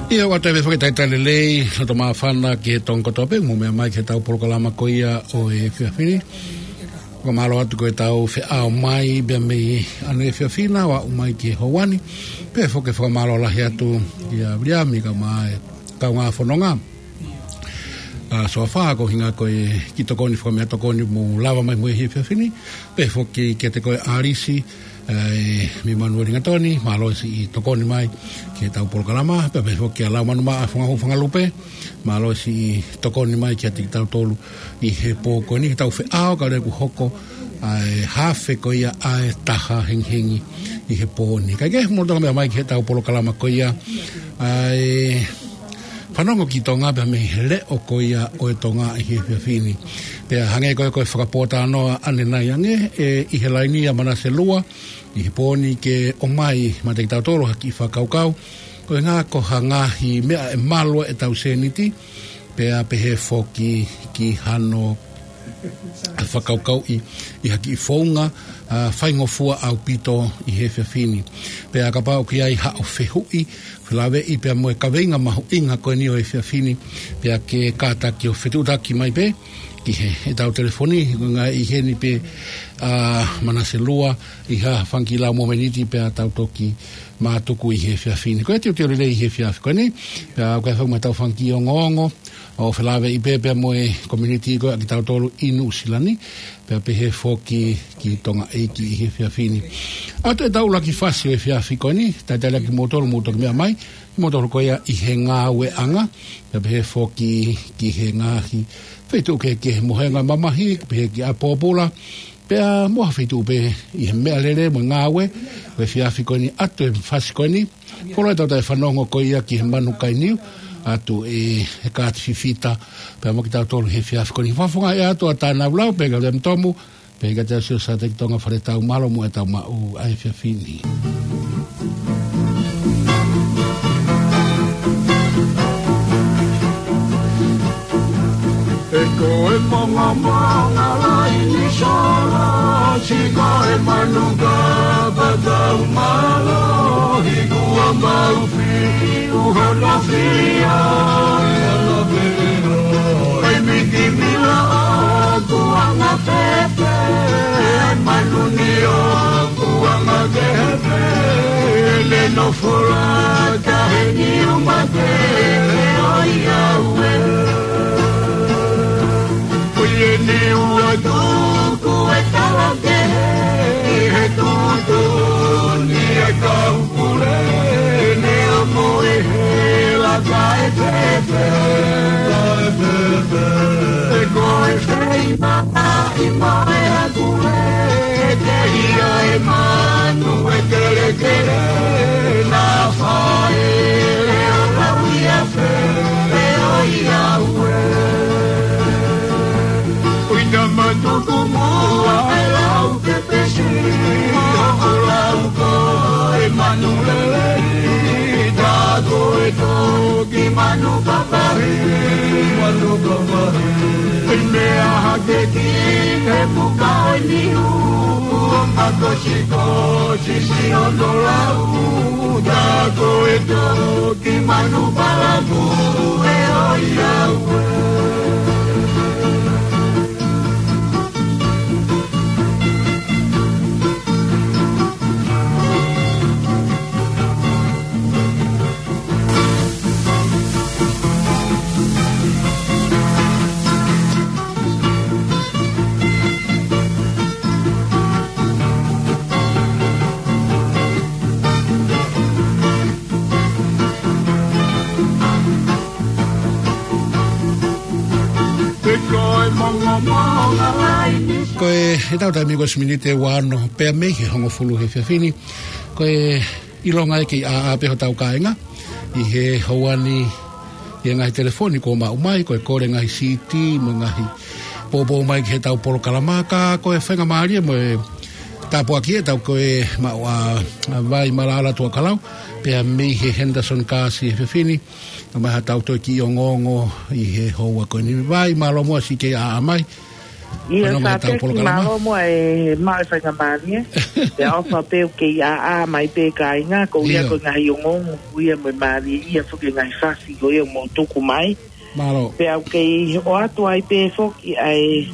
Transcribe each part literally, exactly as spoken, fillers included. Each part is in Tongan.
ʻIo, ʻoatu e foki e talitali lelei, loto māfana ki he tonga kotoa pē, mou meʻa mai ki heʻetau polokalama ko ia ʻo e efiafi ni. Fakamālō atu ko ʻetau feʻao mai pea mei ʻaneefiafi na, ʻo aʻu mai ki he houa ni. Pea foki fakamālō lahi atu kia Viliami kae ʻumaʻā e kaungā fononga. ʻA, so far, ko e ʻuhinga ko e kiʻi tokoni, fakameʻatokoni mou lava mai mo ia he efiafi ni. Pea foki kiate koe ʻAlisi, ʻa, mei Manueli Gatoni, mālō e siʻi tokoni mai ki heʻetau polokalama. Pea foki kia Laumanu Maʻa Fanga-, Fangalupe, mālō e siʻi tokoni mai kiate kitautolu ʻi he pō ko eni, heʻetau feʻao kae ʻoua kuo hoko ʻa e hafe ko ia ʻa e taha hengihengi ʻi he pō ni. Kae kehe, mou lolotonga meʻa mai ki heʻetau polokalama ko ia ʻa e Fanongo ki Tonga pea mei he leʻo ko ia ʻo e Tonga ʻi he efiafi ni. Pea hangē ko e, ko e fakapōtalanoa ʻanenai ange, ʻe ʻi he laini ʻa Manase Lua ʻi he pō ni ke ʻomai maʻa kitautolu ha kiʻi fakakaukau, ko e ʻuhinga ko ha ngaahi meʻa ʻe malu ai ʻetau sēniti, pea pehē foki ki hano fakakaukauʻi ʻi ha kiʻi founga, ʻa, faingofua ʻaupito ʻi he efiafi ni. Pea kapau ʻoku ʻi ai haʻo fehuʻi, felāveʻi pea mo e kaveinga mahuʻinga ko eni ʻo e efiafi ni, pea ke kātaki ʻo fetuʻutaki mai pē ki he, heʻetau telefoni, ko e ʻuhinga ʻi heni pē, ʻa, Manase Lua, ʻi ha fanga kiʻi lau mo e miniti pea tau toki mātuku ʻi he efiafi ni. Ko e teuteu lelei ʻi he efiafi ko eni, pea ʻoku ʻi ai foki mo ʻetau fanga kiʻi ongoongo ʻo felāveʻi pē pea mo e community ko ia ʻa kitautolu ʻi Nuʻusila ni, pea pehē foki ki Tonga ʻEiki ʻi he efiafi ni. ʻOatu ʻetau ʻuluaki fasi ʻo e efiafi ko eni, talitali kimoutolu mou toki meʻa mai, kimoutolu ko ia ʻi he ngāueʻanga, pea pehē foki ki he ngaahi feituʻu kehekehe, mo e ngaahi mamahi, pehē ki ʻApi Pōpula, pea mo ha feituʻu pē ʻi he meʻalele mo e ngāue ʻo e efiafi ko eni. ʻOatu e fasi ko eni, koloa ʻetau taʻefanongo ko ia ki he manu kai niu, ʻoatu ʻe he kāti fifita pea mo kitautolu he efiafi ko eni. Fakafofongaʻi atu ʻa Tānau Lau, pea ka lem tomu, pea ka te asio sa te ki Tonga fale tau mālō mo ʻetau maʻu ʻa e efiafi ni. He ko e mongomongo laini solo, siʻi ko e manu kapa tau mālohi, kuo mau fiu hono fili ʻa e ala pē ʻe noa. ʻAi miki mila ʻoku anga pepe, ʻai manu ni ʻoku anga kehe pē, ʻe le nofo lata he niu mate ʻe ʻoi au ē. Ko ia ni ua tuku e tala kehe, he tuʻutuʻuni e kau pule, ne amo e hela kae pepe. Kae pepe. He ko e fei mamahi mo e hakule, ke hia e manu e kelekele, naʻa faʻele ʻo lau ia fē, ʻe ʻoi au ē. ʻUi naʻa matuku muʻa e lau pepesi, ʻo lau ko e manu lelei, tā ko e toki manu papahi, manu papahi. ʻI meʻa hake ki he puka ʻo e niu, ʻo makosikosi siʻono lau, tā ko e toki manu palaku ʻe ʻoi au ē. Ko e, ʻetau taimi ko e miniti ʻe ua ono pē mei he hongofulu he efiafi ni. Ko e ʻilonga ʻe kei ʻā, ʻā pē hotau kāinga ʻi he houa ni, ʻi he ngaahi telefoni kuo maʻu mai, ko e kole ngaahi siti mo e ngaahi poupou mai ki heʻetau polokalama, ka ko e faingamālie mo e tāpuaki ʻetau ko e maʻu ʻa, ʻa Vai Malaʻala Tuʻakalau, pea mei he Henderson Gas he efiafi ni, ʻomai haʻatau toe kiʻi ongoongo ʻi he houa ko eni. Vai, mālō muʻa siʻi kei ʻā, ʻā mai. Ia, fanongo he tau Sāteki, polokalama. Mālō muʻa e maʻu e faingamālie. Pea ʻofa pē ʻoku kei ʻāʻā mai pē kāinga, ko ia ko e ngaahi ongoongo, ko ia mo e mālie ia foki e ngaahi fasi, ko ia mo tuku mai. Mālō. Pea ʻoku kei ʻoatu ai pē foki ʻa e,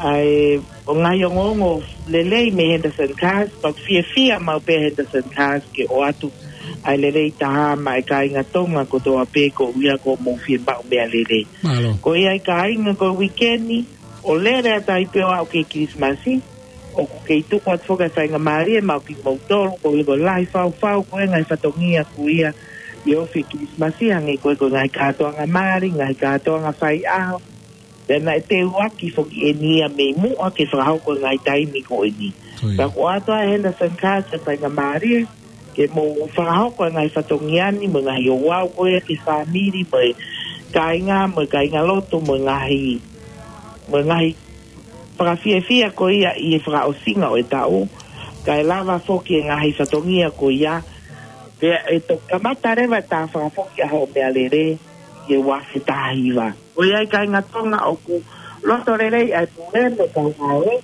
ʻa e, ʻo ngaahi ongoongo lelei mei Henderson Cars, pea ʻoku fiefia maʻu pē Henderson Cars ke ʻoatu ʻa e lelei taha maʻa e kāinga Tonga kotoa pē ko ia ko hoʻomou fiemaʻu meʻalele. Mālō. Ko ia e kāinga ko e uikeni, ʻo lele atu ai pē ʻo aʻu ki he Kilisimasi, ʻoku kei tuku atu foki e faingamālie maʻa kimoutolu, ko ia ko e lahi faufau, ko e ngaahi fatongia ko ia ʻi he ofi Kilisimasi, hangē ko e, ko e ngaahi kātoanga mali, ngaahi kātoanga faiʻaho. Pea naʻe teuaki foki eni ia mei muʻa ke fakahoko e ngaahi taimi ko eni. Ko ia. Ka ʻoku ʻoatu ʻe Henderson Cars e faingamālie ke mou fakahoko e ngaahi fatongia ni, mo e ngaahi ouau ko ia ki he fāmili, mo e kāinga, mo e kāingalotu, mo e ngaahi, mo e ngaahi fakafiefia ko ia ʻi he fakaʻosinga ʻo e taʻu, kae lava foki e ngaahi fatongia ko ia, pea ʻe toki kamata leva e tā fakafoki ʻa hoʻo meʻalele ʻi he ua afe taha hiva. Ko ia e kāinga Tonga ʻoku loto lelei ʻa e pule mo e kau ngāue,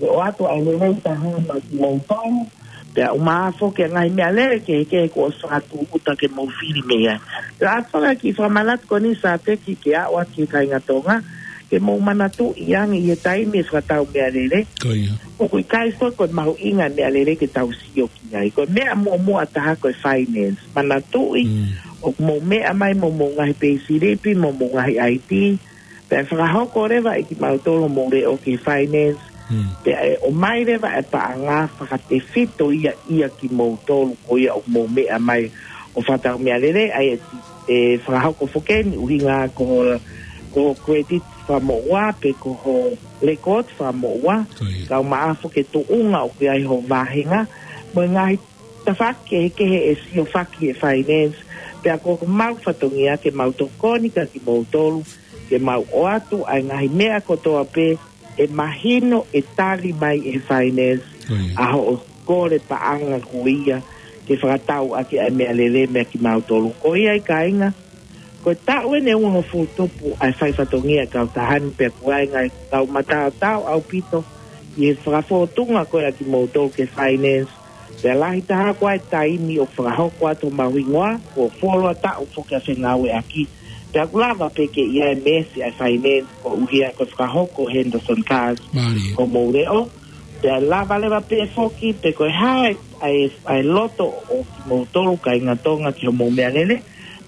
ke ʻoatu ʻa e lelei taha maʻa kimoutolu, pea ʻumaʻā foki e ngaahi meʻalele kehekehe kuo ʻosi fakatūʻuta ke mou fili mei ai. Pea ʻoatu foki e kiʻi fakamanatu ko eni Sāteki ke aʻu atu ki he kāinga Tonga, ke mou manatuʻi ange ʻi he taimi e fakatau meʻalele. Ko ia. ʻOku ʻikai foki ko e mahuʻinga e meʻalele ke tau sio ki ai. Ko e meʻa muʻomuʻa taha ko e finance. Manatuʻi, mm, ʻoku mou meʻa mai mo homou ngaahi peisilipi, mo homou ngaahi I D, pea ʻe fakahoko leva ʻe kimautolu hoʻomou leʻo ki he finance. Hmm. Pea ʻe ʻomai leva e paʻanga fakatefito ia ʻia kimoutolu ko ia ʻoku mou meʻa mai ʻo fakatau meʻalele, ʻa ia ʻe fakahoko foki eni ʻuhinga ko, ko e credit fakamoʻua pe ko e record fakamoʻua. Ko ia. Kae ʻumaʻā foki e tuʻunga ʻoku ʻi ai hoʻo vāhenga, mo e ngaahi tafaʻaki kehekehe ʻe siofaki ʻe he finance, pea ko homau fatongia ke mau tokoni kia kimoutolu, ke mau ʻoatu ʻa e ngaahi meʻa kotoa pē ʻe mahino ʻe tali mai ʻe he finance, ko ia, ʻa hoʻo kole paʻanga ko ia ke fakatau ʻaki ʻa e meʻalele maʻa kimautolu. Ko ia e kāinga, ko e taʻu eni ʻe uofulu tupu ʻa e fai fatongia e kautaha ni, pea ʻoku ʻi ai e ngaahi kau mataotao ʻaupito ʻi he fakafōtunga ko ia ʻa kimoutolu ki he finance. Pea lahi taha ko e taimi ʻoku fakahoko atu homau hingoa, ko e fuoloa taʻu foki ʻa e fengāueʻaki. Pea ʻoku lava pē ke ʻi ai e mēsi ʻa e finance koeʻuhi ko e fakahoko ʻe Henderson Cars, mālie, hoʻomou leʻo. Pea lava leva pē foki, pe ko e hā e, ʻa e, ʻa e loto ʻo kimoutolu kāinga Tonga ki hoʻomou meʻalele,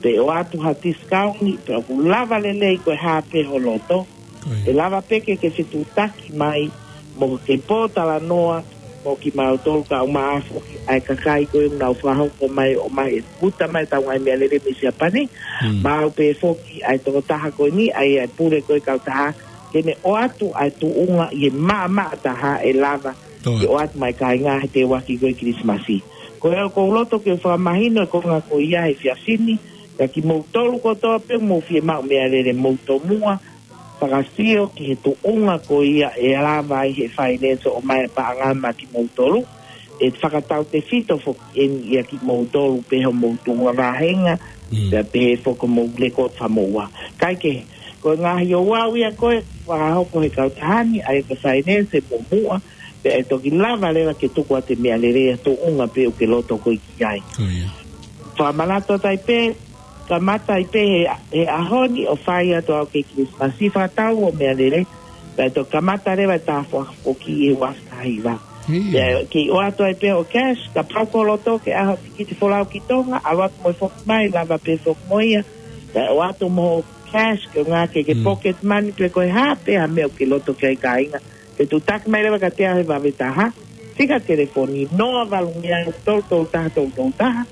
pea ʻoatu ha discount, pea ʻoku lava lelei ko e hā pē ho loto. Ko ia. ʻE lava pē ke ke fetuʻutaki mai mo ke pōtalanoa mo kimautolu, kae ʻumaʻā foki ʻa e kakai ko ia ʻoku nau fakahoko mai, ʻomai e uta mai ʻetau ngaahi meʻalele mei Siapani. Hmm. Maʻu pē foki ʻa e tokotaha ko eni, ʻa ia e pule ko ia e kautaha, ke ne ʻoatu ʻa e tuʻunga ʻi he maʻamaʻa taha ʻe lava, ko ia, ke ʻoatu maʻa e kāinga he teuaki ko ia e Kilisimasi. Ko ia ʻoku ou loto ke fakamahino e konga ko ia he efiafi ni, kia kimoutolu kotoa pē ʻoku mou fiemaʻu meʻalele, mou tomuʻa fakasio ki he tuʻunga ko ia ʻe lava ai ʻe he finance ʻo ʻomai e paʻanga maʻa kimoutolu. ʻE fakatautefito foki eni ʻia kimoutolu pē hoʻomou tuʻunga vāhenga, mm, pea pehē foki hoʻomou record fakamoʻua. Kae kehe, ko e ngaahi ouau ia ko ē ʻe fakahoko ʻe he kautaha ni, ʻa ia ko e finance muʻomuʻa, pea ʻe toki lava leva ke tuku atu e meʻalele ʻi he tuʻunga pē ʻoku ke loto koe ki ai. Ko ia. Fakamanatu atu ai pē, kamata ai pē he, he ʻaho ni ʻo fai atu ʻo aʻu ki he Kilisimasi, fakatau hoʻo meʻalele, pea toki kamata leva e tā fakafoki ʻi he ua afe taha hiva. Ia. Pea kei ʻoatu ai pē hoʻo cash, kapau ko e loto ke ʻaho tikiti folau ki Tonga, ʻalu atu mo e foki mai, lava pē foki mo ia. Pea ʻoatu mo hoʻo cash, ko e ʻuhinga ke ke, mm, pocket money, pe ko e hā pē ha meʻa ʻoku ke loto ki ai kāinga. Ke tuʻutaki mai leva kiate au he vave taha, fika telefoni, noa valu ngeau tolu tolu taha tolu tolu taha,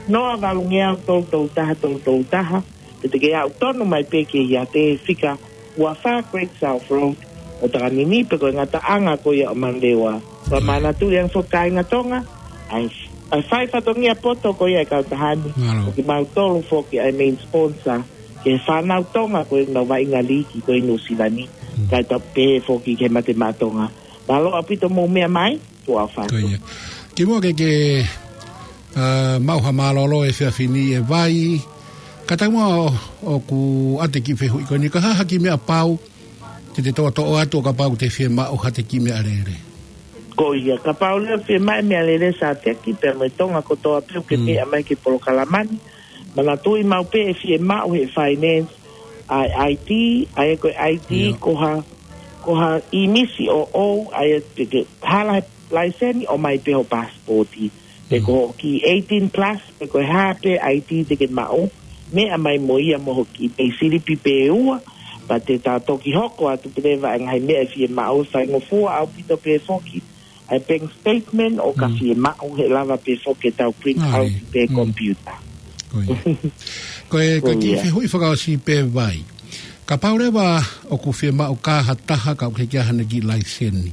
noa valu ngeau tolu tolu taha tolu tolu taha, pe te ke aʻu tonu mai pē ki he ʻiate he fika ua fā Great South Road ʻo Takanini, pe ko e ngataʻanga ko ia ʻo Manurewa. Ko ia. Fakamanatu ange foki kāinga Tonga, ʻa e, ʻa e fai fatongia poto ko ia e kautaha ni, mālō, ko kimautolu foki ʻa e main sponsor ki he fānau Tonga ko ē ʻoku nau vaʻinga liiki ko ē ʻi Nuʻusila ni. Mm. Kae tapu pē foki ki he Mate Maʻa Tonga. Mālō ʻaupito hoʻomou meʻa mai, tuʻa ʻofa atu. Ko ia. Kimuʻa ke ke, ā, maʻu ha mālōlō he efiafi ni ʻi he vai, ka tau muʻa ʻo, ʻoku ʻoatu e kiʻi fehuʻi ko eni, ko e hā ha kiʻi meʻa pau Te te toʻotoʻo atu ʻo kapau te fiemaʻu haʻate kiʻi meʻalele. Ko ia, kapau leva fiemaʻu e meʻalele Sateki, pea mo e Tonga kotoa pē ʻoku ke Mm. meʻa mai ki he polokalama ni. Manatuʻi maʻu pē ʻe fiemaʻu he finance, ʻa e I D, ʻa ia ko e I D Ia. ko ha, ko ha ʻīmisi ʻoʻou, ʻa ia te ke hala he laiseni ʻomai pē ho pasipoti. Pe Mm. ko hoʻo kiʻi eighteen plus, pe ko e hā pē I D te ke maʻu, meʻa mai mo ia mo hoʻo kiʻi pei silipi pē ʻe ua, pea te ta toki hoko atu pē leva e ngaahi meʻa ʻe fiemaʻu, faingofua ʻaupito pē foki ʻa e bank statement ʻo ka Mm. fiemaʻu, he ʻe lava pē foki ke tau print Ai. out pē Mm. computer. Ko ia. Ko e, ko e Ko kiʻi ia. fehuʻi fakaʻosi pē Vai. Kapau leva ʻoku fiemaʻu ka ha taha ka ʻoku ʻikai ke ʻi ai haʻane kiʻi laiseni,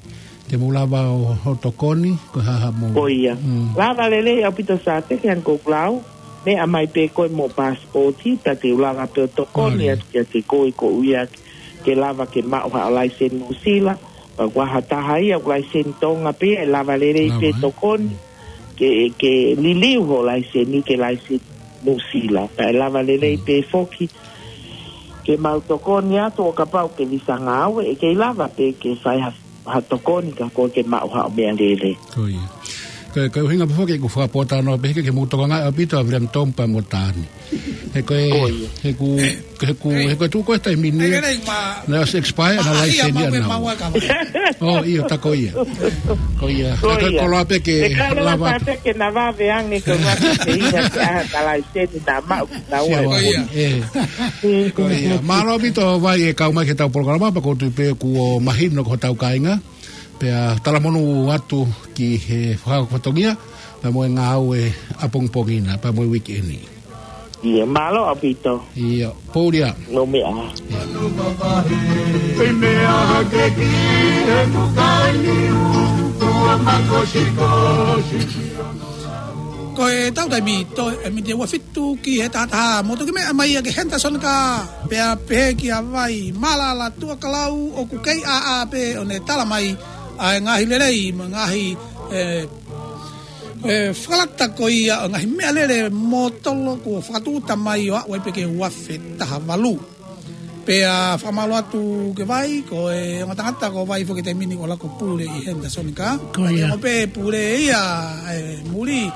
te mou lava ʻo, ʻo tokoni, ko e hā haʻamou. Ko ia. Mm. Lava lelei ʻaupito Sateki, hangē ko ʻeku lau, meʻa mai pē koe mo e pasipoti, pea te u lava pē ʻo tokoni Mālie. atu kiate koe koeʻuhi ke lava ke maʻu haʻo laiseni Nuʻusila, pea ko ha taha ia ʻoku laiseni Tonga pē, ʻe lava lelei Lava, pē ē? tokoni, ke, ke liliu hoʻo laiseni ke laiseni Nuʻusila. Pea ʻe lava lelei Mm. pē foki, ke mau tokoni atu ʻo kapau ke visa ngāue, ʻe kei lava pē ke fai ha, ha tokoni ka ko e ke maʻu haʻo meʻalele. Ko ia. Ko e, ko e ʻuhinga pē foki ʻeku fakapōtalanoa pē ke, ke mou tokangaʻi ʻaupito ʻa William Tom pea mo Tani. He ko e, Ko ia. he ʻoku, he ʻoku, he ʻoku tuʻu ko e taimi ni. Hei, hei, ma- Naʻe ʻosi expire ʻena ma- laiseni ia ʻanau. ma- ma- Oh, ʻio, tā ko ia. Ko ia. Ko Ko e ia. koloa pē ke E kau lava lava. tā pē ke na vave ange ko e vave ke ʻi ai ha laiseni na maʻu ki taua. Sia Ko ia. ʻaupito. ʻĒ. Ko ia. Mālō ʻaupito Vai e kau mai ki heʻetau polokalama, pea ʻoku ou tui pē kuo mahino ki hotau kāinga. Pea talamonū atu ki he fakahoko fatongia, pea mo e ngāue ʻapongipongi na, pea mo e weekend. ʻIo, mālō ʻaupito. ʻIo, pōlia. Nau meʻa. Ko e tau taimi, toe e miniti ʻe ua fitu ki he taha taha, mou toki meʻa mai ia ki he Henderson Car, pea pehē kia Vai, Malala Tuʻakalau, ʻoku kei ʻāʻā pē ʻo ne tala mai ʻa e ngaahi lelei, mo e ngaahi, ʻe, ʻe, fakalata ko ia ʻo e ngaahi meʻalele mōtolo kuo fakatūʻuta mai ʻo aʻu ai pē ki he ua afe taha valu. Pea fakamālō atu ki Vai, ko e ongo tangata ko Vai foki he taimi ni ʻoku laka ʻo pule ʻi Henderson Car. Ko ia. Ko e ongo pē pule ia, ʻe, muli,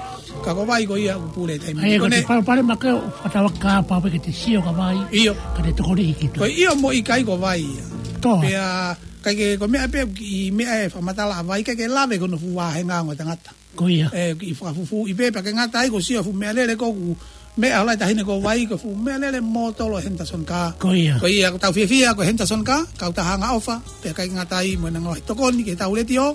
ka ko Vai ko ia ʻoku pule he taimi ni. ʻA ia, ko Ko e ne- palopalema ke fakatauaki kapau pē ke te sio kia Vai. ʻIo. Ka te tokoni ki kita. Ko e ʻio mo e ʻikai ko Vai ia. Toa. Pea, ʻikai ke, ko e meʻa pē ʻoku kiʻi meʻa ʻe fakamatala ʻa Vai, ʻikai ke lave ki hono fuʻu vāhenga ongo tangata. Ko ia. ʻE, kiʻi fakafufuuʻi pē, pea ʻikai ngata ai, ko e sio fuʻu meʻalele ko ʻeku meʻa ʻa e taʻahine ko Vai, ko e fuʻu meʻalele mōtolo Henderson Car. Ko ia. Ko ia, ʻoku tau fiefia ko e Henderson Car, kautaha angaʻofa, pea ʻikai ngata ai mo ʻena ngaahi tokoni ki heʻetau letiō,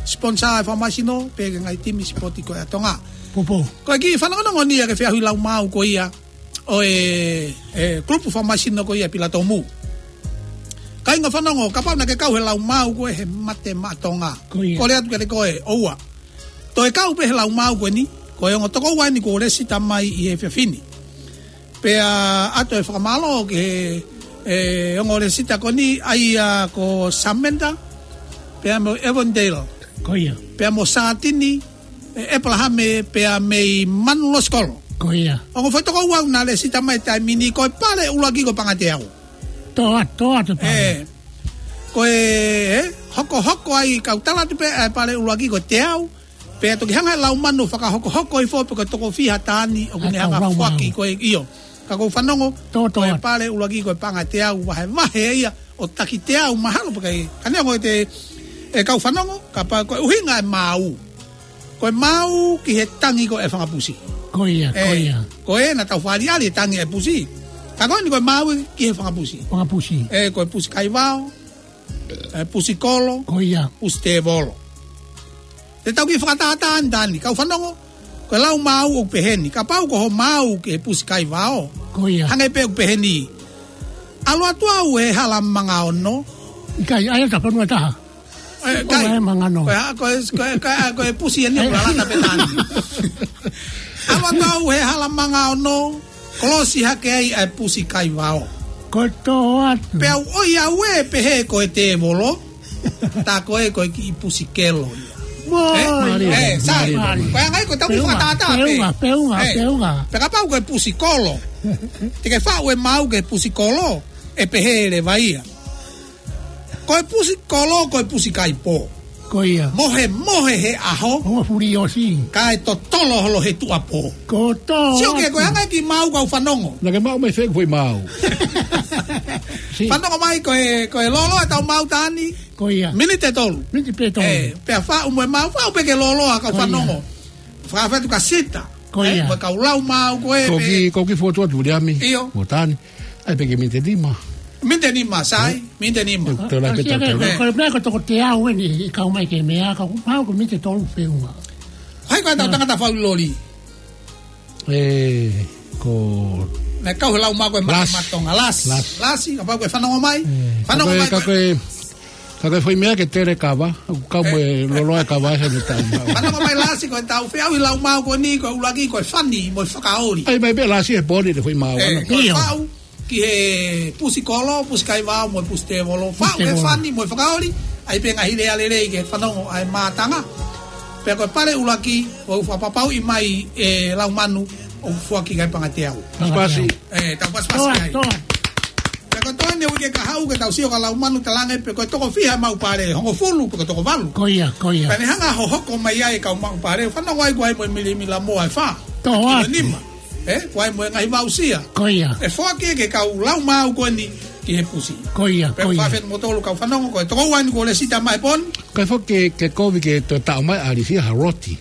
sponsor e Fakamasino, pea ki he ngaahi timi sipoti ko ē ʻa Tonga. Poupou. Ko e kiʻi fanongonongo ni ia ki he feʻauhi lau maau ko ia ʻo e, e, kulupu Fakamasino ko ia Pilatomu. Kāinga fanongo, kapau naʻa ke kau he lau maau ko ē he Mate Maʻa Tonga. Ko ia. Kole atu kiate koe, ʻoua. Toe kau pē he lau maau ko eni, ko e ongo tokoua eni kuo lēsisita mai ʻi he efiafi ni. Pea ʻoatu e fakamālō ki he, e, ongo lēsisita ko eni, ʻa ia ko Samantha, pea mo Evandale. Ko ia. Pea mo Satini, e, ʻEpalahame, pea mei Manulosikolo. Ko ia. Ongo foʻi tokoua naʻe lēsisita mai he taimi ni, ko e pale ʻuluaki ko Pangateau. Toa, toa, toa. ʻE, ko e, e, hokohoko ai, kau tala atu pē, e, pale ʻuluaki ko Teau, pea toki hanga ʻe Laumanu ʻo fakahokohoko hifo pe ko e toko fiha taani ʻoku ne hanga ʻo foaki ko ē, ʻio. Ka ʻoku ou fanongo, Toa, toa. ko e pale ʻuluaki ko e Pangateau, vahevahe ia ʻo taki teau mahalo pē kai. Ka neongo ʻete, e kau fanongo, kapau ko e ʻuhinga e maau. Ko e maau ki he tangi ko ē fanga pusi. Ko ia, ko ʻE, ia. ko ē naʻa tau fāliali e tangi e pusi. Ka ko eni ko e maau ki he fanga pusi. Fanga pusi. ʻE, ko e pusi kaivao, e, pusi kolo, Ko ia. pusi tēvolo. Te tau kiʻi fakatātā ʻanitani, kau fanongo, ko e lau maau ʻoku pehē ni, kapau ko hoʻo maau ki he pusi kaivao. Ko ia. Hangē pē ʻoku pehē ni. ʻAlu atu au he hala manga ono. ʻIkai, ʻa ia ta fanua taha. ʻE, ʻIkai. ʻAlu he manga ono. Ko e, ko e, ko e, ko e, ko e pusi eni ʻoku lalata pē taani. ʻAlu atu au he hala manga ono, kolosi hake ai ʻa e pusi kaivao. Ko e toa. Pea u ʻoi au ē pehē ko e tēvolo, tā ko ē ko e kiʻi pusi kelo ia. Mo. ʻE? Mālie, ʻE, sai. mālie, mālie. Ko e anga ia ko e tau Peunga, fakatātā pē. peunga, peunga, ʻE, peunga. Pea kapau ko e pusi kolo, te ke faʻu e maau ki he pusi kolo, ʻe pehē leva ia. Ko e pusi kolo, ko e pusi kaipō. Ko ia. Mohemohe he ʻaho. Ongo fuli ʻosi. Kae totolo holo he tuʻapō. Ko tō Sio ke atu. Ko e hanga ki maʻu kau fanongo. Naʻa ke maʻu mai fē foʻi maʻu. Si. Fanongo mai ko e, ko e lōloa ʻetau maʻu tāni. Ko ia. Miniti ʻe tolu. Miniti pē tolu. Ē, pea faʻu mo e maʻu, faʻu pē ke lōloa kau Ko ia. Fanongo. Fakafeʻatu ka sita. Ko Ē, ia. Mo e kau lau maʻu ko ē Ko pē. ki, ko ki fotu atu Viliami. ʻIo. Mo Tani. ʻAi pē ke miniti nima. Miniti nima, sai. Ē? Miniti nima. Ē, tō lai pē Kasi tau ake, tau. ko, ko e meʻa ko toko teau eni, ʻi kau mai ke meʻa, ka ko, mau ko miniti tolu feʻunga. Hai ko e tau Ā. tangata fau loli. Ē, ko Naʻe kau he lau maʻu ko e ma-, Lasi. Matonga. Lasi. Lasi. Lasi, kapau ko e fanongo mai. Ē, Fanongo ka mai ko e, ko e ka ko e, ka ko e foʻi meʻa ke tele kava, kau mo e Ē. lōloa e kava he meʻa tau maʻu. Fanongo mai Lasi ko e tau feʻauhi lau maʻu ko eni, ko e ʻuluaki, ko e fani, mo e fakaoli. ʻAi mai pē Lasi he pō ni ʻe foʻi maʻu Ē, ana. ko e ʻIo. faʻu, ki he pusi kolo, pusi kaivao, mo e pusi tēvolo. Pusi Faʻu he tēvolo. fani, mo e fakaoli, ʻai pē ngaahi lea lelei ke fanongo ʻa e mātanga. Pea ko e pale ʻuluaki, ʻoku fakapapauʻi mai ʻe Laumanu, ʻoku foaki ki he Pangateau. Pasipasi. Ē, tau pasipasi Toa, ai. toa. Pea ko e toe ni uike kahaʻu ke tau sio kia Laumanu talaange pe ko e toko fiha maʻu pale, hongofulu pe ko e toko valu. Ko ia, ko ia. Pea ne hanga hohoko mai ai kau maʻu pale, fanongo ai ko ai mo e milimila moa ʻe fā. Toa. Ko e nima. Ē, ko ai mo e ngaahi vausia. Ko ia. ʻE foaki ke kau lau maʻu ko eni ki he pusi. Ko ia, Pea ko ia. fakafeʻatu mo tolu kau fanongo ko e toko ua ni ko e lēsita mai pon. Kae foki ke, ke kovi ke toe taʻo mai ʻa Alisi ha roti.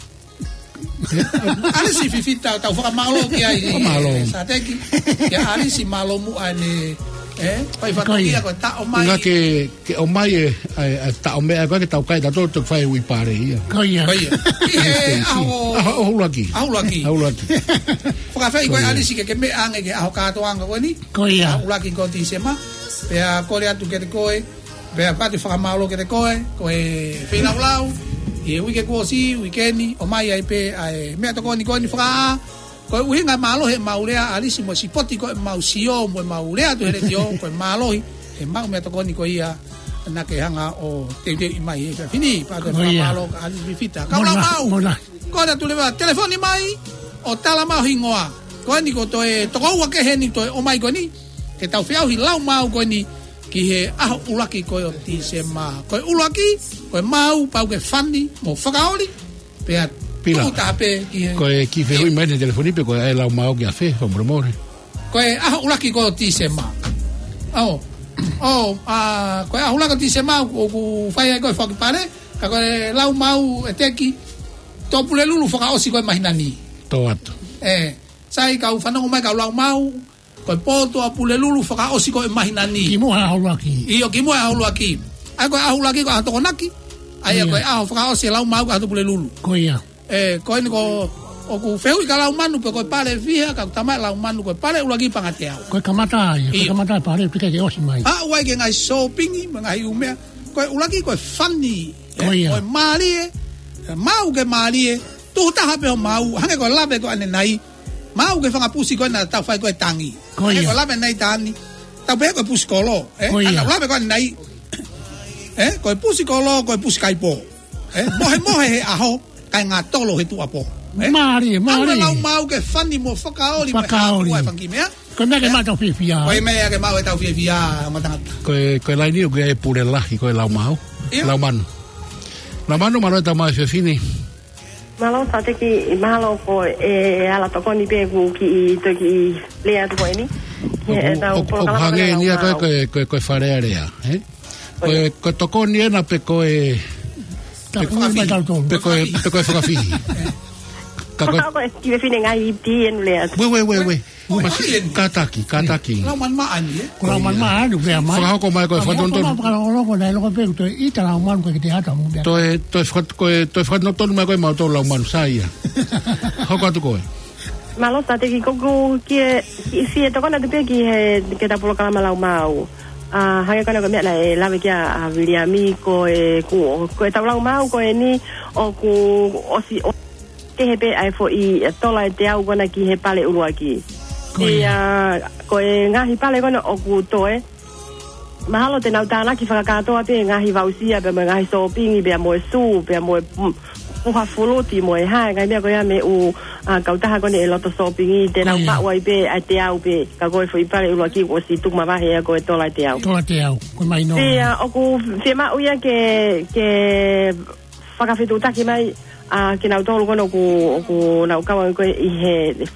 ʻAlisi Fifita, tau fakamālō ki ai, Fakamālō. ʻe, Sateki. Kia ʻAlisi mālō muʻa ʻene, ē, fai Ko ia. fatongia ko e taʻo mai. Ngā ke, ke ʻomai e, ʻa e, ʻa e taʻo meʻa, ko e ke tau kai tatou te fai ui pare ia. Ko ia. Ko ia. ʻI he Yes, yes. ʻaho ʻAho ʻuluaki. ʻAho ʻuluaki. ʻAho ʻuluaki. Fakafeʻi Ko koe ia. ʻAlisi ke ke meʻa ange ki he ʻaho kātoanga ko eni. Ko ia. ʻAho ʻuluaki ko Tīsema. Pea kole atu kiate koe. Pea pati fakamālō kiate koe, ko e feilaulau, ʻi he uike kuo ʻosi, uike ni, ʻomai ai pē, ʻa e meʻatokoni ko eni fakaʻā, ko e ʻuhinga mālohi ʻemau lea ʻAlisi mo e sipoti ko ʻemau sio, mo ʻemau lea atu he letiō, ko e mālohi, ʻemau meʻatokoni ko ia, naʻa ke hanga ʻo teuteuʻi mai he efiafi ni, pea ko e Ko ia. fakamālō kia ʻAlisi Fifita. Kau Mona, lau maʻu. mona. Ko ena tule vā, telefoni mai, ʻo tala mai ho hingoa. Ko eni ko toe, toko ua kehe ni toe ʻomai ko eni, ke tau feʻauhi lau maʻu ko eni, ki he ʻaho ʻuluaki ko ē ʻo Tīsema. Ko e ʻuluaki, ko e maʻu, pau ke fani, mo fakaoli, pea Pila. tuku taha pē ki he Ko e ki fehuʻi mai he telefoni pe ko e lau maʻu ki a fe, fakamolemole. Ko e ʻaho ʻuluaki ko ē ʻo Tīsema. ʻO, ʻo, ʻa, ko e ʻaho ʻuluaki ʻo Tīsema, ʻoku fai ai ko e foaki pale, ka ko e lau maʻu ʻe teki, tō Pulelulu fakaʻosi ko e māhina ni. Tō atu. Ē, sai kau fanongo mai kau lau maʻu, ko e pō tō ʻa Pulelulu fakaʻosi ko e māhina ni. Kimuʻa he ʻaho ʻuluaki. ʻIo, kimuʻa he ʻaho ʻuluaki. ʻA ia ko e ʻaho ʻuluaki ko e ʻaho Tokonaki. ʻA ia Ia. ko e ʻaho fakaʻosi e lau maʻu ko e ʻaho tō Pulelulu. Ko ia. Ē, ko eni ko ʻoku fehuʻi kia Laumanu pe ko e pale fiha, ka ko e tama Laumanu ko e pale ʻuluaki Pangateau. Ko e kamata ia, ko e ʻIo. kamata e pale, pika ke ʻosi mai. ʻA, ʻoku ʻi ai ke ngaahi sōpingi, mo e ngaahi ʻū meʻa. Ko e ʻuluaki ko e fani, ē, Ko ia. ko e mālie, ē, maʻu ke mālie, tuku taha pē ho maʻu, hangē ko e lave ko ʻanenai, maʻu ke fanga pusi ko ē naʻa tau fai ko e tangi. Ko Hangē ia. ko e lave ʻanenai Tani, tau pehē ko e pusi kolo, ē, Ko ia. ʻa e lave ko ʻanenai, ē, ko e pusi kolo, ko e pusi kaipō. Ē, mohemohe he ʻaho, kae ngātolo he tuʻapō. Ē? Mālie, Aua mālie. lau maʻu ke fani mo fakaoli mo e Fakaoli. hākua e fanga kiʻi meʻa. Ko e meʻa ke Ē? maʻu tau fiefia. Ko e meʻa ke maʻu e tau fiefia, mo tangata. Ko e, ko e laini ʻoku ʻi ai e pule lahi, ko e lau maʻu. ʻIo. Laumanu. Laumanu, mālō e tau maʻu e efiafi ni. Mālō, Sateki, mālō ko e ala tokoni pē ʻoku kiʻi toki lea atu ko eni. Ki he ʻOku, ʻetau ʻoku, ʻoku polokalama hangē ko e eni ia lau ko e, maʻu. ko e, ko e, ko e Fale Alea, ē? Ko e, Ko e ko e tokoni ena pe ko e, Tau pe ko e mai tau tolu. pe ko e, pe ko e fakafihi. Ka ko e Ko e kiʻi fefine ngaahi iti enu lea atu. Uē, uē, uē, uē. Uē, Masi, uē, uē. kātaki, kātaki. Lau man maʻani, ē? Ko lau man maʻani, uē, mai. Fakahoko mai ko e Ka fatonutonu. ko e fakalongolongo, naʻe loko pē, ko e ʻita lau man ko e kiʻi ata mo pē. Toe, toe fakat-, ko e, toe fakanotonu mai ko e mau tō lau manu, sai ia. Hoko atu koe. Mālō, Sateki, ko ʻeku kiʻi, kiʻi fie tokona atu pē ki he, ki heʻetau polokalama lau maʻu. ʻA, hangē ko ena ko e meʻa naʻe lave ki ai ʻa Viliami, ko e, ko, ko ʻetau lau maʻu ko eni, ʻoku ʻosi, ʻo, kehe pē ʻa e foʻi, ē, tola ʻe teau ko ena ki he pale ʻuluaki. Ko ia. Pea, ko e ngaahi pale ko ena ʻoku toe, mahalo te nau tānaki fakakātoa pē ngaahi voucher, pea mo e ngaahi sōpingi, pea mo e sū, pea mo e, mm, puha fuluti mo e hā, ngaahi meʻa ko ia mei he ʻū, ʻa, kautaha ko eni ʻe loto sōpingi, te nau Ko ia. maʻu ai pē ʻa e teau pē, ka ko e foʻi pale ʻuluaki kuo ʻosi tuku mavahe ia ko e tola ʻe teau. Tola ʻe teau, ko e mahino. Pea ʻoku fiemaʻu ia ke, ke fakafetuʻutaki mai, ʻa, kinautolu ko eni ʻoku, ʻoku nau kau ange ko ē ʻi he,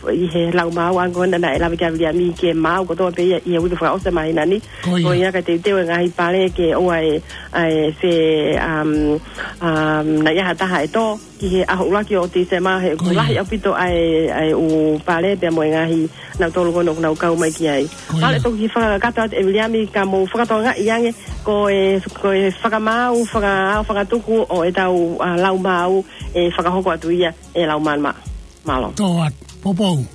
ʻi he lau maau ange ko ena naʻe lave ki ai ʻa Viliami ke maau kotoa pē ia ʻi he uike fakaʻosi ʻo e māhina ni. Ko ia. Ko ia ka teuteu e ngaahi pale ke ʻoua ʻe, ʻa e fe, um, um, naʻa ʻi ai ha taha ʻe tō ki he ʻaho ʻuluaki ʻo Tīsema he Ko ia. lahi ʻaupito ʻa e, ʻa e ʻū pale pea mo e ngaahi nautolu ko eni ʻoku nau kau mai ki ai. Ko ia. Pale toki fakakakato atu ʻe Viliami ka mou fakatokangaʻi ange ko e, ko e fakamaau, fakaao, fakatuku ʻo ʻetau, ʻa, lau maau ʻe fakahoko atu ia ʻe lau mālō. Mālō. Tō atu, poupou.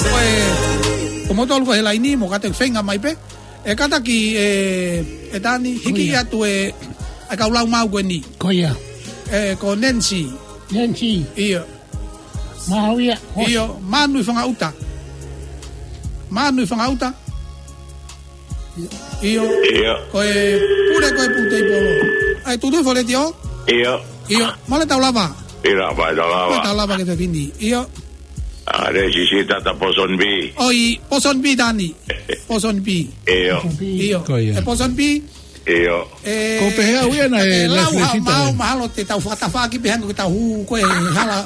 Ko e, ko moutolu ko ē he laini, mou kātaki feinga mai pē. ʻE kātaki, ʻe, ʻe Tani, hiki Ko ia. atu ē, ʻa e kau lau maau ko eni. Ko ia. ʻE, ko Nancy. Nancy. ʻIo. Mahuʻinga. ʻIo, Manu ʻi Fangaʻuta. Manu ʻi Fangaʻuta. ʻIo. ʻIo. Ko e pule ko ē Putei Polo. ʻAi, tutu fo letiō? ʻIo. ʻIo, mole tau lava. ʻIo, lava, tau lava. Mole tau lava ki he fefine. ʻIo. ʻA, Lesi Sita ta Pōsonibī. ʻOi, Pōsonibī Tani. Pōsonibī. ʻIo. ʻIo. Ko ia. ʻE Pōsonibī. ʻIo. ʻE, Ko pehē au ia naʻe, ʻe naʻe lau Lesi ha Sita. mau mahalo te tau fakatafaʻaki pē hangē ko ʻetau hū ko ē he hala,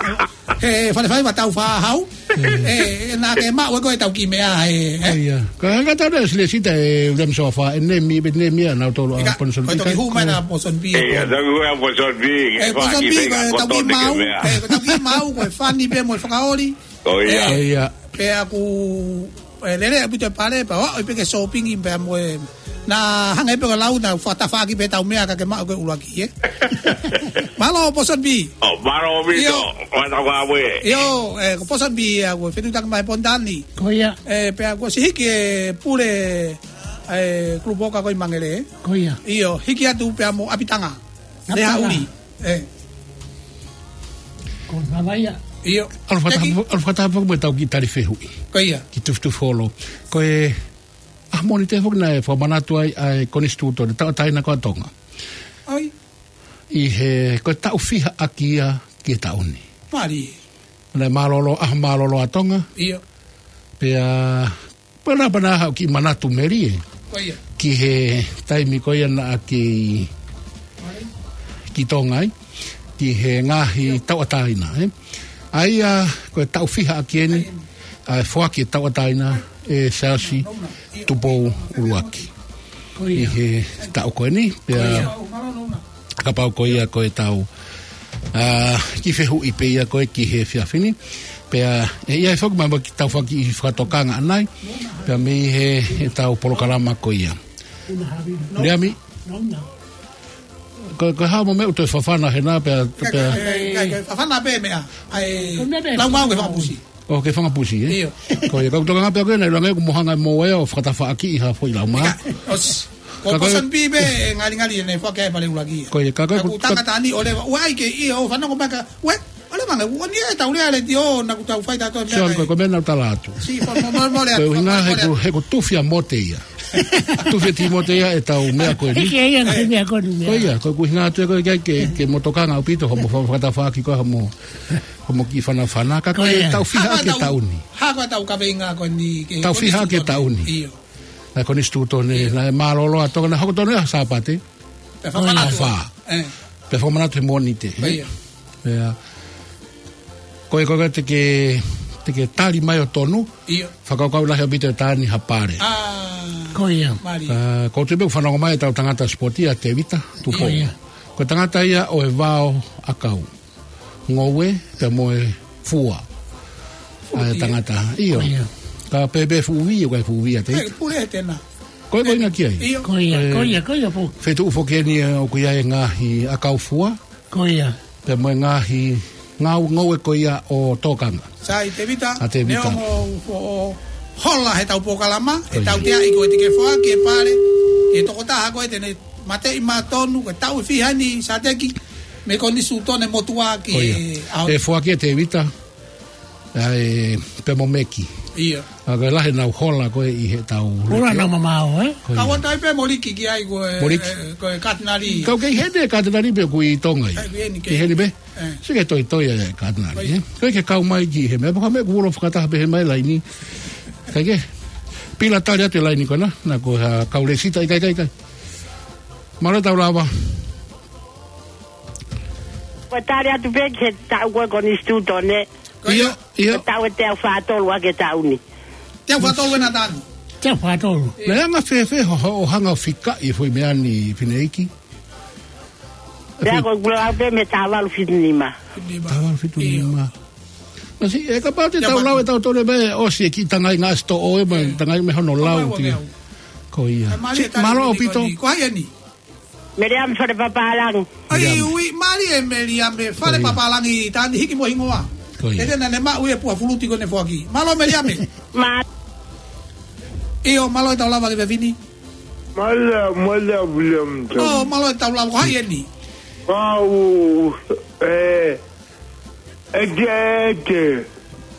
he fale faiva tau fā hau. ʻE, naʻa ke maʻu ē ko ʻetau kiʻi meʻa ē, ē. ʻIo. Ka hanga tau naʻe Lesi Sita ʻe Viliami Soafa, ʻe Nemi, ʻe Nemi ʻa nautolu ʻa Ika, Pōsonibī ko e toki kai. hū mai naʻa Pōsonibī ʻIo, ē. tau hū ʻa Pōsonibī, ʻE, ke Pōsonibī, faki ko e feinga tau koto kiʻi ni ke mau, meʻa. ʻe, ko e tau kiʻi mau, ko e fani pē mo e fakaoli. Ko ia. ʻE, Ko ia. pea ʻoku, ʻe, lele ʻaupito e pale, pea ʻoku ʻi ai pē ke sōpingi pea mo e. Naʻa hangē pē ko e lau naʻa fakatafaʻaki pē ʻetau meʻa ka ke maʻu ko ē ʻuluaki, ē. Mālō, Pōsonibī. ʻO, mālō ʻaupito. ʻIo. Mālō ʻaupito. ʻIo, ʻe, ko Pōsonibī ia, kuo fetuʻutaki mai Ponitani. Ko ia. ʻE, pea kuo ʻosi hiki e pule, ʻe, Kulupu Oka ko ē ʻi Mangere. Ko ia. ʻIo, hiki atu pea mo ʻApitanga. ʻApitanga. Lehaʻuli. ʻE. Ko Navaia. ʻIo. ʻAlu fakataha, Teki. ʻalu fakataha foki mo ʻetau kiʻi tali fehuʻi. Ko ia. Kiʻi tufitufi holo. Ko e ʻaho Mōnite foki naʻe fakamanatu ai ʻa e Konisitūtone, tauʻatāina ko ē ʻa Tonga. ʻOi. ʻI he, ko e taʻu fiha ʻaki ia ki he taʻu ni. Mālie. Naʻe mālōlō, ʻaho mālōlō ʻa Tonga. ʻIo. Pea, pea naʻa, pea naʻa haʻu kiʻi manatu melie. Ko ia. Ki he taimi ko ia naʻa ke ʻi, Mālie. ki Tonga ai. Ki he ngaahi tauʻatāina, ē. ʻA ia, ko e taʻu fiha ʻaki eni, ʻa e foaki e tauʻatāina ʻe Siaosi Tupou ʻUluaki. Ko ia. ʻI he taʻu ko eni, pea Ko ia. kapau ko ia ko ʻetau, ʻa, kiʻi fehuʻi pē ia ko ē ki he efiafi ni. Pea, ʻe, ʻi ai foki mai mo e kiʻi tau faki fakatokanga ʻanai. Pea mei he, ʻetau polokalama ko ia. Viliami. Ko, ko e hā mo e meʻa ʻoku toe fafana hena pea, Ka, pea. ka, ka, ka, fafana pē meʻa. ʻAi, Ko e meʻa pē. lau maau ke fakapusi. ʻO, ke fakapusi, ē? ʻIo. Ko ia, ka ʻoku tokanga pē ko ē naʻe ʻiloange ʻoku mo hanga mo ē ʻo fakatafaʻaki ʻi ha foʻi lau maau. Ka, ʻosi. Ko Ka ko e Pōsonibī pē, ʻe ngali ngali ʻene foaki ai pale ʻuluaki ia. Ko ia, ka ko e Ka ku ku tangata ni ʻo leva, ʻoua ʻe ke ʻi, ʻo fanongo mai ka, ʻoua ʻe, ʻo leva nge, ʻoua ni ʻe tau lea letiō, naʻa ku tau fai tato Sio, ko e meʻa ko e meʻa naʻa ku tala atu. Si, fo, mo, mo, mo, lea, Ko e ʻuhinga mo, he mo, lea. ko e, he ko e tufi ʻa Mote ia. Tufi ʻa Timote ia ʻetau meʻa ko eni. Hiki ia ngaahi meʻa ko eni meʻa. Ko ia, ko e ʻuhinga atu ia ko e ke, ke, ke mo tokanga ʻaupito, hoʻomo fa-, fakatafaʻaki ko ē, hoʻomo, hoʻomo kiʻi fanafana, ka ko Ko e ia. tau fiha Hako ʻaki e tau, taʻu ni. hako tau kavenga ko eni ke Tau fiha ʻaki e Konisitūtone. taʻu ni. ʻIo. Naʻe Konisitūtone, Ia. naʻe mālōlō ʻa Tonga, naʻe hoko Tonga ʻi he Sāpate. Pea fakamanatu. ʻAho fā. ʻE. Pea fakamanatu he Mōnite, ʻe? Ia. Ia. Ko e, ko e, te ke, te ke tali mai ʻo tonu. Ia. Fakakaukau lahi ʻaupito ʻe Tani ha pale. ʻA. Ko ia. Mālie. ʻA, ko e tuʻu pē ʻoku fanongo mai ʻetau tangata sipoti ʻa Tevita Tupou. Ko ia. Ko e tangata ia ʻo e vao ʻakau. Ngoue, pea mo e fua. Fua ʻA e ia. tangata. ʻIo. Ko ia. Ka pehē pē fuʻu vī, ʻoku ʻikai fuʻu vī ʻa Tevita. ʻE, pule he tena. Ko e ko ʻuhinga ki ai. ʻIo. Ko ia, Ē, ko ia, ko ia pō. Feituʻu foki eni ʻoku ʻi ai e ngaahi ʻakau fua. Ko ia. Pea mo e ngaahi ngau ngoue ko ia ʻo tokanga. Sai, Tevita. ʻA Tevita. Neongo ʻoku hola he tau polokalama, Ko ia. ʻetau teaʻi ko e tike foaki e pale. ʻe tokotaha ko ē te ne mateʻi maʻa tonu, ko e taʻu ʻe fiha eni Sateki, mei he Konisitūtone motuʻa ki Ko ia. he ʻaho. ʻE foaki ʻe Tēvita, ʻa e pea mo Meki. Ia. ʻA ko e lahi ʻenau hola ko ē ʻi heʻetau Hola leke. nau mamao, ē? Ko ia. Ka ua tai pē mo Liki ki ai ko e, Mo Liki. e, ko e Katinali. Kau kei heni e Katinali pe ʻoku ʻi Tonga ia. Kei heni, Kei kei. heni pē. ʻE. Sike toi toi e Katinali, Oi. ē? Ko e ke kau mai ki he meʻa, paka meʻa kuo ulo fakataha pē he mai laini. Kai ke. Pila tali atu e laini ko ena, na ko ha kau lēsisita, ʻikai, ʻikai, ʻikai. Mālō e tau lava. Ko e tali atu pē ki he taʻu ko e Konisitūtone. Ko ia. ʻIo, ʻio. Ko e taʻu ʻe teau fā tolu ʻa e taʻu ni. Teau fā tolu ena tanu. Teau fā tolu. Naʻe anga fēfē hoʻo, hoʻo hanga ʻo fikaʻi e foʻi meʻa ni Fineʻeiki? Pea ko e kula au pē mei he taha valu fitu nima. Taha valu fitu nima. ʻIo. Masi, ʻe kapau te Ia, tau ma- lau e tau tole pē, ʻosi e kiʻi tangai ngaahi sitoʻo ē, ma- ʻIo. tangai mei hono lau Ko e ki. ua meʻa. Ko ia. Ai, mālie Si, tali mālō ʻaupito. Ko hai eni? Meliame Fale Papalangi. Ai, Meliame. ui, mālie Meliame Fale Ko ia. Papalangi, tani hiki mo hingoa. Ko ia. ʻE te na ne maʻu e puha fuluti ko ʻene foaki. Mālō Meliame. Ma- ʻIo, mālō e tau lava ki he fefine. Mālō, mālō, William. ʻO, mālō e tau lava, ko hai eni? Pau, ē, ʻEke, ʻEke.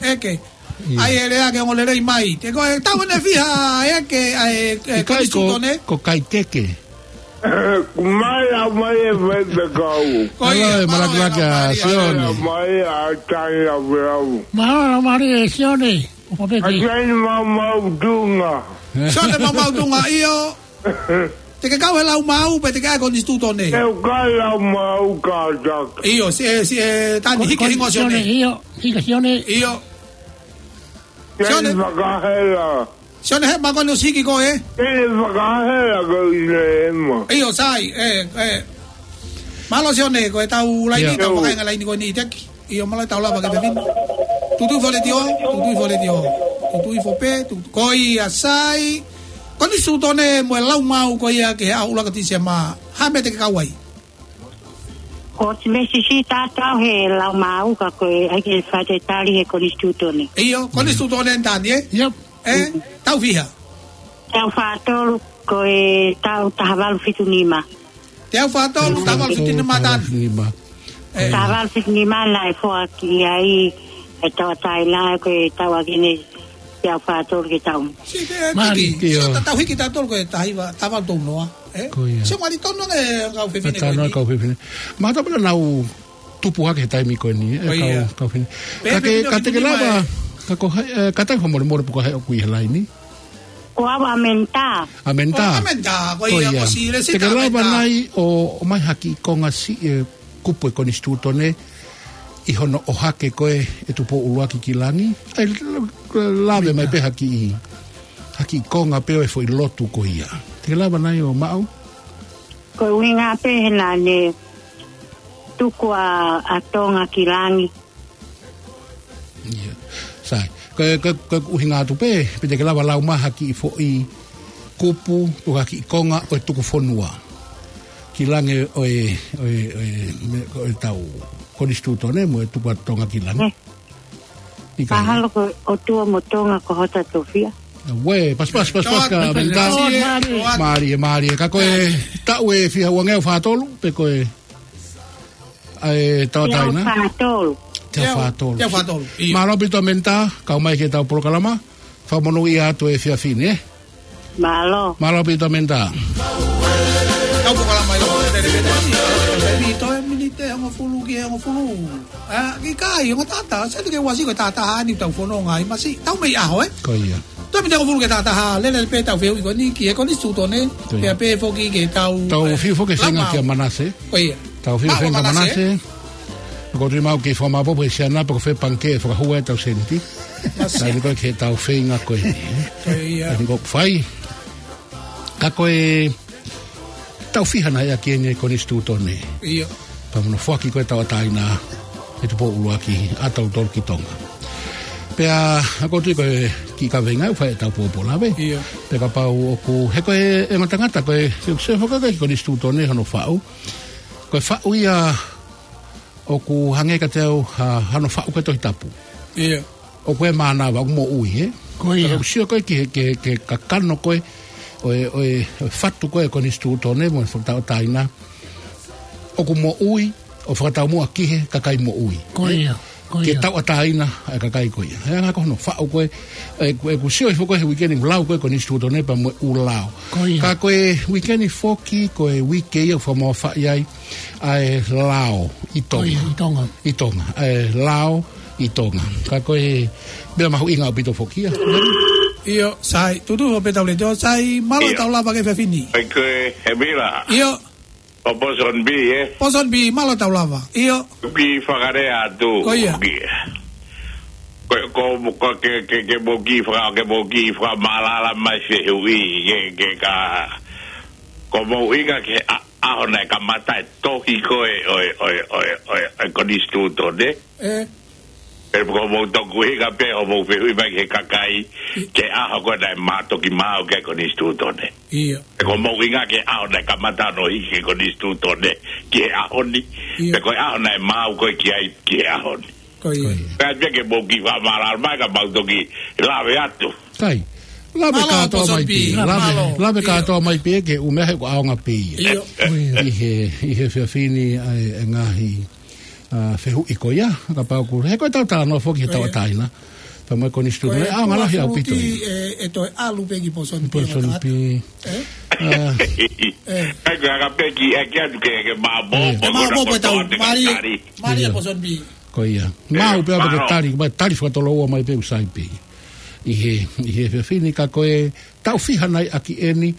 ʻEke. ʻIo. ʻAi e lea ke ongo lelei mai. Te ko e tau ʻene fiha ʻEke, ʻa e, e, ʻIkai ko, Konisitūtone. ko Kaikeke. Mālō mai e fai te kau. Ko ia, Hello, e mālō e malakalaka, lau mai. Sione. Mālō mai a tai a veau. Mālō, mālō e Sione. ʻO pē A ki. tai ni mau mau tunga. Sione mau mau tunga, ʻio. Te ke kau he lau mau, pe te ke ʻai Konisitūtone. Te u kau lau mau kātaki. ʻIo, si e, si e, tani Ko, hiki ko, hingoa Sione. Sione, ʻio, hiki Sione. ʻIo. Sione. Sione fakahela. Sione he makoni ʻosi hiki ko ē. Sione fakahela ko ine ema. ʻIo, sai, ē, ē. Mālō Sione, ko e tau laini, ʻIo. tau fakaenga laini ko eni Teki. ʻIo, mālō e tau lava ki he fefine. Tuʻutuʻu foʻi letiō, tuʻutuʻu foʻi letiō. Tuʻutuʻu foʻi pē, tuʻutuʻu, ko ia sai. Konisitūtone mo e lau mau ko ia ki he ʻaho ʻuluaki ʻo Tīsema. Hā e meʻa te ke kau ai? Ko e meʻa siʻisiʻi tatau he lau mau ka ko e ʻai ke fai e tali he Konisitūtone. ʻIo, Konisitūtone ʻeni tani, ē? Yep. Ē, Mm. tau fiha? Teau fā tolu ko e taʻu taha valu fitu nima. Teau fā tolu, taha valu fitu nima tanu. Taha valu fitu nima. Ē. Taha valu fitu nima naʻe foaki ai e tauʻatāina ko e tau ʻaki eni teau fā tolu ke tau. Si te, Mālie. Tiki, Kia. so ta tau hiki tautolu ko e taha hiva, taha valu tolu noa, ē? Ko ia. Sio mālie tonu e kau fefine Tonu ko eni. kau fefine. Ma tau pala nau tupu hake he taimi ko eni, ē, Ko ia. kau, kau fefine. Pea Ka ke, fefine ka te ke fefine lava, mai. ka ko hai, ē, ka tai fakamolemole pe ko hai ʻoku ʻi he laini. Ko au ʻAmenta. ʻAmenta. ʻO, ʻAmenta, ko Ko ia, ia. ʻosi lēsisita Te ke lava ʻAmenta. nai ʻo, ʻomai ha kiʻi konga siʻi e kupu e Konisitūtone ʻi hono ʻohake ko ē ʻe Tupou ʻUluaki ki langi. ʻAi, lave mai pē ha kiʻi, ha kiʻi konga pē ʻo e foʻi lotu ko ia. Te ke lava nai ʻo maʻu? Ko e ʻuhinga pē he naʻa ne tuku ʻa, ʻa Tonga ki langi. ʻIo. Sai. Ko e, ko e, ko e ʻuhinga atu pē, pe te ke lava lau mai ha kiʻi foʻi kupu, pe ha kiʻi konga ʻo e tuku fonua ki langi ʻo e, ʻo e, ʻo e, me, ʻo e tau Konisitūtone mo e tuku ʻa Tonga ki langi. ʻIkai. Mahalo ko e ʻOtua mo Tonga ko hota tofiʻa. Uē, pas, pas, pas, pas, ka Mālie, mālie. Mālie, mālie. Ka ko e taʻu ʻe fiha, ua ngeau fā tolu, pe ko e ʻa e tauʻatāina? Teau fā tolu. Teau fā tolu. Teau fā tolu, ʻio. Mālō ʻaupito ʻAmenta, kau mai ki heʻetau polokalama. Fakamonūʻia atu e efiafi ni, ē? Mālō. Mālō ʻaupito ʻAmenta. Kau polokalama ʻi loto, te te te te. Te te toe miniti hongofulu ki he hongofulu. ʻA, ʻikai, ongo taha taha, sai te ke ʻosi ko e taha taha ni tau fononga ai masi. Tau mei ʻaho, ē? Ko ia. Toe miniti hongofulu ki he taha taha, lele pē tau fehuʻi ko eni, ki he Konisitūtone, Ko ia. pea pehē foki ki heʻetau, Tau ē, fiu foki lau feinga mau. kia Manase. Ko ia. Tau fiu Mau feinga Manase. Manase. Ko tui mau ke fakamaʻopoʻopo he siana, pe ko fē pangikē ʻe fakahū ai ʻetau seniti. Manase. Sai ni ko e ke tau feinga ko eni, ē? Ko ia. Sai ni ko e fai. Ka ko e taʻu fiha naʻe ʻaki eni e Konisitūtone. ʻIo. Pea mo hono foaki ko ē tauʻatāina ʻe Tupou ʻUluaki ʻa tautolu ki Tonga. Pea, ʻa ko tui ko e kiʻi kaveinga ʻoku fai ʻetau pōpō lave. ʻIo. Pea kapau ʻoku, he ko e, e ngata ngata ko e, se, se fakakai Konisitūtone hono faʻu. Ko e faʻu ia ʻoku hangē kiate au ha, hano faʻu ko e Tohi Tapu. ʻIo. ʻOku ʻi ai e mānava, ʻoku moʻui, ē? Ko ia. Ka ʻoku sio ko ē ki he, ki he, ki he kakano ko ē ʻo e, ʻo e, ʻo e fatu ko ē ʻo e konisitūtone mo e fakatauʻatāina, ʻoku moʻui ʻo fakataumuʻa ki he kakai moʻui. Ko ia, ko ia. Ke tauʻatāina ʻa e kakai ko ia. He anga ko hono faʻu ko ē, ʻe, ʻe, ʻeku sio hifo ko ē he uike ni lau ko ē konisitūtone pea mo e ʻū lao. Ko ia. Ka ko e uike ni foki, ko e uike ia ʻoku fakamamafaʻi ai ʻa e lao ʻi Tonga. Ko ia, ʻi Tonga. ʻI Tonga. ʻA e lao ʻi Tonga. Ka ko e meʻa mahuʻinga ʻaupito foki ia. ʻIo, Sai, tutu ho peta ulete o Sai, mālō ʻIo. Tau lava ki he efiafi ni. Ai ko e, he mira. ʻIo. ʻO Ponsonby, ē? Ponsonby, mālō tau lava. ʻIo. Ki fakalea atu. Ko ia. Ki. Ko, ko, ko ke, ke, ke mou kiʻi faka-, ke mou kiʻi fakamālala mai fehuʻi, ke, ke ka, ko mou ʻinga ke a-, ʻaho naʻe kamata e tohi ko ē ʻo e, ʻo e, ʻo e, ʻo e, ʻo e konisitūtone. ʻE. Pea ko mou toki ʻuhinga pē ʻo mou fehuʻi mai ki he kakai, ke ʻaho ko ē naʻe ma-, toki maau ki ai e konisitūtone. ʻIo. Pea ko mou ʻuhinga ke ʻaho naʻe kamata hono hiki e konisitūtone ki he ʻaho ni. ʻIo. Pea ko e ʻaho naʻe maau ko ē ki ai ki he ʻaho ni. Ko ia. Ko ia. Pea pea ke mou kiʻi fakamālala mai ka mau toki lave atu. Kai. Lave Mālō, kātoa mai Ponsonby. pē. Lave, Mālō. lave ʻIo. kātoa mai pē ke ʻume he ko e ʻaonga pē ia. ʻIo. ʻI he, ʻi he efiafi ni ʻa e, e ngaahi, ʻa, fehuʻi ko ia, kapau ʻoku, he ko e tau talanoa foki he Ko ia. tauʻatāina. Pea mo e konisitūtone, Ko e ʻaonga lahi ʻaupito ia. ʻE, ʻe toe ʻalu pē ki Ponsonby, Ponsonby. Tangata. ʻE? ʻA. ʻE. Kai ko e anga pē ki, ʻe ki atu ke, ke maʻu Ko ia. Ke maʻu ko e tau, tau ate mālie, tali. mālie ʻIo. Ponsonby. Ko ia. ʻE, Maʻu pea pea ke mālō. tali, mai tali fakatoloua mai pē ʻoku sai pē. ʻI he, ʻi he efiafi ni ka ko e tau fiha nai ʻaki eni,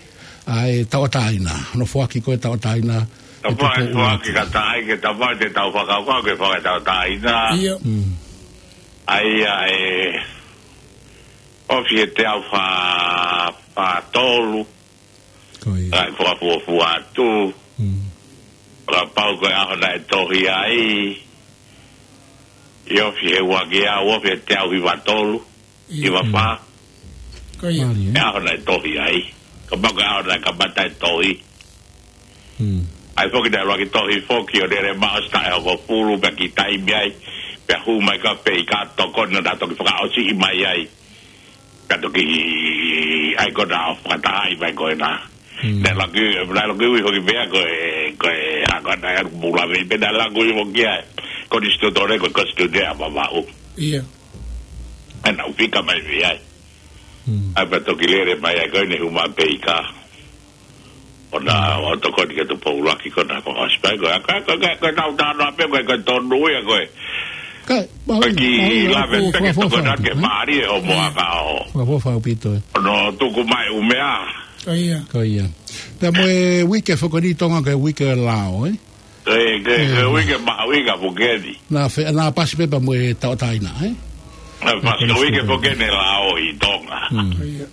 ʻa e tauʻatāina. Hono foaki ko ē tauʻatāina. Ka ʻe fai tupu foaki atu. Ka taʻai ke tau fai te tau fakakaukau ke fai tauʻatāina. ʻIo. Mm. ʻA ia ʻe ofi he teau fā, fā tolu. Ko ia. Ka ʻe fakafuofua atu. Mm. Kapau ko e ʻaho naʻe tohi ai. ʻI ofi he ua ngeau, ofi he teau hiva tolu. ʻIo. Hiva fā. Ko ia. Mālie, ʻE ē? ʻaho naʻe tohi ai. Kapau ko e ʻaho naʻe kamata e tohi. Mm. ʻAi foki naʻe ʻuluaki tohi foki ʻo lele maʻu ʻosi taʻe hongofulu pea kiʻi taimi ai. Pea hū mai ka pē ʻi ka tokoni naʻa toki fakaʻosi mai ai. Ka toki ʻai ko ē naʻa fakatahaʻi mai ko ena. Mm. Naʻe laki, naʻe laki ui foki pea ko e, ko e, ʻa ko ē naʻe ʻalu pula vei pē naʻe laki ui foki ai. Konisitūtone ko e konisitūtone ʻa Vavaʻu. ʻIo. ʻAi naʻa ku fika mai vei ai. Mm. ʻAi pea toki lele mai ai ko eni hū mai pē ʻi ka. ʻO na, Mm. ʻo tokoni ke tu poulaki ko na ko ʻosi pē ko, ko, ko, ko, ko tau tano pē ko, ko tonu ia ko e. Kai, Ko e maui, ki maui, lave maui, peke fakafofa toko atu, nake ē? Mālie ʻo moa ka o. Fakafofa ʻaupito ē. ʻO no tuku mai ʻumea. Ko ia. Ko ia. Pea mo e uike foki ni Tonga ko e uike lao, ē? Ko e, ko e, ko e Ē. uike mahuʻinga foki eni. Naʻa fe-, naʻa pasi pē pea mo e tauʻatāina, ē? Naʻa pasi Ko e uike foki eni lao ʻi Tonga. Mm. Ko ia.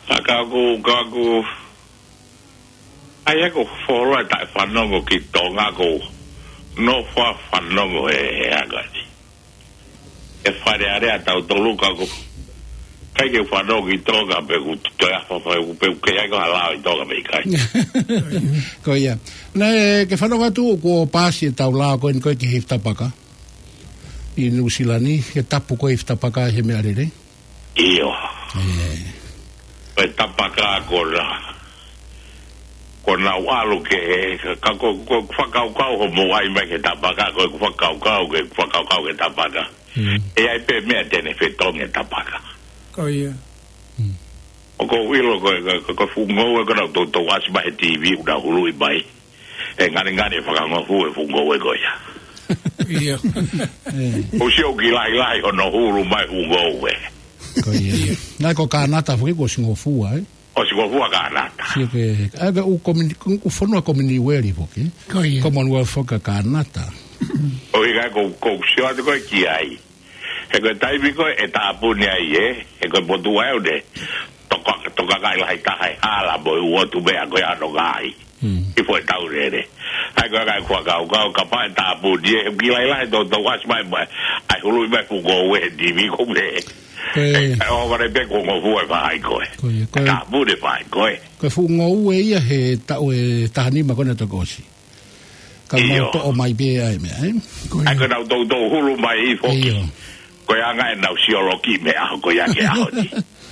Ka ka ku, ka ku. ʻAi ʻeku fuoloa taʻe fanongo ki Tonga ko no fa fanongo e, e anga ni. ʻE Fale Alea tautolu ka ko. ʻIkai ke fanongo ki Tonga pe ku toe ʻafa fai ku pe ku ke ai ko ha lao ʻi Tonga pe ʻikai. Ko ia. Naʻe ke fanongo atu kuo pasi e tau lao ko eni ko e ki Hifitapaka. ʻI Nuʻusila ni, ke tapu ko e Hifitapaka he meʻa lele. ʻIo. ʻE. Ko e Tapaka ko na. Ko na ʻalu ke, ka, ka ko, ko fakakaukau ho mo ai mai ke Tapaka, ko fakakaukau ke, fakakaukau ke Tapaka. Mm. ʻE ʻai pē meʻa te ne fetongi e Tapaka. Ko ia. Mm. ʻOku ou ʻilo ko, ko, ko, ko fuʻu ngoue ko na tou, tou ʻasi mai he T V ʻoku na huluʻi mai. ʻE ngani ngani e fakangofua e fuʻu ngoue ko ia. ʻIo. ʻE. ʻOsi ʻoku kiʻi lahilahi hono hulu mai fuʻu ngoue. Ko ia. ʻIo. Naʻe ko Kanata foki kuo ʻosi ngofua, ē? ʻOsi ngofua Kanata. Sio ke, ʻa ka ʻū komini-, ʻū fonua Kominiueli foki. Ko ia. Commonwealth foki ʻa Kanata. ʻOi ka ko, ko sio atu ko e ki ai. He ko e taimi ko ē ʻe tāpuni ai ē, he ko e motuʻa ʻoku ne toka, toka kai lahi taha e hala mo e ʻū ʻotu meʻa ko ē ʻa hono ngaahi. Mm. ʻI fo e tau lele. ʻAi ko e kai kua kau kau kapau ʻe tāpuni ē, he kiʻi lahilahi tou, tou ʻasi mai mai. ʻAi huluʻi mai fuʻu ngoue he T V ko me. Ko e ʻE, ʻo vale pē ko ngofua e faʻahi ko ē. Ko ia, ko e Tāpuni e faʻahi ko ē. Ko e fuʻu ngoue ia he taʻu ʻe taha nima ko ena toki ʻosi. Ka mau ʻIo. toʻo mai pē ʻa e meʻa, ē? Ko ia. ʻAi ko e nau tou, tou hulu mai ʻi foki. ʻIo. Ko e anga ʻenau sioloki mei he ʻaho ko ia ki he ʻaho ni.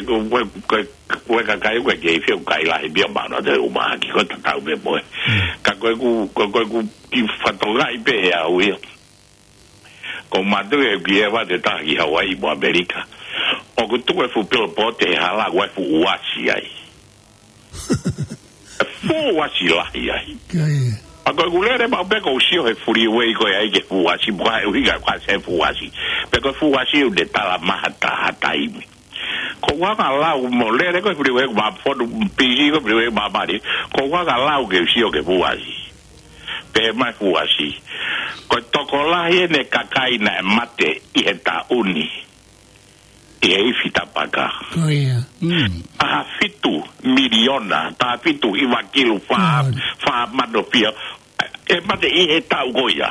ko e, ko e, ko e, ko e kakai ko ē ke fie kai lahi pia mano te uma ki ko e tatau pē mo e. Ka ko ʻeku, ko, ko ʻeku kiʻi fatongia pē ʻe au ia. Ko mātou ʻe ki e vate taha ki Hawaii mo ʻAmelika. ʻOku tuku e fuʻu pilo pote he hala ko e fuʻu uasi ai. E fuʻu uasi lahi ai. Ka ia. A ko ʻeku lele maʻu pē ʻoku ou sio he freeway ko ē ai ki he fuʻu uasi, mo e ʻuhinga ko e hā e fuʻu uasi. Pea ko e fuʻu uasi ʻoku ne tala maha taha taimi. Ko e anga lau mo e lele ko e freeway ʻoku māfonu pisi ko e freeway māmani. Ko e anga lau ke u sio ki he fuʻu uasi. Pehē mai e fuʻu uasi. Ko e tokolahi ʻeni e kakai naʻe mate ʻi he taʻu ni. ʻI he ifi tapaka. Ko ia. Mm. Taha fitu miliona, taha fitu hiva kilu fā, Ko ia. fā mano fia. ʻE mate ʻi he taʻu ko ia.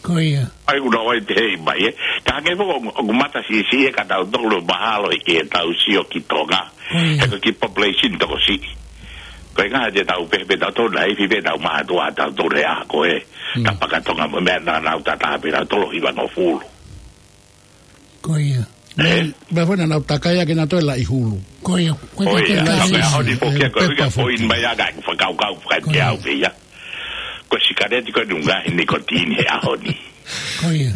Ko ia. ʻAi, ʻoku nau ʻai te hei mai, ē. Ka hangē foki ʻoku, ʻoku mata siʻisiʻi ʻe ka tautolu mahalo ʻi he tau sio ki Tonga. Ko ia. He ko e kiʻi population tokosiʻi. Ko e ʻuhinga te tau pehē pē tautolu naʻe ifi pē tau maha tua tautolu he ʻaho ko ē. Mm. Tapaka Tonga mo e meʻa naʻa nau tata pē tautolu hivangofulu. Ko ia. Ē? Meʻa foʻi naʻa nau takai ake naʻa toe laʻi hulu. Ko ia. Ko Ko ia, ia, ka ko e ʻaho ni foki ko e ʻuhinga foʻi mai ʻa e ngaahi fakakaukau fakateau pē ia. Ko e sikaleti ko e ʻuhinga he nikotini he ʻaho ni. Ko ia.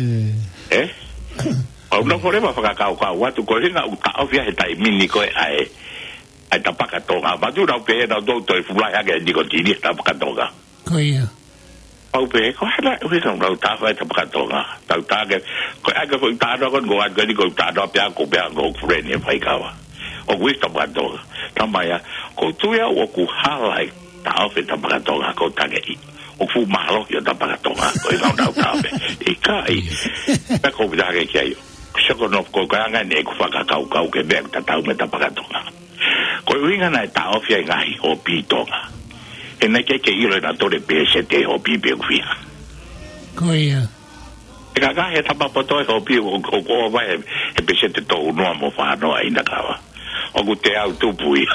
Ē? ʻOku ou nofo leva fakakaukau atu ko e ʻuhinga ʻoku taʻofi he taimi ni ko ē ʻa e, ʻa e Tapaka Tonga. Mātuʻa nau pehē naʻa nau toe fulahi ake nikotini he Tapaka Tonga. Ko ia. Pau pē, ko e hā e ʻuhinga ʻoku nau taʻofi e Tapaka Tonga. Tau tā ke, ko e ʻai ke foʻi tānoa ko eni ko atu ko eni ko tānoa pea ko pea ko friend e faikava. ʻOku ʻi Tapaka Tonga. Tamai ā, ʻoku ou tui au ʻoku hala e taʻofi e Tapaka Tonga ko e tangeʻi. ʻOku fuʻu mālohi ʻo Tapaka Tonga, ko e ʻuhinga ʻoku nau taʻofi. ʻIkai. Pea ko e pita ke kia io. Sio ko no ko e anga ʻeni ʻeku fakakaukau ki he meʻa ʻoku tatau mo e Tapaka Tonga. Ko e ʻuhinga naʻe taʻofi ai e ngaahi hopi Tonga. He naʻe ʻikai ke ʻilo ʻe nautolu e peseti hopi pe ʻoku fiha. Ko ia. ʻE ka ngaahi e tama poto e hopi ʻo, ʻo, ʻo vai he, he peseti tolu noa mo fā noa ʻi he kava. ʻOku teau tupu ia.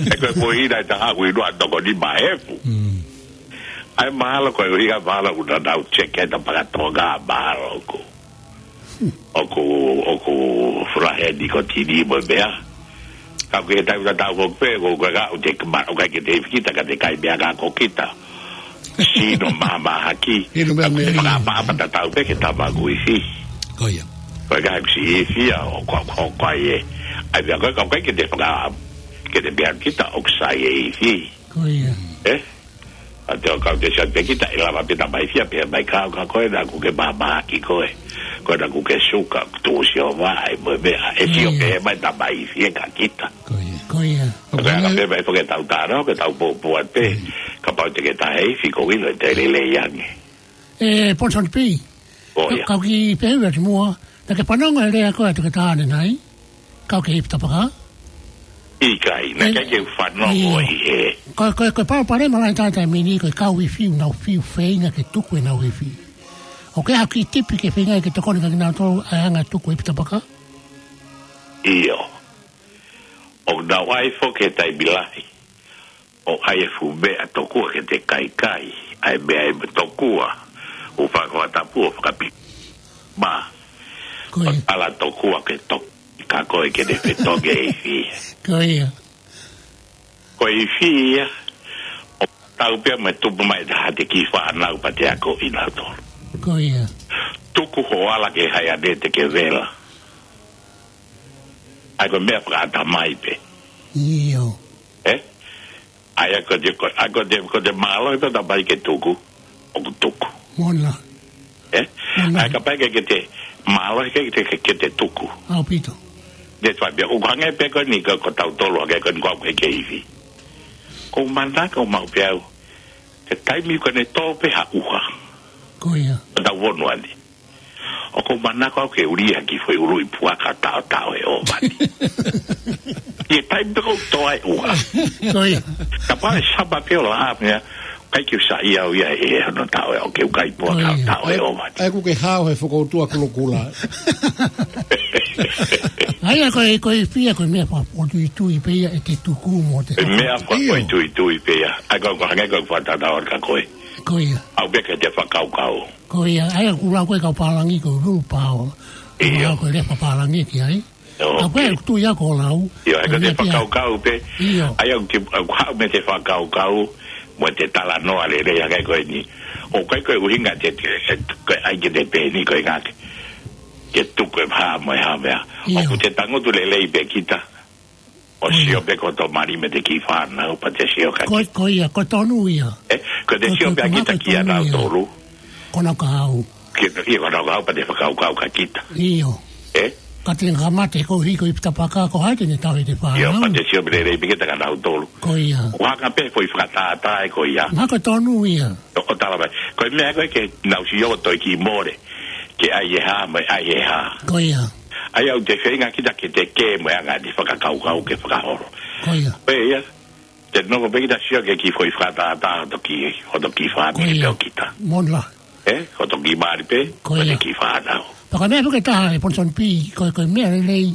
He ko e foʻi hina ʻe taha ʻoku ʻi noa toko nima efu. Mm. ʻAi mahalo ko e ʻuhinga mahalo ʻoku nau check e Tapaka Tonga mahalo ko. ʻOku, ʻoku fulahe ni ko tini mo e meʻa. Ka ʻoku ke tau tatau ko pē, ko, ko ka ʻoku te kama, ʻoku ʻikai ke te ifi kita, ka te kai meʻa ka ko kita. Sino māmāhaki. Inu meʻa Ka ʻoku te meʻa. Fakaʻapaʻapa tatau pē ke tama ku ifi. Ko ia. Ko e kaha kusi ifi a, ʻo ko, ko, ko ai e. ʻAi meʻa ko e, ka ʻoku ʻikai ke te faka, ke te meʻa kita ʻoku sai e ifi. Ko ia. Eh? A te o kau te sian pe kita, ʻe lava pē tama ifi a pē mai kau ka ko e na ku ke māmāhaki ko e. Ko e na ku ke suka, tu sio vā, ʻai mo e meʻa. ʻE sio Ko ia. Pē mai tama ifi e ka kita. Ko ia. Ko ia. Ko e ka pē mai fo ke tau taro, ke tau pōpō atu pē. Kapau te ke tahe ifi ko ilo e te lelei ange. E, Ponson P. Ko ia. Ka, kau ki pehē atu mua, na ke fanongo e lea ko e atu ke tāne nai. Kau ke ifi tapaka. ʻIkai, na E, ke ke fanongo ia. ʻI he. Ko, ko, ko e pau pare malai tātai mini, ko e kau ifi, nau fiu feinga ke tuku e nau ifi. ʻOku ke haki tipi ke feinga ke tokoni ka ki nau tō, ʻa e anga tuku e ifi tapaka. ʻIo. ʻOku nau ʻai fo ke taimi lahi. ʻO ʻai e fuʻu meʻa tokua ke te kaikai, ʻai meʻa e tokua, ʻo fakahoa tapu ʻo fakapi. Ma, Ko ʻo ia. Ala tokua ke tok, ka ko e ke te fetongi e ifi. Ko ia. Ko e ifi ia, ʻo tau pea me tupu mai taha te ki fānau pa te ako i nato. Ko ia. Tuku ho ala ke hai ane te ke vela. ʻAi ko e meʻa fakaata mai pē. ʻIo. Eh? ʻAi ʻa ko te, ko, ʻa ko te, ko te mālohi pē ta pai ke tuku, ʻoku tuku. Mona. Eh? Mona. ʻAi ka pai ke, ke te mālohi ke, ke, ke, ke te tuku. ʻAupito. Te tuai pē, ʻoku hangē pē ko ni ko, ko tau tolo, hangē ko ni ko au ke, ke ifi. Ko mana ko mau pē au. Ke taimi ko ne tō pē ha uha. Ko ia. Ko tau vonu ani. ʻOku ou manako au ke ulia ki foʻi ului puaka taotao e ʻōvani. ʻI he taimi pē ko tō ai ua. Ko ia. Ka pale sapa pē o la mea, kai ke usa ia au ia e hono tao e o ke ukai puaka Ko ia. tao e ʻōvani. ʻAi ku ke hao he fokoutua kulokula. ʻAi a ko e, ko e fia ko e meʻa fakapotuitui pē ia ʻe te tuku mo te E meʻa fakapotuitui pē ia. ʻAi ko, ko hangē ko e fakatatau ka koe. Ko ia. Au pē ke te fakakaukau. Ko ia, ʻai a kula ko e kau pālangi ko e willpower. ʻIo. Ko e lea pālangi ki ai. ʻIo, A ko e ok. Tui a ko lau. ʻIo, ʻai ko te Ko e meʻa pia. Fakakaukau pē. ʻIo. ʻAi au te, au hau me te fakakaukau, mo te talanoa lelei a kai ko e ni. ʻO kai ko e uhinga te, te, te, ko e ʻai ke te pē ni ko e ngake. Ke tuku e hā mo e hā mea. ʻIo. ʻOku te tangutu lelei pē kita. ʻO Ko ia. Sio pē ko tō mali me te ki fānau pa te sio ka Ko, ki. Ko ia, ko tonu ia. Eh, ko te Ko, sio ko, pē ko kita naka kia tonu nau ia. Tolu. Ko naka au. Ki, ia ko nau au pa te fakakaukau ka kita. ʻIo. Eh? Ka te ngā mate ko hiko i pita paka ko hai te ne tau he te Ia, fānau. Pa te sio pē lelei pē kita ka nau tolu. Ko ia. Ko haka pē ko i fakatātā e ko ia. Naka tonu ia. ʻO, ʻo tala mai. Ko e meʻa ko e ke nau sio toi ki more. Ke ʻai e hā, mo e ʻai e hā. Ko ia. ʻAi au te feinga kita ke te kē, mo e anga te fakakaukau ke fakaholo. Ko ia. Pē ia, te noko pē kita sio ke ki foʻi fakatātā, hoto ki, hoto ki fāmili Ko ia. Pē o kita. Mona. Eh, hoto ki mali pē, Ko hoto ia. Ki fānau. Paka meʻa puke taha e Ponson P, ko e, ko e meʻa lelei.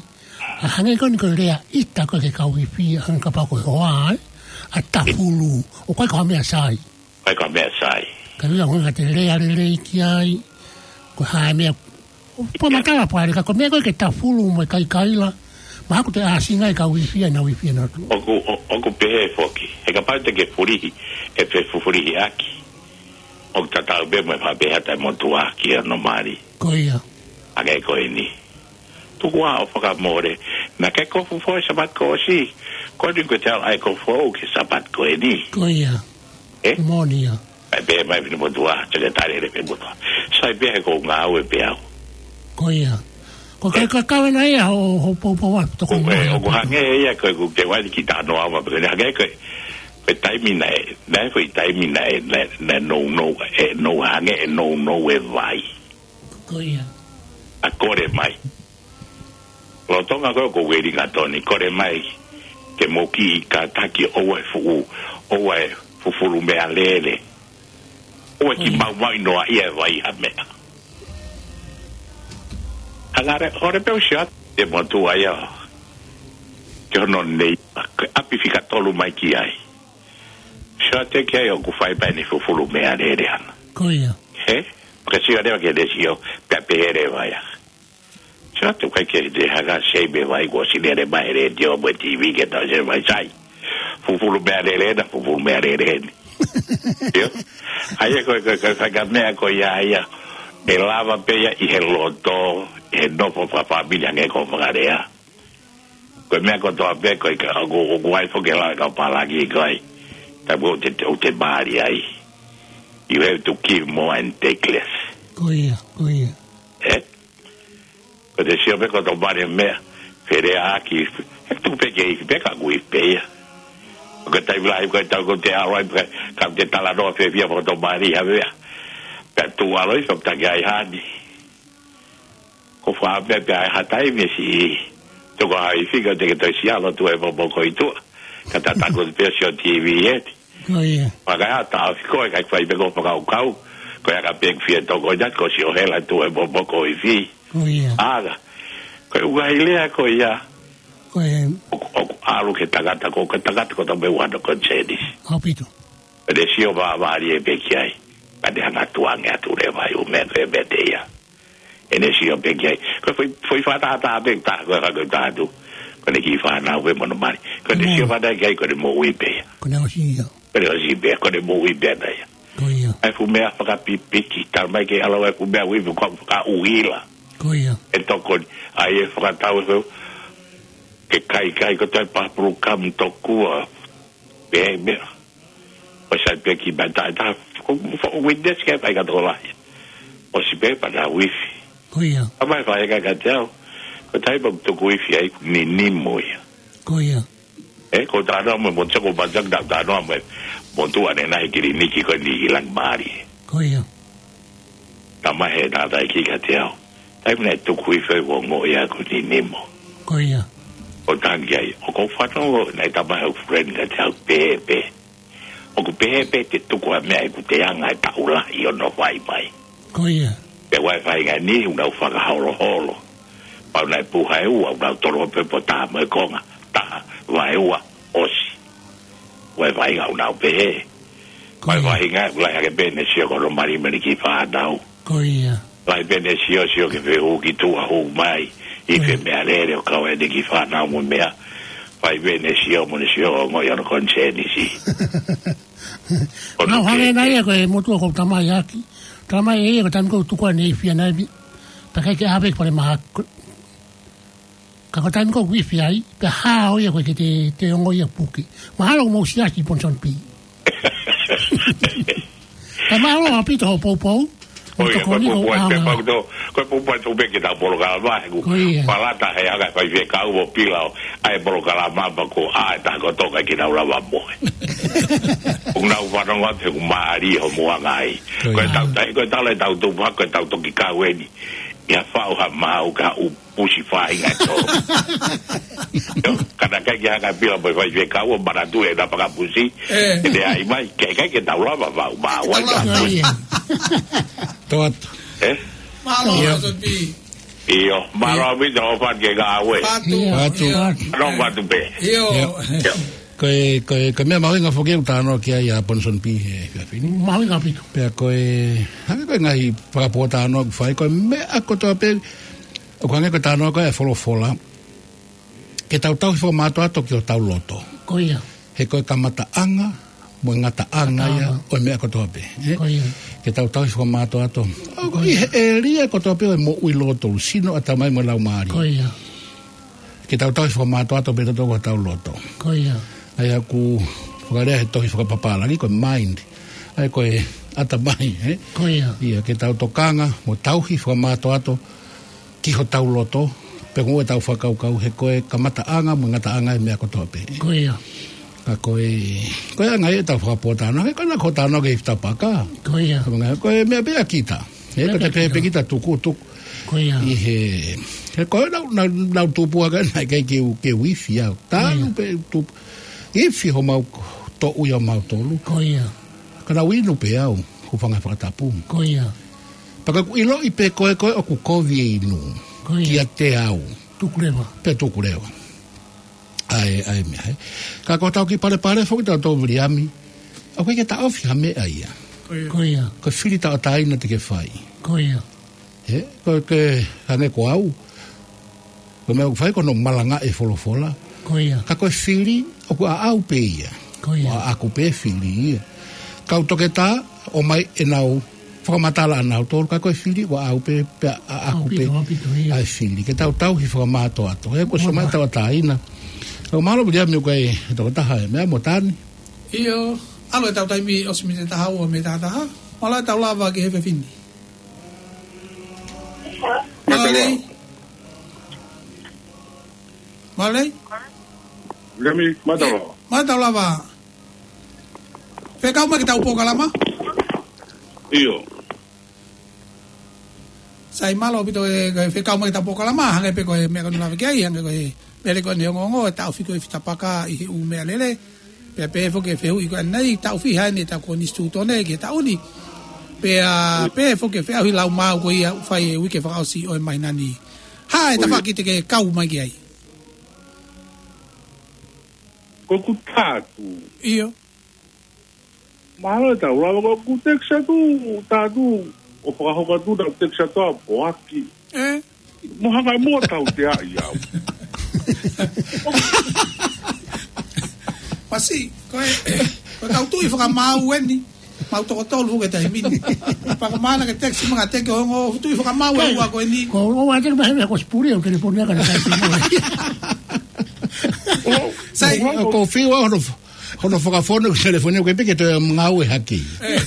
A hangē ko ni ko e lea ita ko e ke kau i fia, hangē ka pako e hoa, eh? A tafulu, ʻo ko e ko ha meʻa sai. Kai ka meʻa sai. Ka ʻi ai a hoi ka te lea lelei ki ai. Ko e hā e meʻa. Pua matala pale ka ko e meʻa ko e ke tafulu mo e kaikaila. Ma haku te ʻāsinga e ka uifia na uifia na tu. ʻOku, ʻo, ʻoku pehē foki. He kapau te ke fulihi, ʻe fe fufulihi ʻaki. ʻOku tatau pē mo e fa pehē ata e motuʻa ki hono mali. Ko ia. Hangē ko eni. Tuku ā ʻo fakamole. Na ke kofu foʻi Sapat ko ʻosi. Ko ni ko te ala ai kofu au ke Sapat ko eni. Ko ia. Eh? Moʻoni ia. Ai pē mai fini motuʻa, te ke tale le pe motuʻa. Sai pē he ko ngāue pē au. Ko ia. Ko kai Eh. Ka kau na ia ho, ho poupou atu, toko Ko e, moʻoni ʻoku atu. Hangē ia ko e ku ke wali ki tano ama, pe ko ni hangē ko e, ko e taimi na e, na e foʻi taimi na e, na, na nou nou, e nou hangē, e nou nou e vai. Ko ia. A kole mai. Lolotonga ko e ko Wellington, kole mai ke mou kiʻi kātaki ʻoua ʻe fuʻu, ʻoua ʻe fufulu meʻalele. ʻOua ʻe ki Ko ia. Maumau ʻi noa ia e vai ha meʻa. Hangare, ore pe usia, te motuʻa ia. Ke hono nei, ke ʻapi fika tolu mai ki ai. Sio atu ki ai ʻoku fai pē ʻene fufulu meʻalele ana. Ko ia. He? Ke sio leva ke te sio, pea pehē leva ia. Ka te kai ke te haka sei me vai ko si lele mai he letiō mo e T V ke tau se vai sai. Fufulu meʻalele na, fufulu meʻalele ni. Io. ʻA ia ko e, ko e, ko e fakameʻa ko ia ia. ʻE lava pē ia ʻi he loto, ʻi he nofo fakafāmili ange ko fakalea. Ko e meʻa kotoa pē ko e ka, ʻoku, ʻoku ʻai foki e lau ʻa e kau palaki ko ē. Taimi ʻoku te, ʻoku te mali ai. You have to give more and take less. Ko ia, ko ia. Eh? Ko te sio pē ko e tau mali meʻa, feleʻaki, he tuku pē ke ifi pē ka ʻoku ifi pē ia. Ko e taimi lahi ko e tau ko te ʻalu ai, ka, ka te talanoa fiefia mo e tau mali, ha meʻa. Pea tuʻu ʻalu ai, so taki ai hani. Ko fā pē pea ai ha taimi si, toko ai fika te ke toi si ʻalu tuʻu he popo ko i tuʻa. Ka tataku pē sio T V ē. Ko ia. Pea ka ʻata ʻosi ko e kai fai pē ko e fakakaukau. Ko ia ka pē fie toko ia ko si ʻo hela tuʻu he popo ko i fi. Ko ia. ʻAga. Ko e ʻuhinga ʻi he lea ko ia. Ko e. ʻOku, ʻoku ʻalu ke tangata ko, ke tangata ko tau me wano ko Jenis. ʻAupito. Pea te sio vāvālie pē ki ai. Ka te hanga tuange atu leva ʻi ʻū meʻa ko e meʻa te ia. ʻEne sio pē ki ai. Ko e foʻi, foʻi fakatātā pē ta, ko e hako ta atu. Ko ʻene kiʻi fānau pē mo hono mali. Ko ʻene sio fakatātā ki ai, ko ʻene moʻui pē ia. Ko ʻene ʻosi ia. Ko ʻene ʻosi pē, ko ʻene moʻui pē ʻana ia. Ko ia. ʻAi e fuʻu meʻa fakapipiki, tala mai ke ʻalu ʻai e fuʻu meʻa uipi ko e fakaʻuhila. Ko ia. ʻE tokoni, ʻai e fakatau e feu. Ke kai kai ko tai papuru kam tokua. Pē meʻa. ʻO sai pē ki mai ta, ta, ko, ko, witness ke fai ka toko lahi. ʻOsi pē pea na uifi. Ko ia. ʻA mai fai ka ka te au. Ko tai pa tuku uifi ai ni ni mo ia. Ko ia. Eh, ko tano mo mo toko pa tak da tano mo. Mo tu ane na he kiliniki ko ni i lang mari. Ko ia. Tama he na tai ki ka te au. Taimi naʻe tuku uifi ai ʻo ongoʻi ʻaku ni ni mo. Ko ia. ʻO tangi ai, ʻoku ou fanongo naʻe tama he friend ka te au pēpē. ʻOku pehē pē te tuku ʻa e meʻa ʻeku te anga e taʻu lahi ʻo nofo ai mai. Ko ia. Pea ʻoua ʻe fai ngani, ʻoku nau fakaholoholo. Pau naʻe puha e ua, ʻoku nau tolo pē po tā mo e konga, taha, vaeua, ʻosi. ʻOua ʻe fai ngā ʻoku nau pehē. Ko ia. Pau ʻe fai ngā, ʻoku lahi hake pē ʻene sio ko hono mali mali ki fānau. Ko ia. Lahi pē ʻene sio sio ke fehū ki tuʻa hū mai. ʻI he meʻalele ʻo kau ʻene ki fānau mo meʻa. Fai pē ʻene sio mo ʻene sio ʻo ongoʻi hono konisēnisi. Nau hangē nai ia ko e motuʻa ko tamai ʻaki. Tamai ē ko e taimi ko tuku ʻene ifi ʻana ifi. Pea kai ke ʻave ki pale maha. Ka ko e taimi ko uifi ai, pea hao ia ko e ke te, te ongo ia puke. Mahalo mo siasi Ponson P. Pea mahalo ʻaupito hoʻo poupou. Ko ia, ko e pupu ai, ko e pupu ai tō pē ke tau polokalama, he ʻoku palata he anga fai fie kau mo pila ʻo ʻai polokalama pa ko ʻai ta ko toka ke nau lava mohe. ʻOku nau fanongo atu he ʻoku mālie hoʻo muʻanga ai. Ko e tau tai, ko e tau le tau tupu, ko e tau toki kau eni. Ia fau ha mau ka u pusi fai nga to. Kana kai ki haka pila mo fai fie kau ʻo mana tu e na paka pusi. ʻE ai mai, ke kai ke tau lava vau, ma wai ka. Ko ia. Toat. Eh? Mālō, ʻio. Io, mālō mi tau fat ke ka awe. Patu. Patu. Nō patu pē. ʻIo. Ko e, ko e, ko e meʻa mahuʻinga foki ʻoku talanoa ki ai ʻa Ponson P he efiafi ni. Mahuʻinga ʻaupito. Pea ko e, hangē ko e ngaahi fakapōtalanoa ʻoku fai, ko e meʻa kotoa pē, ʻoku hangē ko e talanoa ko e folofola. Ke tau tauhi fakamātoato ki hotau loto. Ko ia. He ko e kamataʻanga, mo e ngataʻanga ia, ʻo e meʻa kotoa pē. Ko ia. Ke tau tauhi fakamātoato. ʻI he ʻēlia kotoa pē ʻo e moʻui lotolu, sino, ʻatamai mo e laumālie. Ko ia. Ke tau tauhi fakamātoato pē tautolu ko hotau loto. Ko ia. ʻA ia ʻoku fakalea he tohi fakapapālangi ko e mind. ʻA ia ko e ʻatamai, ē? Ko ia. ʻIa, ke tau tokanga, mo tauhi fakamātoato ki hotau loto, pe ko e tau fakakaukau he ko e kamataʻanga, mo e ngataʻanga e meʻa kotoa pē. Ko ia. Ka ko e, ko e anga e tau fakapōtalanoa, he ko e na ko talanoa ke ifi tapaka. Ko ia. Ko e meʻa pē ʻa kita. He ko e pē kita tuku, tuku. Ko ia. ʻI he, he ko e nau, nau, nau tupu ʻa ka na kai ke u, ke u ifi au. Talu pē tupu. Ifi homau toʻu ia mau tolu. Ko ia. Ka nau inu pē au, hūfanga he fakatapu. Ko ia. Pea ka ʻoku ʻiloʻi pē ko e, ko e ʻoku kovi e inu. Ko ia. Kiate au. Tuku leva. Pea tuku leva. ʻA e, ʻa e meʻa, ē. Ka ko tau ki palepale foki tau tau Viliami. ʻOku ʻikai ke taʻofi ha meʻa ia. Ko ia. Ko e fili tauʻatāina te ke fai. Ko ia. Ē, ko e ke hangē ko au. Ko e meʻa ʻoku fai ko hono malangaʻi e folofola. Ko ia. Ka ko e fili, ʻoku ʻaʻau pē ia. Ko ia. ʻOku ʻaʻaku pē fili ia. Kau toketā, ʻomai ʻenau fakamatala ʻanautolu, ka ko e fili, ʻoku ʻaʻau pē, pea ʻaʻaku pē. ʻAupito, ʻaupito, ia. ʻA e fili, ke tau tauhi fakamātoato. He ko e soma tauʻatāina. ʻOku mālō Viliami ʻoku ʻi ai e tokotaha e meʻa mo Tani. ʻIo, ʻalu e tau taimi ʻosi mei he taha ua mei he taha taha. Mālō e tau lava ki he fefine. Mālō. Mālō. Viliami, mālō. Mālō lava. Fekau mai ki he tau polokalama? ʻIo. Sai mālō ʻaupito e, ko e fekau mai ki he tau polokalama, hangē pē ko e meʻa ko eni lava ki ai, hangē ko e meʻa lele ko eni ongoongo, e taʻofi ko e fitapaka ʻi he ʻū meʻalele. Pea pehē foki e fehuʻi ko eni, taʻofi heni e tau konisitūtone ki he taʻu ni. Pea pehē foki e feʻauhi laumāu ko ia ʻoku fai he uike fakaʻosi ʻo e māhina ni. Hā e tafaʻaki te ke kau mai ki ai? Ko ʻeku tā atu. ʻIo. Mālō e tau lava, ko ʻeku text atu, tā atu, ʻo fakahoko atu, tau text atu ʻa poaki. ʻE? Mo hanga mo tauteaʻi au. Masi, ko e, ko e kau tuʻi fakamaau eni. Mau toko tolu he taimi ni. Pea ko e mana ke text mai kiate koe, ongo tuʻi fakamaau e ua ko eni. Ko, ʻoua te ke pehē ko e sipuli, ʻo ke telefoni ʻa ka na kai sipuli. Sai. ʻOku ou fiu au hono, hono fakafonu e telefoni, ʻoku ʻikai pē ke toe ngāue hake. ʻE.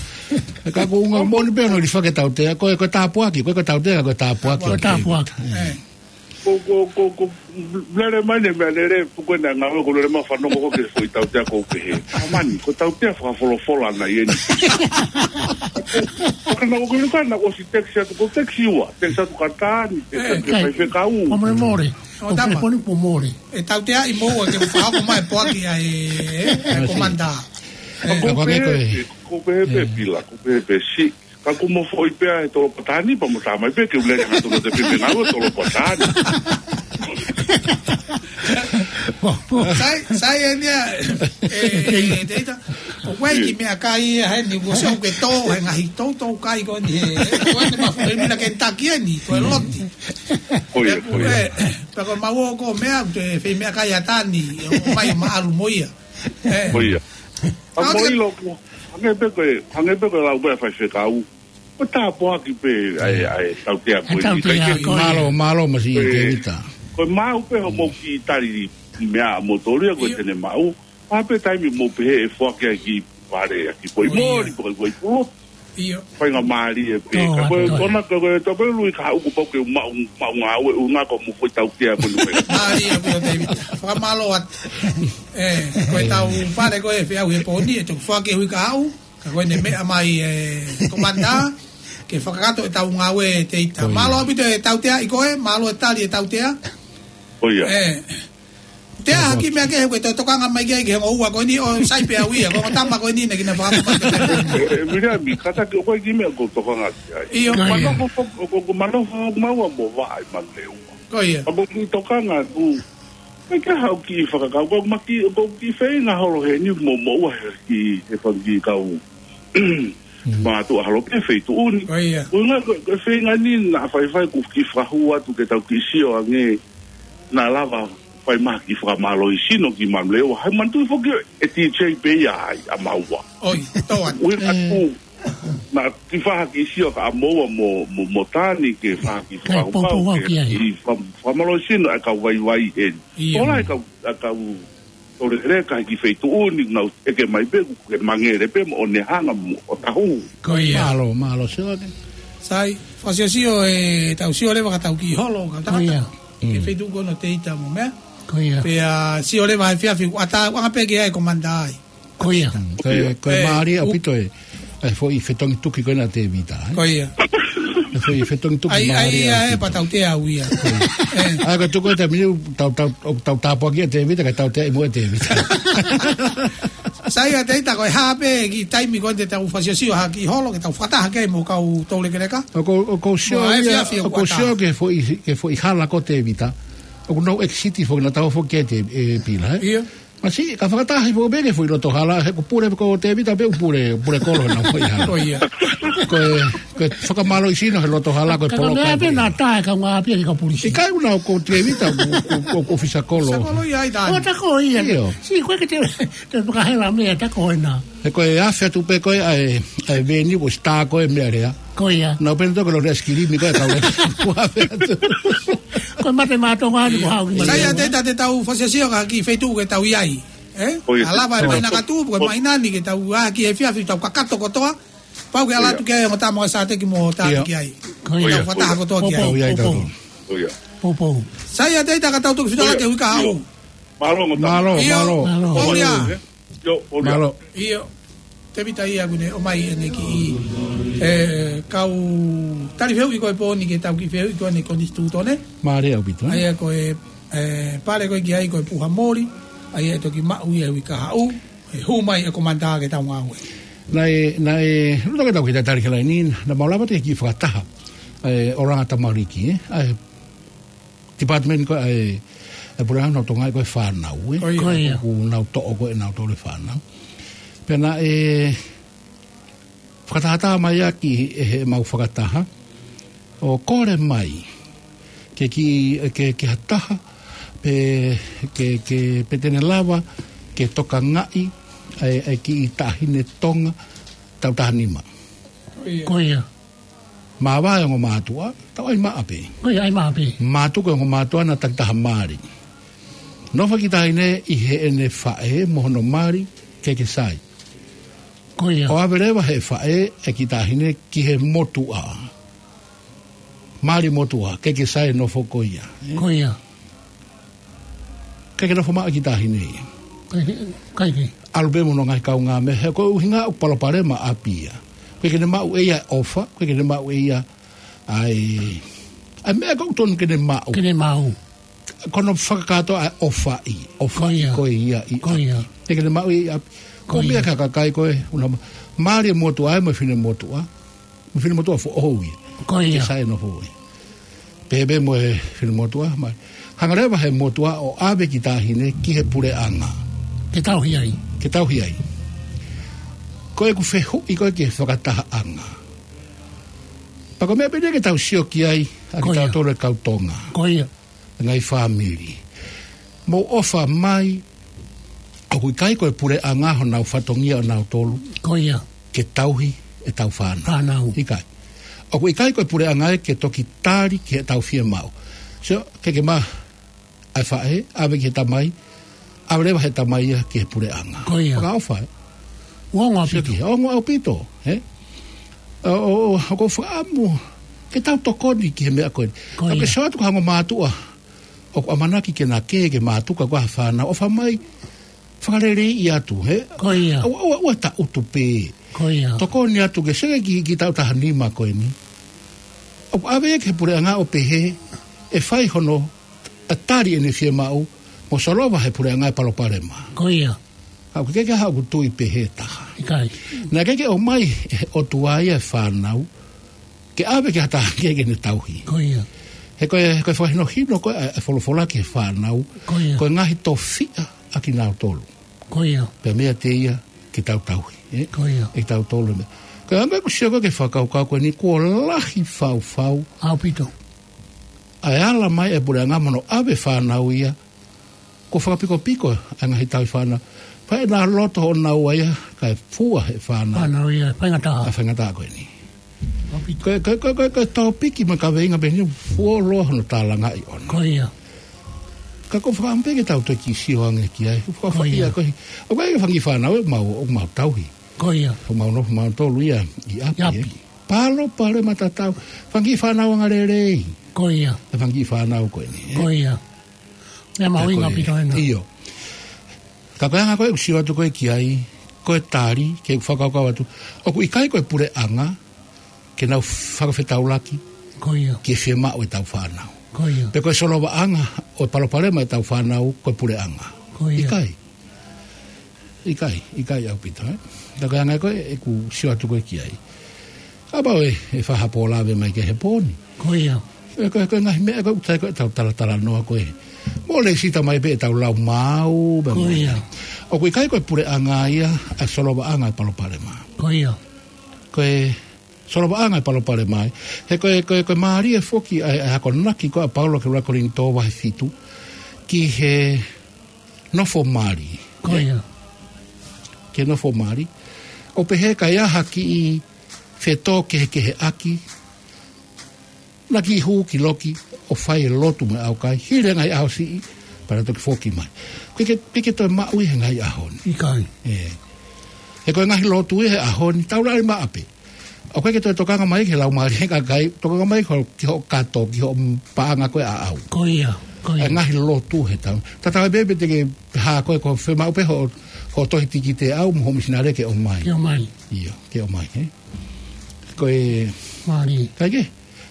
Ka ko e ʻuhinga moʻoni pē hono lifaki e tautea, ko e, ko e tāpuaki, ko e, ko e tautea, ko e tāpuaki. Ko e tāpuaki. ʻE. Ko, ko, ko, ko, lele mai eni e meʻalele, puke na ngāue, ko e lele mai fanongo ko e foʻi tautea ʻoku ou pehē. Ka mani, ko e tautea fakafolofola ʻeni. Ka naʻá ku ʻilo ka naʻá ku ʻosi text atu, ko e text ua, text atu kia Tani, text atu kia Faifekau. Fakamolemole. ʻO tama. Telefoni pea mole. ʻE tauteaʻi mo ua ke fakahoko mai e poaki ʻa e, e, e Komanda. ʻE. ʻOku ou pehē pē, ʻoku ou pehē pē Pila, ʻoku ou pehē pē si. Ka ko mo foʻi pea e tolo patani, pea mo tā mai pē ke u lele hangatonu atu pē pē ngāue tolo patani. Sai, sai eni ia, e, e, Teita. ʻOku ʻi ai e kiʻi meʻakai ia heni, ʻoku ʻosi ʻoku ke tō, he ngaahi toutou kai ko eni, he, ko eni ma, e mila ke taki eni, ko e loti. Ko ia, ko ia. Pea ko mau ʻoku meʻa, te fai meʻakai ʻa Tani, ʻo mai ma ʻalu mo ia. ʻE. Ko ia. ʻA mo ʻilo ko, hangē pē ko e, hangē pē ko e lau pē ʻa Faifekau. Ko e tāpuaki pē, ʻa e, ʻa e tautea ko eni. Mālō, mālō Masi Tēvita. Ko e maʻu pē hoʻomou kiʻi tali meʻa mo tolia ko e tene maʻu. Pea pē taimi mou pehē ʻe foaki ʻa e kiʻi pale, ʻa e kiʻi foʻi moli, foʻi, foʻi pulotu. ʻIo. Faingamālie pē. Ka ko e, ko ena, ko e, ko e, tau pē lui ka haʻu kuo pau ke maʻu, maʻu ngāue ʻuhinga ko hoʻomou foʻi tautea ko eni. Mālie ʻaupito Tēvita. Fakamālō atu. ʻE, ko e tau pale ko e feʻauhi he pō ni, ʻe toki foaki he uike kahaʻu. Ka ko ʻene meʻa mai e Komanda, ke fakakakato e tau ngāue Teita. Mālō ʻaupito e tautea ʻi ko e, mālō e tali e tautea. Ko ia. ʻE. Tea ha kiʻi meʻa ke he ko e tokanga mai ki ai ki he ongo ua ko eni ʻo sai pē au ia, ko e ongo tama ko eni naʻe kina fakapapau. ʻE, ʻe, Viliami, kātaki ʻoku ʻi ai e kiʻi meʻa ʻoku ou tokanga ki ai. ʻIo. Ko ia. Manofo, ʻoku, ʻoku manofo maua mo vaʻa ʻi Manu Leua. Ko ia. Ka ʻoku ou kiʻi tokanga atu. Meʻa ke haʻu kiʻi fakakaukau, ma kiʻi, ʻoku ou kiʻi feinga holo heni mo, mo ua he kiʻi, he fanga kiʻi kau. Mātuʻa holo pē feituʻu ni. Ko ia. Ko e ʻuhinga ko, ko e feinga ni naʻa faifai kuo kiʻi fakahū atu ke tau kiʻi sio ange naʻa lava fai mai ha kiʻi fakamālohisino ki Manu Leua. Hai manatuʻi foki e T J pē ia ai, ʻa maua. ʻOi, tō atu. ʻUhinga atu, naʻa kiʻi fai ha kiʻi sio ka ʻa maua mo, mo, mo Tani ke fai ha kiʻi fakakaukau, ke kiʻi fa-, fakamālohisino ʻa e kau vaivai eni. ʻIo. Tō lahi e kau, ʻa e kau tō leleka ki he feituʻu ni, nau ʻeke mai pē, ke mangele pē mo ʻene hanga mo ʻo tahu. Ko ia. Mālō, mālō Sione. Sai, fakasiosio e tau sio leva ka tau kiʻi holo, ka tau. Ko ia. Ke feituʻu ko ena Teita mo meʻa. Ko ia. Pea sio leva he efiafi, ʻatā, anga pē ke ʻai Komanda ai. Ko ia. Ko e, ko e mālie ʻaupito e. ʻA e foʻi fetongi tuki ko ena Tēvita, ē? Ko ia. ʻA e foʻi fetongi tuki mālie ʻaupito. Ai, ai, ʻe, pea tautea au ia. ʻE. ʻA ia ko e tuku e taimi ni, tau, tau, tau tāpuakiʻi ʻa Tēvita, kae tauteaʻi mo ʻa Tēvita. Sai ʻa Teita ko e hā pē kiʻi taimi ko eni te tau fakasiosio ha kiʻi holo, ke tau fakataha ki ai mo e kau toulekeleka. ʻOku ou, ʻoku ou sio ia, ʻoku ou sio ki he foʻi, ki he foʻi hala ko Tēvita. ʻOku nau exit foki naʻa tau foki ʻa Tē-, ʻe Pila, ē? ʻIo. Masi, ka fakataha foki pē ki he foʻi loto hala, he ko e pule ko Tēvita pē ʻoku pule, pule kolo naʻa foʻi hala. Ko ia. Ko e, ko e fakamālō ʻi Sino he loto hala ko e Ka ko polo mea kai pe polo. Na tae ka ngā pia ki ka pulisi. ʻIkai una ko Tēvita ko, ko, ko, ko Fisakolo. Fisakolo ia i tae. Ko ta ko ia. Io. Si, ko e ke te, te fakahela mea ta ko ena. He ko e afe atu pē ko e, ʻa e, ʻa e veni ko sita ko e mea lea. Ko ia. Na pena tō ko lo le skilimi ko e kau le. Ko afe atu. Ko e mate mātou ngā ni ko hau ki mate. Sai ʻa te ta te tau fasiasio ka ki feituʻu ke tau i ai. Eh? Ko ia. Alava e Ko ia. Mai nakatu, ko e mai nani ke tau a ki e fiafi tau kakato kotoa. Pau ke ala Ia. atu ki ai, mo tama sa te ki mo ta Ia. ki ai. Ko ia. Tau fataha kotoa ki ai. Poupou, Ia, ia, poupou. Ia. Poupou. Sai ʻa te ta ka tau tuku fita Ia. ke hui ka hau. Mālō, mo tama. Mālō, Ia. mālō. Mālō. Mālō. Ia. Io, ʻo ia. Mālō. Io. Tēvita ia kune, ʻo mai ʻene ki, eh, kau tali feu i ko e pōni ke tau ki feu i ko ʻene konisitūtone. Mālō ʻaupito, eh? ʻA ia ko e, eh, pale ko e ki ai ko e puha moli, ʻa ia e toki maʻu ia hui ka hau, e hū mai e komanta ke tau ngāue. Naʻe, naʻe, luta ke tau ki te tali ke lai ni, na mau lava te ki fakataha, eh, ʻo langa tamariki, eh? ʻA e department ko e, ʻa e, ʻa e puleʻanga ʻo Tonga ko e fānau, eh? Ko ia. Ko ia. ʻOku nau toʻo ko e nau tole fānau. Pea naʻe, fakatahataha mai ʻaki ʻe he mau fakataha, ʻo kole mai, ke ki, ke, ke ha taha, pe, ke, ke, pe te ne lava, ke tokangaʻi, ʻa e, ʻa e kiʻi taʻahine Tonga, tau taha nima. Ko ia. Māvae ongo mātuʻa, tau ʻai maʻa pē. Ko ia, ʻai maʻa pē. Mātuku ongo mātuʻa na taki taha mali. Nofo kiʻi taʻahine ʻi heʻene faʻē mo hono mali, ke ke sai. Ko ia. ʻO ʻave leva he faʻē ʻa e kiʻi taʻahine ki he motuʻa. Mali motuʻa, ke ke sai nofo ko ia, eh? Ko ia. Ke ke nofo maʻa kiʻi taʻahine ia. Kai ke, kai ke. ʻAlu pē mo hono ngaahi kaungāmeʻa, he ko e ʻuhinga ʻoku palopalema ʻapi ia. Ke ke ne maʻu ʻe ia ʻofa, ke ke ne maʻu ʻe ia ʻa e, ʻa e meʻa ʻoku totonu ke ne maʻu. Ke ne maʻu. Ko hono fakakātoa ʻa e ʻofaʻi, ʻofaʻi Ko ia. ko ia ʻi Ko ia. ʻapi. Ke ke ne maʻu ʻi ʻapi. Ko Ko ia. meʻa ka kakai ko e, una ma-, mali e motuʻa ē mo e fine motuʻa. Mo e fine motuʻa foʻou ia. Ko ia. Ke sai nofo ia. Pehē pē mo e fine motuʻa, mai. Hanga leva he motuʻa ʻo ʻave kiʻi taʻahine ki he puleʻanga. Ke tauhi ai. Ke tauhi ai. Ko ʻeku fehuʻi ko e ki he fakatahaʻanga. Pea ko e meʻa pē eni ke tau sio ki ai, ʻa Ko ia. kitautolu e kau Tonga. Ko ia. Ngaahi fāmili. Mou ʻofa mai, ʻoku ʻikai ko e puleʻanga honau fatongia ʻonautolu. Ko ia. Ke tauhi ʻetau fānau. Fānau. ʻIkai. ʻOku ʻikai ko e puleʻanga ia ke toki tali ki heʻetau fiemaʻu. So, ke ke ma, ʻa e faʻē, ʻave ki he tamai, ʻave leva he tamai ia ki he puleʻanga. Ko ia. Fakaʻofa, eh? Ongo Sio ʻaupito. ki he, ongo ʻaupito, eh? ʻO, ʻo, ʻo, ʻoku ou fakaʻamu, ke tau tokoni ki he meʻa ko eni. Ko Ka ke ia. sio atu ko e ongo mātuʻa, ʻoku ʻamanaki ke na kē, ke mātuku ko e fānau, ʻofa mai, fakaleleiʻi atu, he? Ko ia. ʻOua, ʻoua, ʻoua taʻutu pē. Ko ia. Tokoni atu ke sio ki, ki he taʻu taha nima ko eni. ʻOku ʻave ia ki he puleʻanga ʻo pehē, ʻe fai hono, ʻa tali ʻene fiemaʻu, mo solova he puleʻanga e palopalema. Ko ia. Ka ʻoku ʻikai ke ʻi ai haʻaku tui pehē taha. ʻIkai. Naʻe ʻikai ke ʻomai he ʻOtua ia e fānau, ke ʻave ki ha taha kehe ke ne tauhi. Ko ia. He ko e, ko e fakahinohino ko e, ʻa e folofola ki he fānau, Ko ia. ko e ngaahi tofiʻa ʻa kinautolu. Ko ia. Pea meiate ia ke tau tauhi, eh? Ko ia. ʻE tautolu meʻa. Ko e anga ʻeku sio ko e ki he fakakaukau ko eni kuo lahi faufau. ʻAupito. ʻA e ala mai e puleʻanga mo hono ʻave fānau ia, kuo fakapikopiko ʻa e ngaahi tauhi fānau. Pea ʻi he loto ʻonaua ia, kae fua he fānau. Fānau ia, faingataʻa. ʻA e faingataʻa ko eni. ʻAupito. Ko e, ko e, ko e, ko e, ko e topiki mo e kaveinga pē eni fuoloa hono tālangaʻi ʻona. Ko ia. Ka ʻoku ou fakaʻamu pē ke tau toki sio ange ki ai. Ko ia. Fakafaia ko e. ʻOku ʻi ai e fanga kiʻi fānau ʻoku mau, ʻoku mau tauhi. Ko ia. ʻOku mau nofo mautolu ia ʻi ʻapi, ʻI ʻapi. eh. Palopalema tatau. Fanga kiʻi fānau angalelei. Ko ia. E fanga kiʻi fānau ko eni, eh. Ko ia. Meʻa mahuʻinga Ka ko e, ʻaupito ena. ʻIo. Ka ko e anga ko ē ʻeku sio atu ko ē ki ai, ko e tali, ke fakakaukau atu. ʻOku ʻikai ko e puleʻanga, ke nau fakafetaulaki, Ko ia. ki he fiemaʻu ʻetau fānau. Ko ia. Pe ko e solovaʻanga ʻo e palopalema ʻetau fānau, ko e puleʻanga. Ko ia. ʻIkai. ʻIkai, ʻikai ʻaupito, eh? Ka ko e anga ko ē ʻeku sio atu ko ē ki ai. Kapau ʻe, ʻe fai ha pō lave mai ki he pō ni. Ko ia. ʻE ko e, ko e ngaahi meʻa ko ē ʻoku ʻikai ko ē tau talatalanoa ko ē. Mo lēsisita mai pē ʻetau lau maau, pea Ko mo ia. ʻOku ʻikai ko e puleʻanga ia, ʻa e solovaʻanga e palopalema. Ko ia. Ko e Solovaʻanga e palopalema ai. He ko e, ko e, ko e mālie foki ʻa e, ʻa e akonaki ko ē ʻa Paula ki he ʻuluaki Kolinitō vahe fitu, ki he nofo mali. Ko ia. Ki he nofo mali. ʻO pehē ka ʻi ai ha kiʻi fetōkehekeheʻaki, naʻa ke hū ki loki ʻo fai e lotu mo e ʻaukai, hili e ngaahi ʻaho siʻi, pea toki foki mai. ʻOku ʻikai ke, ʻikai ke toe maʻu ia he ngaahi ʻaho ni. ʻIkai. ʻE. He ko e ngaahi lotu ia he ʻaho ni, tau lali maʻa pē. ʻOku ʻikai ke toe tokanga mai ki he laumālie ʻo e kakai, tokanga mai ki hoʻo, ki hoʻo kato, ki hoʻo paʻanga ko ē ʻaʻau. Ko ia, ko ia. ʻA e ngaahi lotu he taimi. Tatau ai pē pe te ke hā koe ko e fiemaʻu pē hoʻo, hoʻo tohi tikite ʻaʻau mo hoʻo misinale ke ʻomai. Ke ʻomai. ʻIo, ke ʻomai, ē. Ko e mālie. Kae kehe.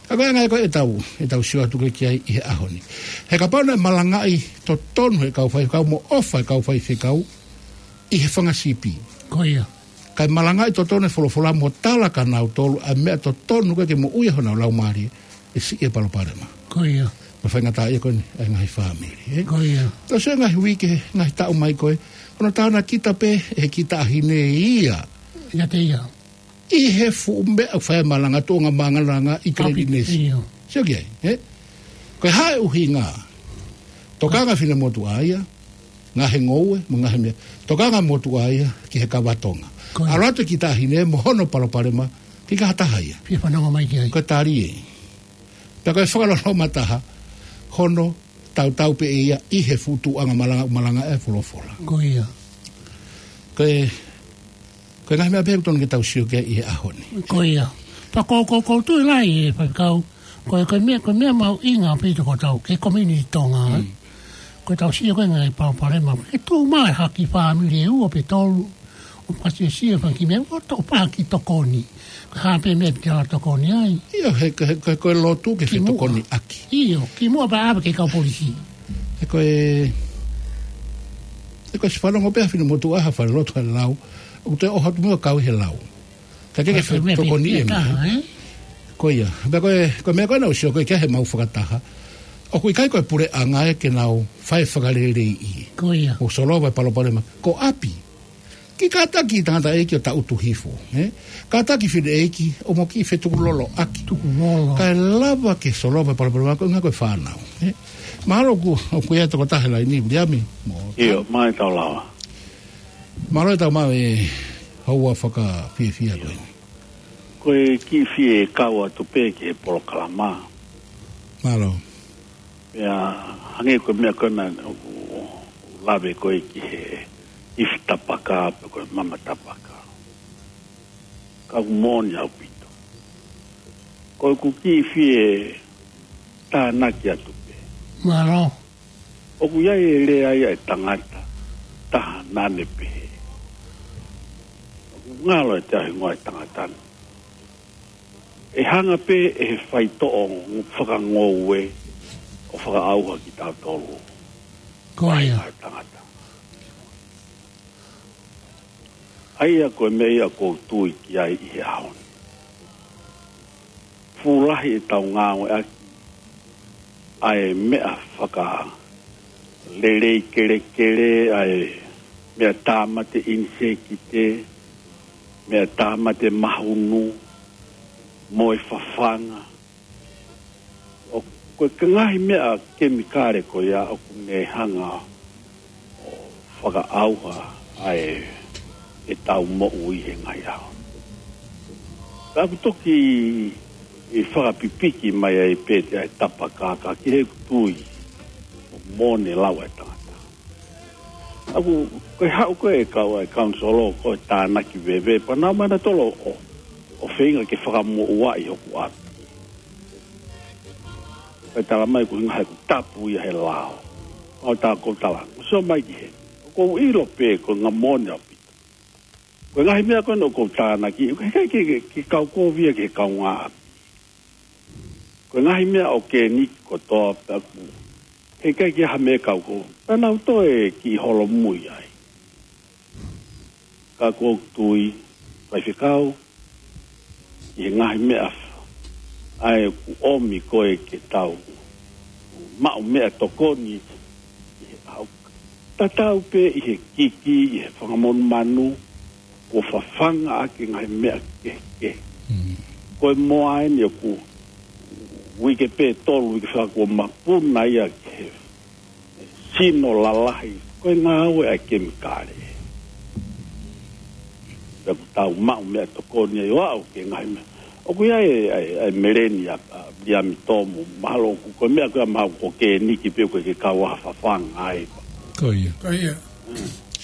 Ka ko e anga ia ko ē ʻetau, ʻetau sio atu ko ē ki ai ʻi he ʻaho ni. He kapau naʻe malangaʻi totonu he kau faifekau mo ʻofa e kau faifekau ʻi he fanga sipi. Ko ia. Kae malangaʻi totonu e folofola mo tala kia nautolu ʻa e meʻa totonu ko ē ke moʻui ai honau laumālie, ʻe siʻi e palopalema. Ko ia. Mo e faingataʻaʻia ko eni ʻa e ngaahi fāmili, ē? Ko ia. Tau sio he ngaahi uike, ngaahi taʻu mai ko ē, hono tānaki pē ʻe he kiʻi taʻahine ia. ʻIate ia. ʻI he fuʻu meʻa ʻoku fai ai e malanga, tuʻunga malanga ʻi Glen Innes. ʻIo. Sio ki ai, ē? Ko e hā e ʻuhinga? Tokanga finemotuʻa ia, ngaahi ngoue, mo e ngaahi meʻa. Tokanga motuʻa ia ki he kava Tonga. Ko ia. ʻAlu atu e kiʻi taʻahine mo hono palopalema, ki ha taha ia. Fie fanongo mai ki ai. Ko e tali ē. Pea ko e fakaloloma taha, hono tautau pē ia ʻi he fuʻu tuʻunga malanga, malanga e folofola. Ko ia. Ko e, ko e ngaahi meʻa pē ʻoku totonu ke tau sio ki ai ʻi he ʻaho ni. Ko ia. Pea ko, ko, ʻoku ou tui lahi e faifekau, ko e, ko e meʻa, ko e meʻa mahuʻinga ʻaupito ko ʻetau, ki he community Tonga, ē? Mm. Ko ʻetau sio ko ē ngaahi palopalema, ke tuʻu mai ha kiʻi fāmili ʻe ua pe tolu, ʻo fakasiosio he fanga kiʻi meʻa, ʻo to-, ʻo fai ha kiʻi tokoni. Ko e hā pē meʻa te tau tokoni ai. ʻIo, he, he, he, ko e lotu ke fetokoniʻaki. Kimuʻa. ʻIo, kimuʻa pea ʻave ki he kau polisi. He ko e, he ko e siʻi fanongo pē ʻa finemotuʻa ha falelotu he lau, ʻoku te ʻohatu mo kau he lau. Ka ke, ke fetokoniʻi e meʻa, ē? Ko ia. Pea ko e, ko e meʻa ko ē naʻa ku sio ko ē ki ai heʻemau fakataha, ʻoku ʻikai ko e puleʻanga ia ke nau fai fakaleleiʻi. Ko ia. ʻO solova e palopalema. Ko ʻapi. Kiʻi kātaki tangataʻeiki ʻo taʻutu hifo, ē? Kātaki fineʻeiki, ʻo mo kiʻi fetukuloloʻaki. Tukulolo. Kae lava ke solova e palopalema ko ē ʻuhinga ko e fānau, ē? Mālō ʻoku, ʻoku ʻi ai e tokotaha he laini, Viliami. Mo ʻIo, mai tau lava. Mālō e tau maʻu e houa fakafiefia ko eni. Ko e kiʻi fie kau atu pē ki he polokalama. Mālō. Pea hangē ko e meʻa ko ena ʻoku lave ko ē ki he ifi tapaka, pe ko e mama tapaka. Ka ʻoku moʻoni ʻaupito. Ko ʻeku kiʻi fie tānaki atu pē. Mālō. ʻOku ʻi ai e lea ia ʻa e tangata, taha naʻa ne pehē. ʻOku ngalo ʻiate au e hingoa e tangata ni. ʻE hanga pē ʻe he faitoʻo fakangoue ʻo fakaʻauha kitautolu. Ko ia. Fai ʻa e tangata. ʻA ia ko e meʻa ia ʻoku ou tui ki ai ʻi he ʻaho ni. Fuʻu lahi ʻetau ngāueʻaki ʻa e meʻa fakalelei kelekele, ʻa e meʻa tāmate ʻinisēkite, meʻa tāmate mahunu, mo e fafanga. ʻO ko e ngaahi meʻa kemikale ko ia ʻoku ne hanga ʻo fakaʻauha ʻa e, ʻetau moʻui he ngaahi ʻaho. Pea ʻoku toki ʻi fakapipiki mai ai pē ʻa e tapaka ka ki he tui ʻoku moʻoni e lau ʻa e tangata. ʻA ia ko e haʻu ko ē e kau ʻa e kaunisolo ko e tānaki veve, pea nau mai nautolu ʻo, ʻo feinga ke fakamoʻuaʻi hoku ʻapi. Pea tala mai ko e ʻuhinga he ʻoku tapu ia he lao. ʻO tā kou tala, ʻo sio mai ki heni. ʻOku ou ʻilo pē ko e ngaahi moʻoni ʻaupito. Ko e ngaahi meʻa ko ena ʻoku ou tānaki, ʻoku ʻikai ke, ke, ke kau kovi ia ki he kaungāʻapi. Ko e ngaahi meʻa ʻokeniki kotoa pē ʻoku ʻikai ke ʻi ai ha meʻa kau ko. Pea nau toe kiʻi holomui ai. Ka ʻoku ou tui, faifekau, ʻi he ngaahi meʻa ʻa ē ʻoku ʻomi ko ē ke tau maʻu meʻatokoni ʻi he ʻau. Tatau pē ʻi he kiki, ʻi he fanga monumanu, kuo fafanga ʻaki e ngaahi meʻa kehekehe. Mm. Ko e moa eni ʻoku uike pē tolu, uike fā kuo mapuna ia ke sino lalahi. Ko e ngāue ʻa e kemikale. Pea ʻoku tau maʻu meʻatokoni ai ʻo aʻu ki he ngaahi meʻa. ʻOku ʻi ai e, e, e meleni ʻa, ʻa Viliami Tomu, mahalo ʻoku ko e meʻa ko ia mahalo ko e kēniki pē ʻoku ke kau ʻa fafanga ai. Ko ia. Ko ia.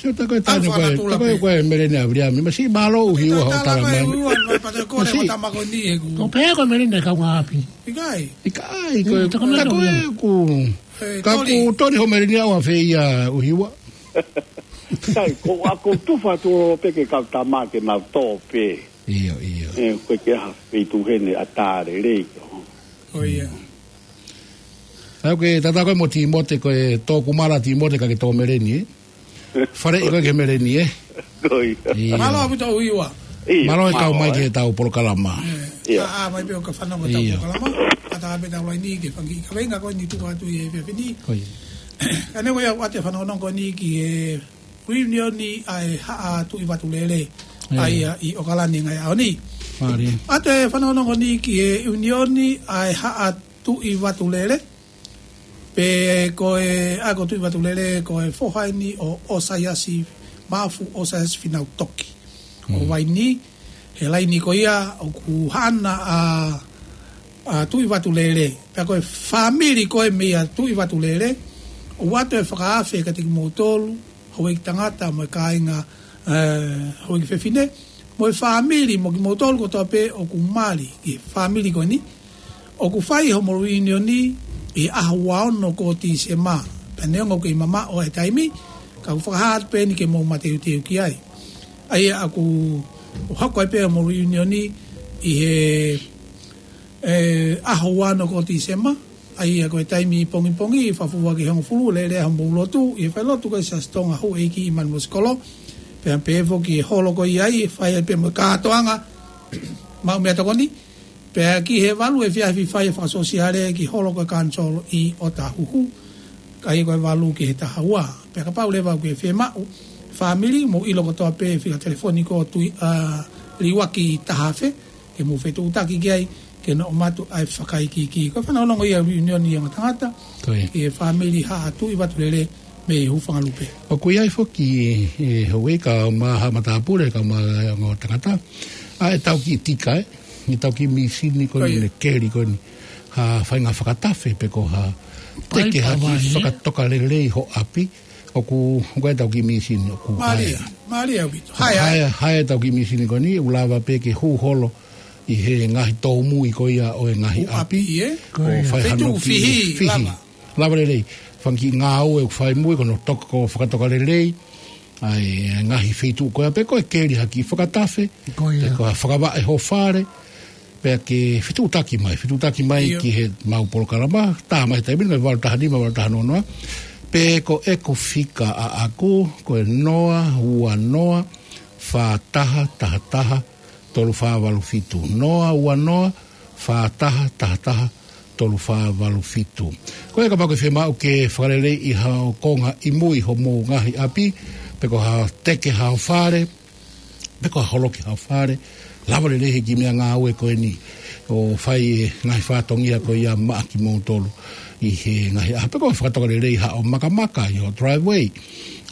Sio, tā ko e tanu ko e, tā ko e meleni ʻa Viliami. Masiʻi, mālō ʻUhiua hoʻo talamai. Masiʻi. Ko pē ko e meleni ʻa e kaungāʻapi. ʻIkai. ʻIkai, ko e, tā ko e, ʻoku, ka ʻoku toni hoʻo meleni ʻa fē ia ʻUhiua. ʻIkai, ko, ʻa ko tufa tu pē ke kau tama ke mau tō pē. ʻIo, ʻio. ʻE, ko e ke ha, pē tu heni ʻa tā lelei. Ko ia. ʻA ke tata ko e mo Timote, ko e tō kumala Timote ka ke tō meleni, ē? Faleʻi ko e ke meleni, ē? Ko ia. ʻIo. Mālō ʻaupito ʻUhiua. ʻIo, mālō e kau mai ki he tau polokalama. ʻIo. ʻA, ʻa, mai pē ʻo ka fanongo tau polokalama. ʻA tā pē tau laini ke fanga kiʻi kaveinga ko eni tuku atu ʻi he efiafi ni. Ko ia. Ka ne ko ia ʻoatu e fanongonongo ko eni ki he ʻiunioni ʻa e Haʻa Tuʻi Vatulele, ʻa ia ʻi ʻOkalani he ngaahi ʻaho ni. ʻOatu e fanongonongo ni ki he ʻiunioni ʻa e Haʻa Tuʻi Vatulele. Pea ko e, ʻa ko Tuʻi Vatulele, ko e foha eni ʻo ʻOsaiasi, Mafu ʻOsaiasi Finau Toki. ʻO Vaini, he laini ko ia ʻoku haʻana ʻa, ʻa Tuʻi Vatulele. Pea ko e fāmili ko e meia Tuʻi Vatulele, ʻoatu e fakaafe kiate kimoutolu, houʻeiki tangata mo e kāinga, ē, houʻeiki fefine, mo e fāmili mo kimoutolu kotoa pē ʻoku mali ki he fāmili ko eni, ʻoku fai homo ʻiunioni ʻi he ʻaho ua ono ko Tīsema. Pea neongo ʻoku kei mamaʻo e taimi, ka ʻoku fakahā atu pē eni ke mou mateuteu ki ai. ʻA ia ʻoku hoko ai pē homo ʻiunioni ʻi he, ē, ʻaho ua ono ko Tīsema, ʻa ia ko e taimi pongipongi, fā ua ki he hongofulu, lele homou lotu, ʻi he falelotu ko e Siasi Tonga Houʻeiki ʻi Manumosikolo, pea pehē foki ki he holo ko ia ʻe fai ai pē mo e kātoanga, maʻu meʻatokoni, pea ki he valu efiafi fai e fakasōsiale ki he holo ko e Kanisolo ʻi ʻŌtāhuhu, ʻa ia ko e valu ki he taha ua. Pea kapau leva ʻoku ke fiemaʻu fāmili, mou ʻilo kotoa pē fika telefoni ko Tuʻi, ā, Liuaki taha afe, ke mou fetuʻutaki ki ai, ke nau ʻomai atu ʻa e fakaikiiki. Ko e fanongonongo ia ʻa e ʻiunioni ʻa e ongo tangata, ki he fāmili Haʻa Tuʻi Vatulele mei Hufangalupe. ʻOku ʻi ai foki, ē, houʻeiki kau mai ha matāpule, kau mai ongo tangata. ʻA e tau kiʻi tika, ē, ʻi he tau kiʻi mīsini ko eni, ne keli ko eni. Ha faʻahinga fakatafe pe ko ha teke ha kiʻi fakatoka lelei ho ʻapi. ʻOku, ʻoku ʻi ai e tau kiʻi mīsini, ʻoku hā. Mālie, mālie ʻaupito. Hā, hā. Hā, hā e tau kiʻi mīsini ko eni, ʻoku lava pē ke hū holo ʻi he ngaahi tōmui ko ia ʻo e ngaahi ʻapi, ʻapi, ē? Ko ia. Fai hano kiʻi fihi, fihi. Lava. Lava lelei. Fanga kiʻi ngāue ʻoku fai mui, ko hono toka, ko e fakatoka lelei ʻa e ngaahi feituʻu ko ia, pe ko e keli ha kiʻi fakatafe, pe ko ha fakavaʻe ho fale, pea ke fetuʻutaki mai, fetuʻutaki mai ki he mau polokalama, tā mai he taimi ni, valu taha nima, valu taha noa noa, pe ko ʻeku fika ʻaʻaku, ko e noa ua noa, fā taha taha taha, tolu fā valu fitu. Noa ua noa, fā taha taha taha, tolu fā valu fitu. Ko ia kapau ʻoku ke fiemaʻu ke fakaleleiʻi haʻo konga ʻi mui homou ngaahi ʻapi, pe ko ha teke haʻo fale, pe ko ha holoki haʻo fale, lava lelei he kiʻi meʻangāue ko eni ʻo fai e ngaahi fatongia ko ia maʻa kimoutolu ʻi he ngaahi ʻapi, pe ko ha fakatoka lelei haʻo makamaka ʻi ho driveway,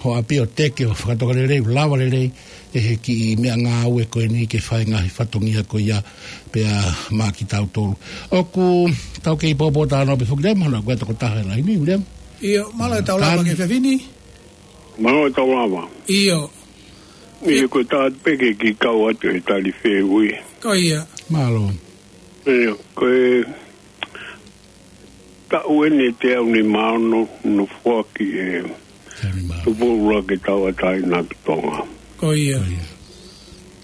ho ʻapi, ʻo teke ʻo fakatoka lelei, lava lelei ʻe he kiʻi meʻangāue ko eni ke fai ngaahi fatongia ko ia pea maʻa kitautolu. ʻOku tau kei poupou talanoa pē foki, Viliami, mahalo ko e tokotaha ʻi he laini, Viliami. ʻIo, mālō e tau lava ki he efiafi ni. Mālō e tau lava. ʻIo. ʻIo, ko e taha pē ke kiʻi kau atu he tali fehuʻi. Ko ia. Mālō. ʻIo, ko e taʻu eni ʻe teau nima ono, no foaki e Tupou Ula ke tauʻatāina ki Tonga. Ko ia. Ko ia.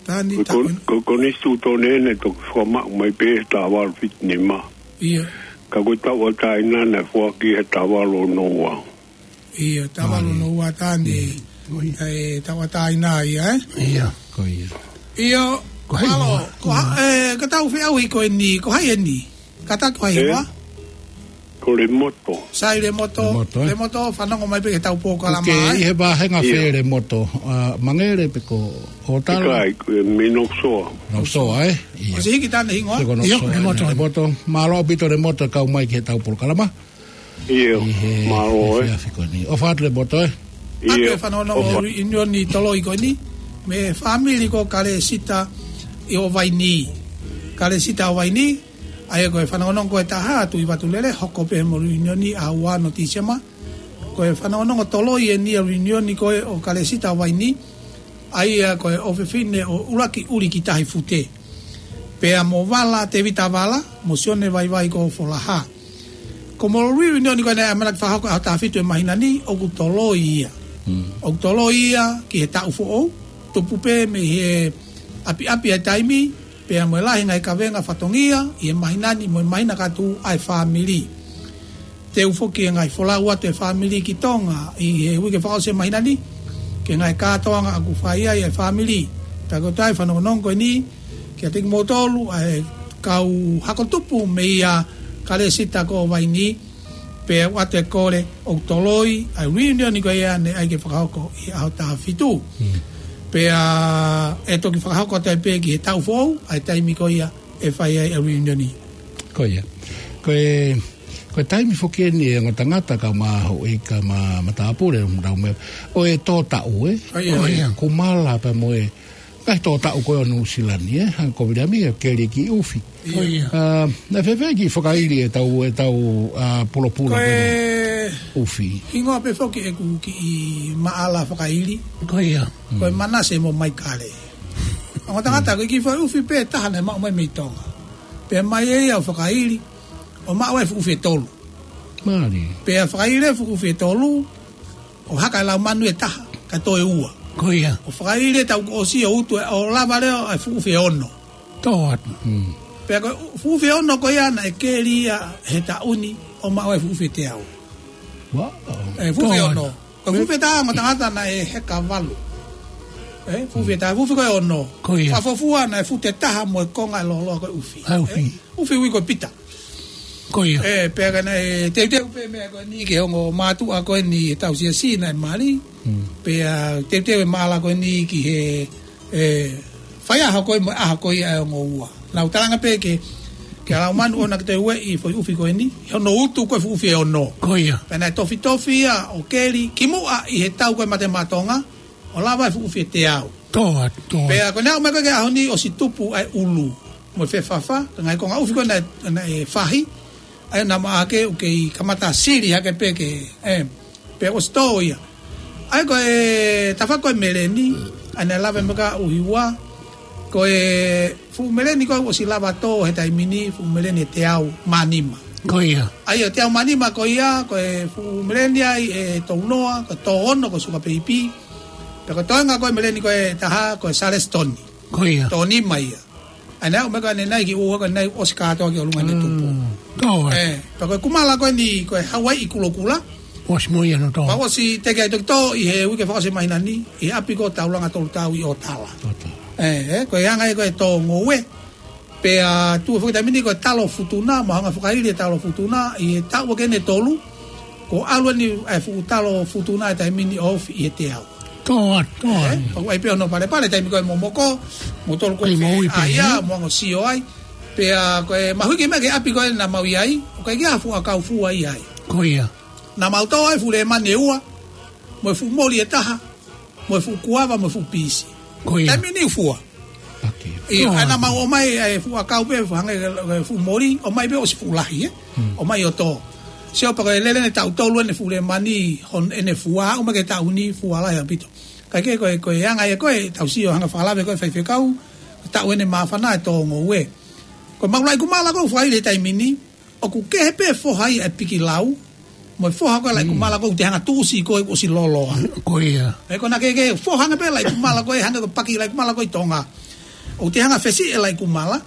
Tani ko, taʻu ko, ko Konisitūtone ʻeni toki fakamaʻu mai pē he taha valu fitu nima. Ia. Ka ko e tauʻatāina naʻe foaki he taha valu ono ua. Ia, taha valu ono ua tani. Ko ia. E tauʻatāina ia, ē? Ia. Ko ia. Io, ko hai mālō, ko ha, e, ka tau feʻauhi ko eni, ko hai eni? Kātaki ko hai hiva? Ko Lemoto. Sai Lemoto. Lemoto, ē? Lemoto, fanongo mai pē ki heʻetau polokalama, ʻoku ke ʻi he vāhenga fē Lemoto? ʻA Mangere pe ko Hotala? ʻIkai, ko e mei Noksoa. Noksoa, ē? ʻIo. ʻOsi hiki atu e hingoa? Ko Noksoa, ʻio, Lemoto. Lemoto. Mālō ʻaupito Lemoto e kau mai ki heʻetau polokalama. ʻIo, mālō, ʻi he efiafi ko eni. ʻOfa atu Lemoto, ē? ʻIo. Atu e fanongonongo ʻo e reunion ʻi Toloi ko eni, mei he fāmili ko Kalesita ʻo Vaini. Kalesita ʻo Vaini, ʻa ia ko e fanongonongo ko ē ʻe taha, Tuʻi Vatulele, hoko pē mo e reunion ʻaho ua ʻo Tīsema. Ko e fanongonongo Toloi eni ʻa e reunion ko ē ʻo Kalesita ʻo Vaini, ʻa ia ko e ʻofefine ʻo ʻUluaki ʻUli ki Tahi Fute. Pea mo Vala, Tēvita Vala, mo Sione Vaivai ko Folaha. Ko e reunion ko eni naʻe ʻamanaki fakahoko ʻaho taha fitu ʻo e māhina ni, ʻoku Toloi ia. Hmm. ʻOku Toloi ia ki he taʻu foʻou, tupu pē mei he ʻapiʻapi ʻa e taimi, pea mo e lahi e ngaahi kavenga fatongia ʻi he māhina ni mo e māhina ka tuʻu ʻa e fāmili. Te u foki e ngaahi folau atu e fāmili ki Tonga ʻi he uike fakaʻosi e māhina ni, ki he ngaahi kātoanga ʻoku fai ai e fāmili. Pea ko e toe fanongonongo ko eni, kiate kimoutolu ʻa e kau hako tupu mei a Kalesita ko Vaini, pea ʻoatu e kole ʻoku Toloi ʻa e reunion ko ia naʻe ʻai ke fakahoko ʻi he ʻaho taha fitu. Hmm. Pea ʻe toki fakahoko atu ai pē ki he taʻu foʻou, ʻa e taimi ko ia ʻe fai ai e reunion. Ko ia. Ko e, ko e taimi foki eni e ongo tangata ka maho i ka ma, matāpule, ʻo tau meʻa. ʻO e tō taʻu, ē? Ko ia. Ko ia. Kumala pea mo e ngaahi tō taʻu ko ē ʻo Nuʻusila ni, ē? Hangē ko Viliami, ʻe keli ki ʻufi. Ko ia. ʻA, naʻe fēfē e kiʻi fakaili ʻetau, ʻetau, ʻa, pulopula ko ē ko eni ʻufi? Hingoa pē foki ʻeku kiʻi maʻala fakaili. Ko ia. Ko e Manase mo Maikale. Ongo tangata, ko e kiʻi foʻi ʻufi pē taha naʻe maʻu mai mei Tonga. Pea mai ʻe ia ʻo fakaili, ʻo maʻu e fuʻu ʻufi ʻe tolu. Mālie. Pea fakaili e fuʻu ʻufi ʻe tolu, ʻo haka e laumanu ʻe taha, kae toe ua. Ko ia. ʻO fakaili e taʻu kuo ʻosi ʻo utu ē, ʻo lava leva e fuʻu ʻufi ʻe ono. Tō atu. Hmm. Pea ko e fuʻu ʻufi ʻe ono ko ia naʻe keli ia he taʻu ni ʻo maʻu e fuʻu ʻufi ʻe teau. Wow. E fuʻu ʻufi ʻe ono. Ko e fuʻu ʻufi ʻe taha ongo tangata naʻe heka valu. E, fuʻu ʻufi ʻe taha, fuʻu ʻufi ko ē ʻe ono. Ko ia. Fakafuofua naʻe futi ʻe taha mo e konga e lōloa ko ē ʻufi. ʻA e ʻufi. E, ʻufi ui ko Pita. Ko ia. E, pea ka naʻe teuteu pē meʻa ko eni ki he ongo mātuʻa ko eni ʻetau siasi naʻe mali. Hmm. Pea teuteu e maʻala ko eni ki he, e, faiʻaho ko ē mo e ʻaho ko ia e ongo ua. Naʻa ku talaange pē ke, ke lau manu ʻona ke toe ueʻi e foʻi ʻufi ko eni, he hono utu ko e fuʻu ʻufi ʻe ono. Ko ia. Pea naʻe tofitofi ia ʻo keli, kimuʻa ʻi he tau ko ē Mate Maʻa Tonga, ʻo lava e fuʻu ʻufi ʻe teau. Tō atu, tō atu. Pea ko ʻene aʻu mai ko ē ki he ʻaho ni ʻosi tupu ʻa e ʻulu mo e fefafa, ka ngaahi konga ʻufi ko ē naʻe, naʻe fahi, ʻa ia naʻa ma ake ʻoku kei kamata sili hake pē ke, e, pea ʻosi tō ia. ʻA ia ko e tafaʻaki ko ē meleni, ʻa ia naʻe lave mai ki ai ʻUhiua, ko e fuʻu meleni ko ē ʻosi lava tō he taimi ni, fuʻu meleni ʻe teau mā nima. Ko ia. ʻA ia ʻe teau mā nima ko ia, ko e fuʻu meleni ai ʻe tolu noa, ko e tō ono ko e Suka Peipi. Pea ko e toenga ko ē meleni ko ē ʻe taha, ko e Salesitoni. Ko ia. Tō nima ia. ʻA ia naʻe aʻu mai ko ē ʻanenai ki ʻUhiua ko ʻanenai ʻosi kātoa ki ʻolunga ʻene tupu. Mm. Tō atu. E, pea ko e kumala ko eni ko e Hauaiʻi Kulokula. ʻOsi mo ia hono tō. Pea ʻosi teke ai toki tō ʻi he uike fakaʻosi e māhina ni, ʻi he ʻapi ko Taulanga Tolutau ʻi ʻOtala. ʻOtala. E, e, ko e anga ia ko ē e tō ngoue. Pea tuʻu foki e taimi ni ko e talo futuna, mo e hanga ʻo fakaili e talo futuna, ʻi he taʻu ʻuluaki ʻe tolu, kuo ʻalu eni e fuʻu talo futuna he taimi ni ʻo ofi ʻi he teau. Tō atu, tō atu. E, pea ʻoku ʻi ai pē hono palepale, taimi ko ē momoko, mo tolu ko ē, kei maʻu pē, ʻa ia, e? Mo hanga ʻo sio ai. Pea ko e mahuʻinga meʻa ki he ʻapi ko ē naʻa mau ʻi ai, ʻoku ʻikai ke ʻi ai ha fuʻakau fua ʻi ai. Ko ia. Naʻa mau tō ai e fuʻu lēmani ʻe ua, mo e fuʻu moli ʻe taha, mo e fuʻu kuava, mo e fuʻu pisi. Ko ia. Taimi ni fua. Paki. ʻIo, ʻa ia naʻa mau ʻomai e fuʻakau pē, hangē ko e fuʻu moli, ʻomai pē ʻosi fuʻu lahi, e? Hmm. ʻOmai ʻo tō. Sio pē ko e lele ʻene taʻu tolu ʻene fuʻu lēmani, hono ʻene fua, ʻomai ki he taʻu ni fua lahi ʻaupito. Kae kehe ko e, ko e anga ia ko ē, tau sio hanga ʻo fakalave ko ē faifekau, taʻu ʻene māfana e tō ngoue. Ko e maʻu laikumala ko ē ʻoku fai he taimi ni, ʻoku kehe pē foha ia e pikilau, mo e foha ko ē laikumala ko ē ʻoku te hanga ʻo tuʻusi ko ē ʻosi lōloa. Ko ia. E ko ena ke, ke foha ange pē laikumala ko ē, hangē ko e paki laikumala ko ē ʻi Tonga. ʻOku te hanga ʻo fesiʻi e laikumala,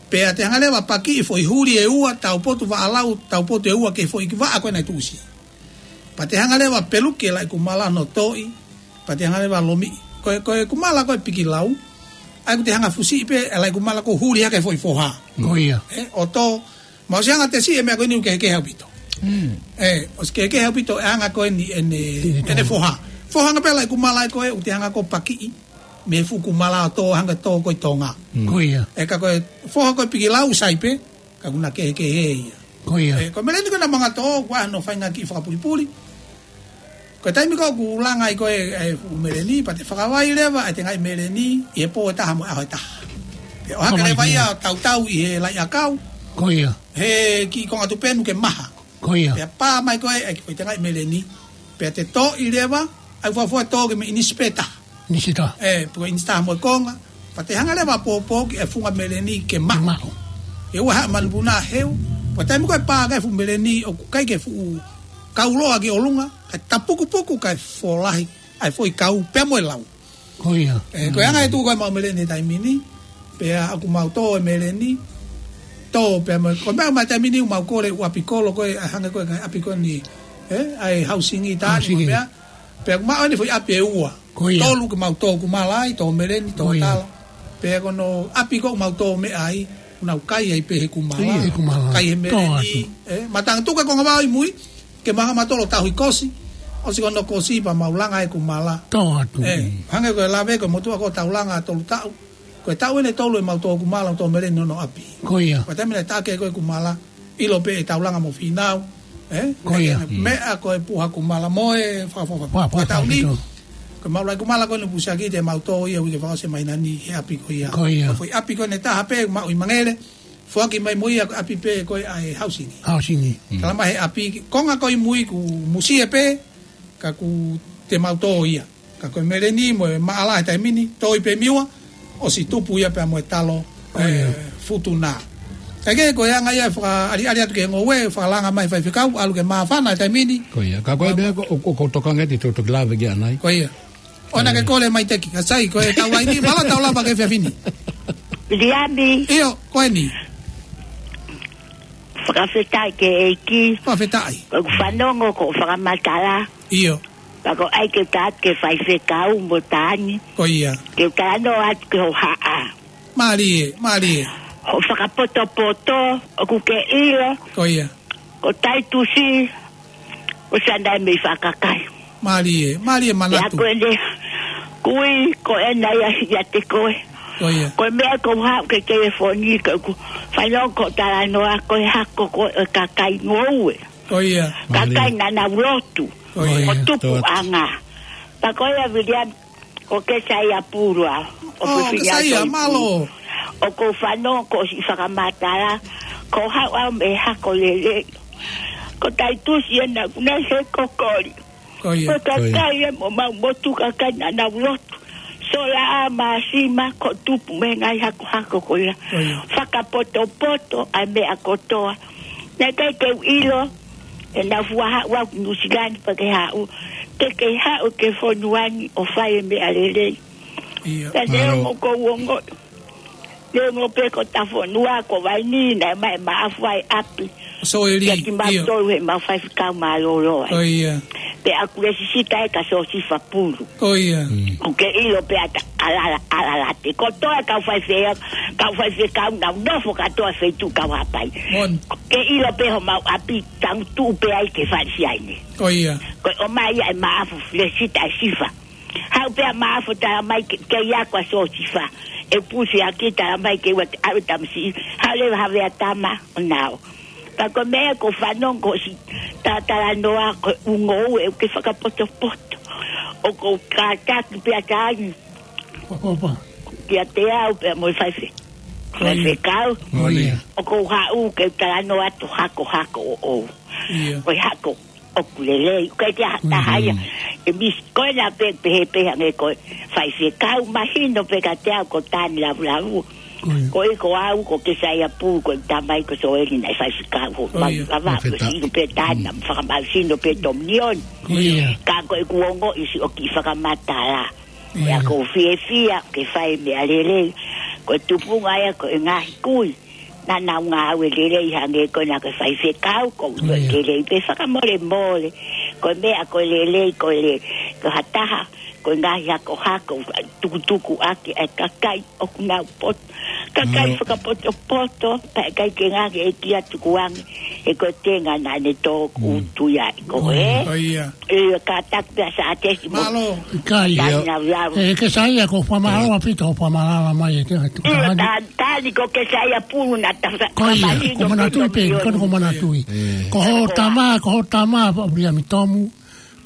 pea te hanga leva ʻo paki e foʻi huli ʻe ua, taupotu vaʻa lau, taupotu ʻe ua ki he foʻi vaʻa ko ē naʻe tuʻusi. Pea te hanga leva ʻo peluki e laikumala hono toʻi, pea te hanga leva ʻo lomiʻi. Ko e, ko e kumala ko ē pikilau, ʻa ia ʻoku te hanga ʻo fusiʻi pē e laikumala ko ē ʻoku huli hake he foʻi foha. Ko ia. E, ʻo tō, mahalo ʻosi hanga ʻo tesi e meʻa ko eni ʻoku kehekehe ʻaupito. Mm. ʻE, ʻosi kehekehe ʻaupito e anga ko eni ʻene, ʻene foha. Foha hangē pē laʻi kumala ko ē, ʻoku te hanga ʻo pakiʻi mei he fuʻu kumala ʻo tō, hangē tō ko ē ʻi Tonga. Mm. Ko ia. ʻE ka ko e foha ko ē pikilau sai pē, ka ʻoku na kehekehe ia. Ko ia. ʻE, ko e meleni ko ē naʻa mou ngāue atu ʻoku ʻi ai hono faʻahinga kiʻi fakapulipuli. Ko e taimi ko ē ʻoku langa ai ko ē e fuʻu meleni, pea te fakavai leva e tengaʻi meleni ʻi he pō ʻe taha mo e ʻaho ʻe taha. Pea ʻohake leva ia ʻo tautau ʻi he laʻi ʻakau. Ko ia. He kiʻi konga tupenu ke maha. Ko ia. Pea pā mai ko ē e kiʻi foʻi tengaʻi meleni. Pea te toʻo leva, ʻai fuafua toʻo ki he meʻa ʻinisi pē taha. ʻInisi taha. ʻE, pe ko e ʻinisi taha mo e konga. Pea te hanga leva ʻo pōpō ki he funga meleni ke maʻu. Ke maʻu. ʻE ua haʻa manupuna heu. Pea taimi ko ē pā ko ē fuʻu meleni ʻoku ʻikai ke fuʻu kauloa ki ʻolunga. Kae tapukupuku kae folahi. ʻAi foʻi kau pea mo e lau. Ko ia. ʻE, ko e anga e tuʻu ko ē ʻemau meleni he taimi ni. Pea ʻoku mau tō e meleni. Tō pea mo e, ko e meʻa mai taimi ni ʻoku mau kole ʻū ʻapi kolo ko ē, ʻa hangē ko e ʻapi ko eni. ʻE, ʻai hausingi taha ni mo e meʻa. Pea ʻoku maʻu eni foʻi ʻapi ʻe ua. Ko ia. Tolu ke mau tō kumala ai, tō meleni, tō tala. Pea ko hono ʻapi ko ē ʻoku mau tō meʻa ai, ʻoku nau kai ai pē he kumala. Kai he kumala. Kai he meleni. ʻE, matangi tuku e konga vao ʻi mui, ke maha matolo tauhi kosi. ʻOsi ko hono kosi pea mau langa e kumala. Tō atu. ʻE, hangē ko e lave ko e motuʻa ko ē ʻoku tau langa tolu taʻu. Ko e taʻu eni ʻe tolu ʻemau tō kumala, tō meleni hono ʻapi. Ko ia. Ko e taimi naʻe taʻake ko ē kumala, ʻilo pē ʻe taulanga mo Fīnau. ʻE? Ko ia. Meʻa ko e puha kumala mo e fakafofa. Fakatauni. Ko e mau laʻi kumala ko eni pusiaki te mau tō ia uike fakaʻosi mai nani he ʻapi ko ia. Ko ia. Ko e foʻi ʻapi ko eni ʻe taha pē maʻu ʻi Mangele. Foaki mai mo ia ko e ʻapi pē ko ē ʻa e hausingi. Hausingi. Tala mai he ʻapi konga ko ē ʻi mui ʻoku musie pē ka ʻoku te mau tō ia. Ka ko e meleni mo e maʻala he taimi ni, tō ʻi pē miua, ʻosi tupu ia pea mo e talo, ʻe, futuna. Kae kehe ko e anga ia e fakaʻaliʻali atu ki he ngoue, fakalanga mai faifekau, ʻalu ke māfana he taimi ni. Ko ia, ka ko e meʻa ko, ʻoku, ʻoku tokanga ʻi he toki lave ki ai. Ko ia. ʻOua naʻa ke kole mai teki, ka sai, ko e tau ai ni, mālō tau lava ki he efiafi ni. Liami. ʻIo, ko eni. Fakafetaʻi ki he ʻEiki. Fakafetaʻi. Ko ʻeku fanongo ko e fakamatala. ʻIo. Pea ko e ʻai ke u tā atu ki he faifekau mo Tani. Ko ia. Ke u talanoa atu ki hoʻo haʻa. Mālie, mālie. Hoʻo fakapotopoto, ʻoku ke ʻilo. Ko ia. Ko Taitusi, ʻosi ʻanai mei Fakakai. Mālie, mālie manatu. Pea ko ʻene kui, ko ʻene ia ʻiate koe. Ko ia. Ko e meʻa ko e haʻu ki he telefoni, ko ʻeku fanongo ko e talanoa, ko e hako ko ē ʻo e kakai ngoue. Ko ia. Kakai naʻa nau lotu. Ko ia. Ko e tupuʻanga. Pea ko ia Viliami, ko Kesaia Pulu au. ʻO Kesaia, mālō. ʻOku ou fanongo ko e siʻi fakamatala, ko e haʻu au mei he hako lelei. Ko Taitusi ʻena ʻoku nau he kokoli. Ko ia. Ko e kakai ʻe mo mau motu kakai naʻa nau lotu. Sola ʻa māsima ko e tupu mei he ngaahi hakohako ko ia. Ko ia. Fakapotopoto ʻa e meʻa kotoa. Naʻe ʻikai ke u ʻilo, ʻe nau fua haʻu au ki Nuʻusila ni pea ke haʻu. Ke ke haʻu ki he fonua ni ʻo fai e meʻa lelei. Ia. Pea te ongo ko u ongo. Te ongo pē ko ʻeta fonua ko Vaini naʻe maʻu e maʻafu ʻa e ʻapi. Soeli, ia. Kiate kimautolu he mau faifekau mālōlō ai. Ko ia. Pea ʻoku lesisita ē kia Siosifa Pulu. Ko ia. ʻOku ke ʻilo pē ʻa e ʻalala, ʻalalate. Kotoa e kau faife-, kau faifekau naʻa nau nofo kātoa feituʻu kau hapai. Moʻoni. Ke ʻilo pē homau ʻapi tangutu pē ai ki he fale siaine. Ko ia. Ko e ʻomai ia e maʻafu lesisita ʻe Sifa. Haʻu pē ʻa maʻafu tala mai ke, ke ia ko Siosifa. ʻE pusi ʻaki tala mai ke ua ʻave tamasiʻi. Haʻu leva Havea Tama ʻo nau. Pea ko e meʻa ko e fanongo ko e siʻi talanoa ko e ngoue ʻoku ke fakapotopoto. ʻOku ou kātaki pē ʻa Tani. Opa. Kiate au pea mo e faife-, faifekau. Ko ia. ʻOku ou haʻu ke talanoa atu hako, hako ʻoʻou. Ia. Ko e hako ʻoku lelei, ʻikai ke ʻi ai ha taha ia. Mm. ʻE misi ko ena pē, pehē pē hangē ko e faifekau mahino pē kiate au ko Tani Lavulavu. Ko ia. Ko e ko au, ko Kesaia Pulu, ko e tamai ko Soeli naʻe faifekau ho. Ko ia. Mau lava ko e sino pē Tani, naʻa mau fakamau sino pē Tominioni. Ko ia. Ka ko ʻeku ongoʻi siʻo kiʻi fakamatala. Ia. Ia ʻoku ou fiefia ke fai meʻa lelei. Ko e tupunga ia ko e ngaahi kui. Naʻa nau ngāue lelei hangē ko ena ko e faifekau, ko e lelei pē fakamolemole. Ko e meʻa ko e lelei, ko e le-, ko ha taha, ko e ngaahi hakohako, tukutuku ʻaki e kakai ʻoku nau poto. Kakai fakapotopoto, pea ʻikai ke ngāue ʻEiki ʻa tukuange, he ko e tenga naʻa ne tō kutu ia ʻi ko ē. Ko ia. ʻIo, kātaki pē ʻa Sātesi mo. Mālō. ʻIkai. Tani ʻia. Lau lau. ʻE, Kesaia, ko fakamālō ʻaupito, ko fakamālō mai e te, te, ʻIo, tani. Tani, tani ko Kesaia Pulu na ta fa-, Ko ia, fakamahino ko Manatui pē, ko ia. Ko Manatui. Ko ho tama, ko ho tama, pa Viliami Tomu,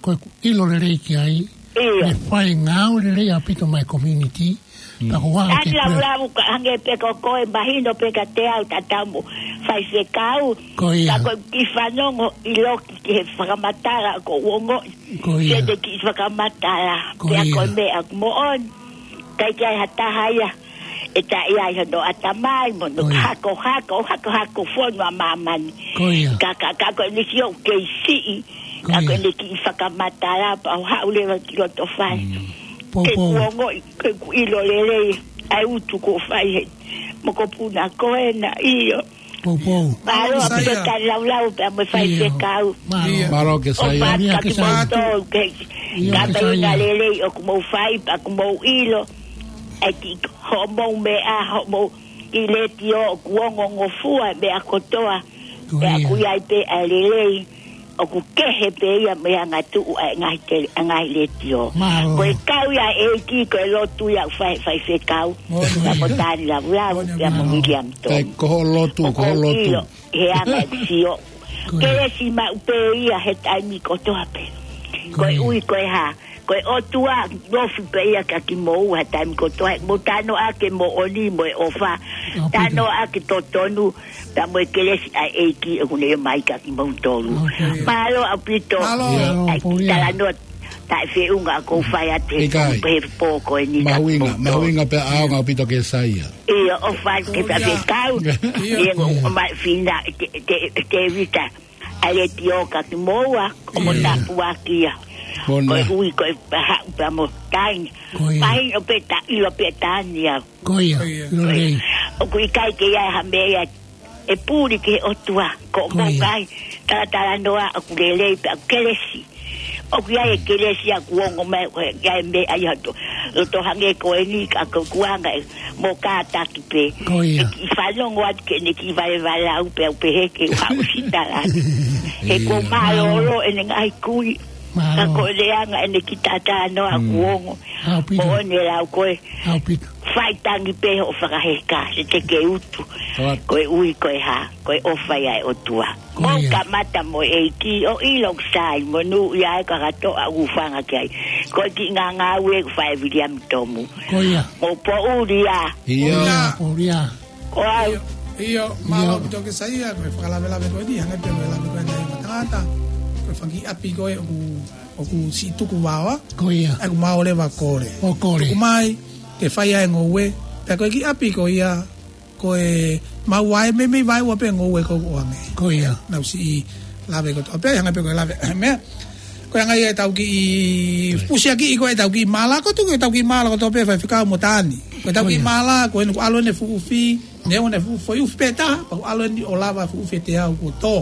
ko e ʻilo lelei ki ai. ʻIo. Ne fai ngāue lelei ʻaupito mai community. Pea ko ʻeku Tani ke lau lau ka hangē pē ko koe mahino pē ka te au tatau mo faifekau. Ko ia. Ka ko e kiʻi fanongo ʻi loki ki he fakamatala ko uongo. Ko ia. Siʻene kiʻi fakamatala. Ko ia. Pea ko e meʻa moʻoni. ʻIkai ke ʻi ai ha taha ia ʻe taʻe ʻi ai hono ʻatamai mo hono Ko ia. Hako, hako, hako, hako fonu ʻa māmani. Ko ia. Ka, ka, ka ko ʻene sio kei siʻi. Ko ia. Ka ko ʻene kiʻi fakamatala pea u haʻu leva ki loto fale. Poupou. Ke kuo ongoʻi, ke kuo ʻilo lelei ʻa e utu kuo fai he mokopuna ko ena. ʻIo. Poupou. Mālō ʻaupito Kesaia. Tani lau lau pea mo e faifekau. Mālō. ʻIo. Mālō Kesaia. ʻOfa atu kiate kimoutolu ke ʻIo, ka Kesaia. Mei he ngaahi lelei ʻoku mou fai pea ʻoku mou ʻilo. ʻE ki hoʻomou meʻa, hoʻomou kiʻi letiō ʻoku ongongofua meʻa kotoa. Ko ia. Pea ʻoku ʻi ai pē ʻa e lelei. ʻOku kehe pē ia mei he angatuʻu ʻa e ngaahi tele-, ʻa e ngaahi letiō. Mālō. Ko e kau ia ʻEiki, ko e lotu ia ʻoku fai, faifekau. Moʻoni. Pea mo Tani lau lau, Moʻoni, pea mo mālō. Viliami Tomu. Kae ko hoʻo lotu, ko hoʻo lotu. ʻIo, he anga ʻeku sio. Ko ia. Kelesi maʻu pē ia he taimi kotoa pē. Ko ia. Koeʻuhi ko e hā, ko e ʻOtua ʻoku ofi pē ia kia kimoua he taimi kotoa, he ʻoku mou talanoa ki he moʻoni mo e ʻofa. ʻAupito. Talanoa ki he totonu, pea mo e kelesi ʻa e ʻEiki ʻoku ne ʻomai kia kimoutolu. ʻAupito. Mālō ʻaupito. Mālō. Mālō, ʻAi, Paulia. Talanoa taʻefeʻunga ʻoku ou fai atu he ʻIkai. Pō ko eni kia kimoutolu. Mahuʻinga, mahuʻinga pea ʻaonga ʻaupito Kesaia. ʻIo, ʻofa ke Paulia. Faifekau. ʻIo. ʻIo, ʻoku ʻomai fina te, te, te vita. ʻA e letiō kia kimoua, ʻoku mou tāpuakiʻi ia. Moʻoni. Koeʻuhi ko e haʻu pea mo Tani. Ko ia. Mahino pē ta ʻilo pē Tani au. Ko ia. Ko ia. ʻIlo lelei. ʻOku ʻikai ke ʻi ai ha meʻa ia ʻe puli ki he ʻOtua. Ko ia. Ko e ngaahi talatalanoa ʻoku lelei pea ʻoku kelesi. ʻOku ʻi ai e kelesi ʻoku ongo mai, ʻoku ʻi ai e meʻa ia ʻi loto, loto hangē ko eni ka ko e kuonga ē mo kātaki pē. Ko ia. ʻE kiʻi fanongo atu ki heʻene kiʻi valevalau pea u pehē ke u haʻu ʻo sitala. He ʻoku mālōlō ʻene ngaahi kui. Mālō. Ka ko e leanga ʻene kiʻi talatalanoa ʻoku ongo. ʻAupito. Moʻoni e lau ko ē. ʻAupito. Fai tangi pē hoʻo fakaheka, he te ke utu. Koeʻuhi ko e hā, ko e ʻofa ia ʻa e ʻOtua. Ko ia. Mou kamata mo e ʻEiki, ʻo ʻilo ʻoku sai, monūʻia e kakato ʻa ʻoku fanga ki ai. Ko e kiʻi ngāngāue ʻoku fai ʻe Viliami Tomu. Ko ia. Mou poʻuli ā. ʻIo. Ko ia, poʻuli ā. Ko au. ʻIo, ʻio, mālō ʻaupito Kesaia, ko e fakalavelave ko eni, hangē pē ko e lave ko eni ʻa e tangata. Ko e fanga kiʻi ʻapi ko ē ʻoku, ʻoku siʻi tuku vao. Ko ia. ʻOku mau leva kole. ʻO kole. Tuku mai, ke fai ʻa e ngoue. Pea ko e kiʻi ʻapi ko ia, ko e mau vae, meimei vaeua pē ngoue ko ʻoange. Ko ia. Naʻa ku siʻi lave kotoa pē, hangē pē ko e lave, meʻa. Ko e anga ia ʻetau kiʻi fusiakiʻi ko ē ʻetau kiʻi mala, ko e tuku ʻetau kiʻi mala kotoa pē faifekau mo Tani. Ko ʻetau kiʻi mala, ko eni ʻoku ʻalu ʻene fuʻu ufi, ne ʻoange ʻene fuʻu foʻi ufi pē taha, pea ʻoku ʻalu eni ʻo lava fuʻu ufi ʻe teau kuo tō.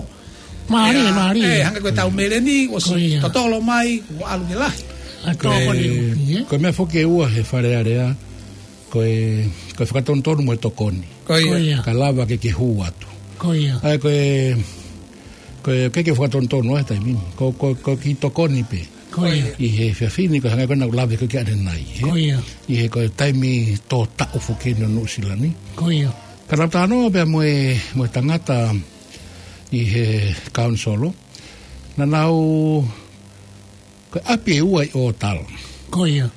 Mālie, mālie. ʻE, hangē ko ʻetau meleni, ʻosi totolo mai, kuo ʻalu ke lahi. ʻA tō ko eni, ē? Ko e meʻa foki ʻe ua he Fale Alea, ko e, ko e fakatonutonu mo e tokoni. Ko ia. Ko ia. Ka lava ke ke hū atu. Ko ia. ʻA ia ko e, ko e, ke ke fakatonutonu ʻa e taimi ni. Ko, ko, ko e kiʻi tokoni pē. Ko ia. ʻI he efiafi ni ko e hangē ko ʻena ʻoku lave ko ē ki ʻanenai, ē? Ko ia. ʻI he ko e taimi tō taʻu foki ʻeni ʻo Nuʻusila ni. Ko ia. Ka naʻa ku talanoa pea mo e, mo e tangata ʻi he kaunisolo. Naʻa nau Ko e ʻapi ʻe ua ʻi ʻOtala. Ko ia.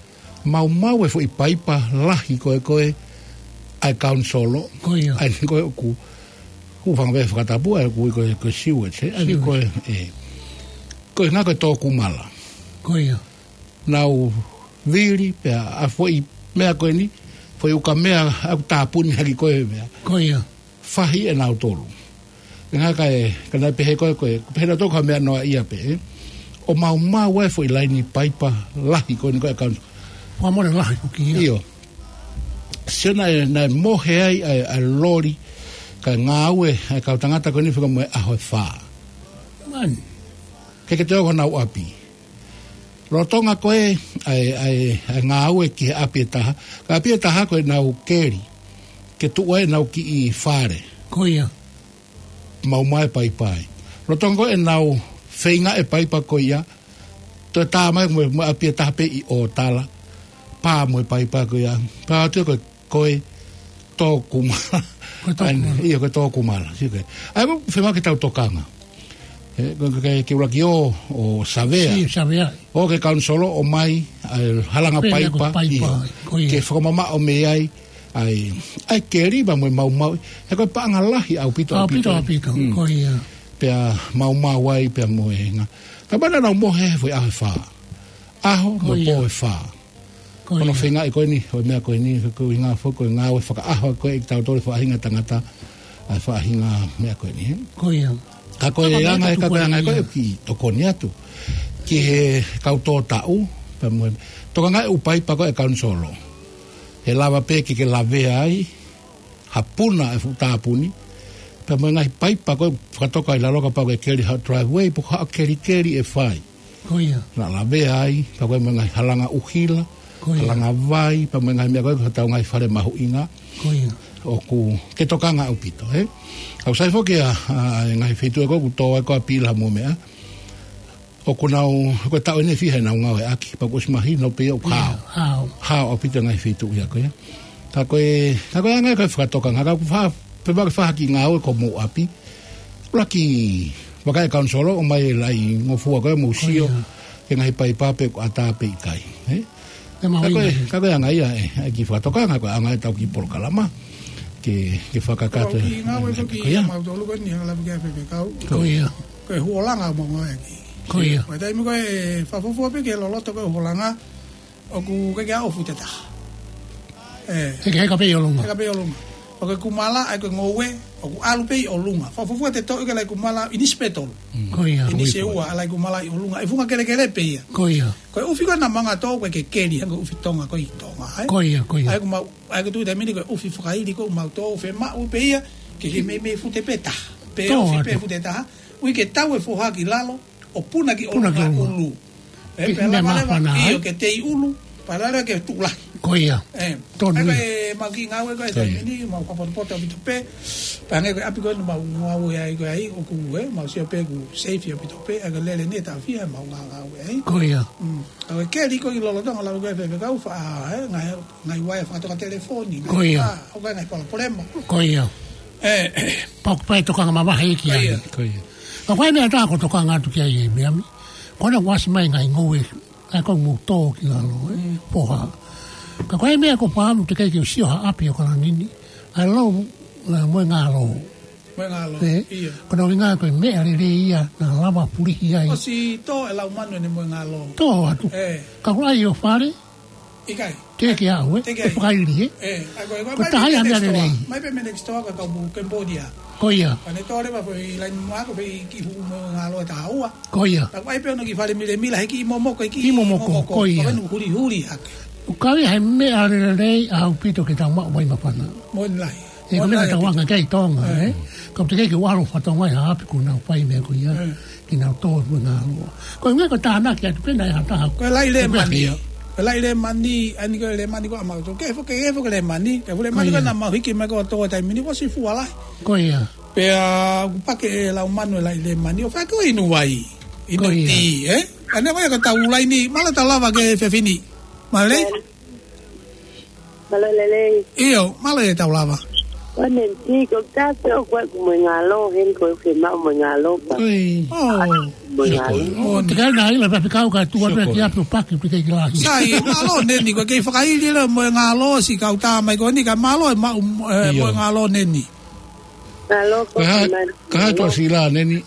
Maumau e foʻi paipa lahi ko ē ko ē ʻa e kaunisolo. Ko ia. ʻA eni ko ē ʻoku, ʻoku fanga pē fakatapu ʻa ē ʻoku ui ko e, ko e sewage, ē? ʻA eni ko e, ē. Ko e ngaahi ko e tō kumala. Ko ia. Nau vili pea ʻa e foʻi meʻa ko eni, foʻi ukamea ʻoku tāpuni hake ko e meʻa. Ko ia. Fahi ʻe nautolu. Ngā kae, ka naʻe pehē ko ē, ko e, pehē nautolu ko ha meʻa noaʻia pē, ē. ʻO maumau e foʻi laini paipa lahi ko eni ko e kaunisolo. Fua mole lahi ko kia. ʻIo. Sio naʻe, naʻe mohe ai ʻa e, ʻa e loli, kae ngāue ʻa e kau tangata ko eni fika mo e ʻaho ʻe fā. Man. Ke ke teo ko honau ʻapi. Lolotonga ko ē ʻa e, ʻa e, ʻa e ngāue ki he ʻapi ʻe taha. Ka ʻapi ʻe taha ko ʻenau keli. Ke tuʻu ai ʻenau kiʻi fale. Ko ia. Maumau e paipa ai. Lolotonga ko ē ʻenau feinga e paipa ko ia. Toe tā mai mo, mo ʻapi ʻe taha pē ʻi ʻOtala. Pā mo e paipa ko ia. Pā atu ko ē, ko e Tokumala. Ko e Tokumala. ʻAi, ʻio, ko e Tokumala. Sio ki ai. ʻAi, ko e fiemaʻu ke tau tokanga. Ē, ko e, ke, ke ʻuluaki ō, ʻo savea. Sio, savea. ʻO ke kaunisolo ʻomai, ʻai, halanga paipa. Paipa, ʻio. Ko ia. Ke fakamamaʻo mei ai, ʻai, ʻai keli pea mo e maumau. He ko e paʻanga lahi ʻaupito, ʻaupito, ʻaupito. ʻAupito, ko ia. Pea maumau ai, pea mo e nga. Ka mana nau mohe he foʻi ʻaho ʻe fā. ʻAho, mo e pō ʻe fā. Ko ia. Ko ia. Ko hono feinga ko eni, ʻo e meʻa ko eni, ko e ʻuhinga foki, ko e ngāue fakaʻaho ko ē ʻi he tau tole faʻahinga tangata, ʻa e faʻahinga meʻa ko eni, ē? Ko ia. Ka ko e anga, ka ko e anga ko ē ia. Ki tokoni atu. Ki he kau tō taʻu, pea mo e. Tokanga e ʻū paipa ko ē kaunisolo. He lava pē ke ke lavea ai, hapuna e fuʻu tāpuni. Pea mo e ngaahi paipa ko ē fakatoka ʻi lalo kapau ʻoku ke keli haʻo driveway, pe ko haʻo kelikeli ʻe fai. Ko ia. Naʻa lavea ai, pea ko e mo e ngaahi halanga ʻuhila, ko ia. Halanga vai, pea mo e ngaahi meʻa ko ē, ko hotau ngaahi fale mahuʻinga. Ko ia. ʻOku ke tokanga ʻaupito, ē? ʻOku sai foki ʻa, ʻa, e ngaahi feituʻu ē ko ē ʻoku tō ai ko ē ʻa Pila mo meʻa. ʻOku nau, ko e taʻu eni ʻe fiha ʻenau ngāueʻaki, pea kuo ʻosi mahino pē ʻoku hao. Ia, hao. Hao ʻaupito e ngaahi feituʻu ia ko ia. Ka ko e, ka ko e anga ko ē fakatokanga, ka ʻoku fa-, pea ʻoku fai ha kiʻi ngāue ko mou ʻapi. ʻUluaki, vakai e kaunisolo, ʻomai e laʻingofua ko ē mou sio, ko ia. Ki he ngaahi paipa pe ʻoku ʻatā pe ʻikai, ē? Ka ko e, ka ko e anga ia, ē, ʻa e kiʻi fakatokanga, ko e anga ʻetau kiʻi polokalama. Ke, ke fakakakato. Ko e kiʻi ngāue ko ē kiate kimautolu ko eni, ʻa e lava ki ai e faifekau. Ko ia. Ko e huʻolanga mo ngāueʻaki. Ko ia. Ko e taimi ko ē fakafuofua pē ke loloto ko ē huʻolanga, ʻoku ʻikai ke ʻi ai ha fuʻu tētaha. Ē. Heka, heka pē ʻi ʻolunga. Heka pē ʻi ʻolunga. ʻO ke kumala, ʻai ko e ngoue, ʻoku ʻalu pē ʻi ʻolunga. Fakafuofua te toʻo ke laʻi kumala, ʻinisi pē tolu. Mm. Ko ia. ʻInisi ʻe ua, ʻa e laʻi kumala ʻi ʻolunga. ʻE funga kelekele pē ia. Ko ia. Ko e ʻufi ko ē naʻa mau ngāue atu ko ē ke keli, hangē ko e ʻufi Tonga ko ē ʻi Tonga, ē? Ko ia, ko ia. ʻAi ko mau, ʻai ko e tuʻu taimi ni ko e ʻufi fakaili ko ē ʻoku mau tō, fiemaʻu pē ia, ke ke meimei fute pē taha. Pe ʻofi pē fute taha. ʻUi ke tau e foha ki lalo, ʻo puna ki ʻolunga. Puna ki ʻolunga. ʻUlu. Ē, pea lava leva, ʻio, ke tei ʻulu, pea lava leva ke tuʻu lahi. Ko ia. Ē, tonu ia. Ko e mau kiʻi ngāue ko ē he taimi ni, mau fakapotopoto ʻaupito pē, pea hangē ko e ʻapi ko ē naʻa mau ngāue ai ko ē ai, ʻoku ē, mau sio pē ʻoku safe ʻaupito pē, ʻa e lele ni ʻe taʻu fiha ʻemau ngā-, ngāue ai. Ko ia. Mm. ʻA e keli ko ē ʻi lolotonga lava ko ē faifekau fa-, ē, ngaahi, ngaahi uaea fakatoka telefoni, ngaahi, ko ia. Ā, ʻoku ʻi ai ngaahi palopalema. Ko ia. Ē, pau ke fai tokanga mavahe ki ai. Ko ia. Ko ia. Ka ko e meʻa ʻe taha ʻoku ou tokanga atu ki ai ʻi he meʻa ni. Ko ena ʻoku ʻasi mai ngaahi ngoue, ʻa ia ko e mou tō ki lalo, ē, mm, foha. Ka ko e meʻa ʻoku ou fakaʻamu teʻeki ke u sio ha ʻapi ʻo Kalani ni, ʻa e lou, ʻa e moengālō. Moengālō, ē? ʻIo. Ko hono ʻuhinga ko e meʻa lelei ia naʻa lava pulihi ai. ʻOsi tō e laumanu ʻene moengālō. Tō atu. Ē. Ka ko e ʻai ʻo fale, ʻikai. Teʻeki ke aʻu, ē? Teʻeki ke aʻu. ʻE fakaili, ē? Ē, ʻa ko e, ko e, ko e mai pē taha ia mea next door. Lelei. Mai pē mei next door ka kau Cambodia. Ko ia. Ka ne tō leva ko e ʻi laini mo ako pē ʻi kiʻi hū moengālō ʻe taha ua. Ko ia. Ka ʻai pē hono kiʻi fale milemila, he kiʻi momoko, he kiʻi momoko, momoko. Ko ia. Ka ʻoku huli, huli hake. ʻOku ʻi ai ha meʻa lelei ʻaupito ke tau maʻu mai māfana. Moʻoni lahi. Ē, ko e meʻa ʻoku tau anga ki ai ʻi Tonga, ē? Ka ʻoku teʻeki ke u ʻalu ʻo fakatokangaʻi ha ʻapi ʻoku nau fai meʻa ko ia. Ē. Ke nau tō e moengālō. Ko e ʻuhinga ko e tānaki atu pē naʻe ʻi ai ha taha. Ko e laʻi lēmani. Ko e laʻi lēmani, ʻa eni ko e lēmani ko ē ʻa mautolu. Ke fo-, ke fo-, ke lēmani. Ke fo-, lēmani ko ia. Ko ē naʻa mau hiki mai ko ē ʻo tō e taimi ni, kuo ʻosi fua lahi. Ko ia. Pea ʻoku pake e laumanu e laʻi lēmani. ʻO fai ko e inu vai. Inu tī, ē? Ko ia. ʻA eni ko ia ko e tau laini, mālō e tau lava ki he efiafi ni. Mālō e? Mālō e lelei. ʻIo, mālō e tau lava. Ko ʻene tī ko e taha pē ʻoku ʻi ai ʻeku moengālō, heni ko e fiemaʻu moengālō pē. Oi. ʻŌ. Moengālō. Sio ko ē. ʻŌ, te kai nai la papi kau ka tuʻu atu ki ʻapi ʻo paki pē ki lahi. Sai, mālō Neni, ko e kei fakaili leva moengālō siʻi kau tā mai ko eni, ka mālō e maʻu, ē, ʻio, moengālō Neni. Mālō ko e hā, ka hā e toʻasila Neni?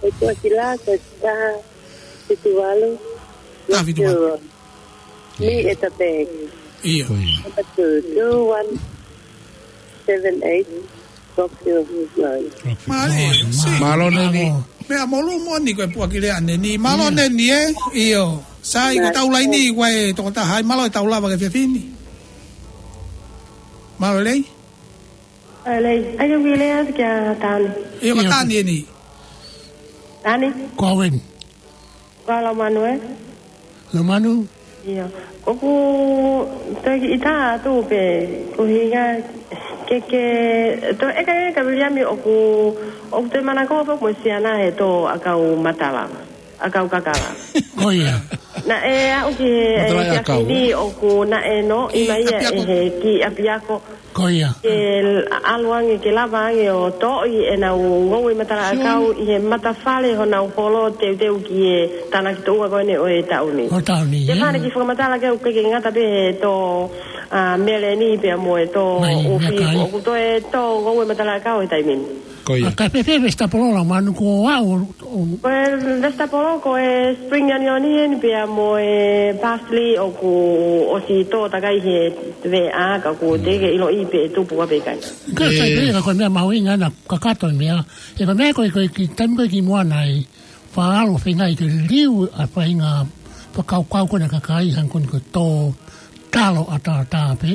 E toʻasila, ko e taha fitu valu. Taha fitu valu. Ni e tape. ʻIo. Ko ia. Number two, two one seven eight, Rockville Road. Mālō, Mālō. Mālō Neni. Meʻa molu moʻoni ko e puʻaki lea Neni. Mālō Neni, ē? ʻIo. Sai, ko e tau laini, ko e tokotaha, ʻai mālō e tau lava ki he efiafi ni. Mālō lei. Mālō lei. ʻAi ke u kiʻi lea atu kia Tani. ʻIo, ko Tani eni. Tani. Ko au eni. Ko Laumanu, ē? Laumanu? ʻIo. ʻOku toe kiʻi tā atu pē, ko e ʻuhinga Ke, ke, toe ʻeke ʻe Viliami ʻoku, ʻoku te manako foki mo e siana he tō ʻakau matala, ʻakau kakala. Ko ia. Naʻe aʻu ki he, Matala he ʻakau. Siasi ni ʻoku naʻe nō, ʻi mai ia ʻe he kiʻi ʻapiako. Ko ia. Ke ʻalu ange, ke lava ange ʻo toʻo ʻenau ngoue matala ʻakau ʻi he matafale honau holo teuteu ki he tānaki tuʻunga ko eni ʻo e taʻu ni. ʻO e taʻu ni, ʻio. Ke fana ki fakamatala ke u ke ke ngata pē he tō, ʻa, meleni pea mo e tō ʻufi. Ko ia. ʻOku toe tō ngoue matala ʻakau he taimi ni. Ko ia. ʻA, ka fēfē e vesitapolo Laumanu? Ko au, o- Ko e vesitapolo, ko e spring onion eni pea mo e parsley ʻoku ʻosi tō takai he veʻa, ka ʻoku te ke ʻiloʻi pē ʻe tupu ʻa pē kai. Ka sai pē, ka ko e meʻa mahuʻinga ʻena kakato e meʻa. He ko e meʻa ko e, ko e kiʻi taimi ko ē kimuʻa naʻe faʻa ʻalu ʻo feinga ke liliu ʻa e faʻahinga fakakaukau ko ena ʻa e kakai hangē ko eni ko e tō talo ʻataʻatā pē.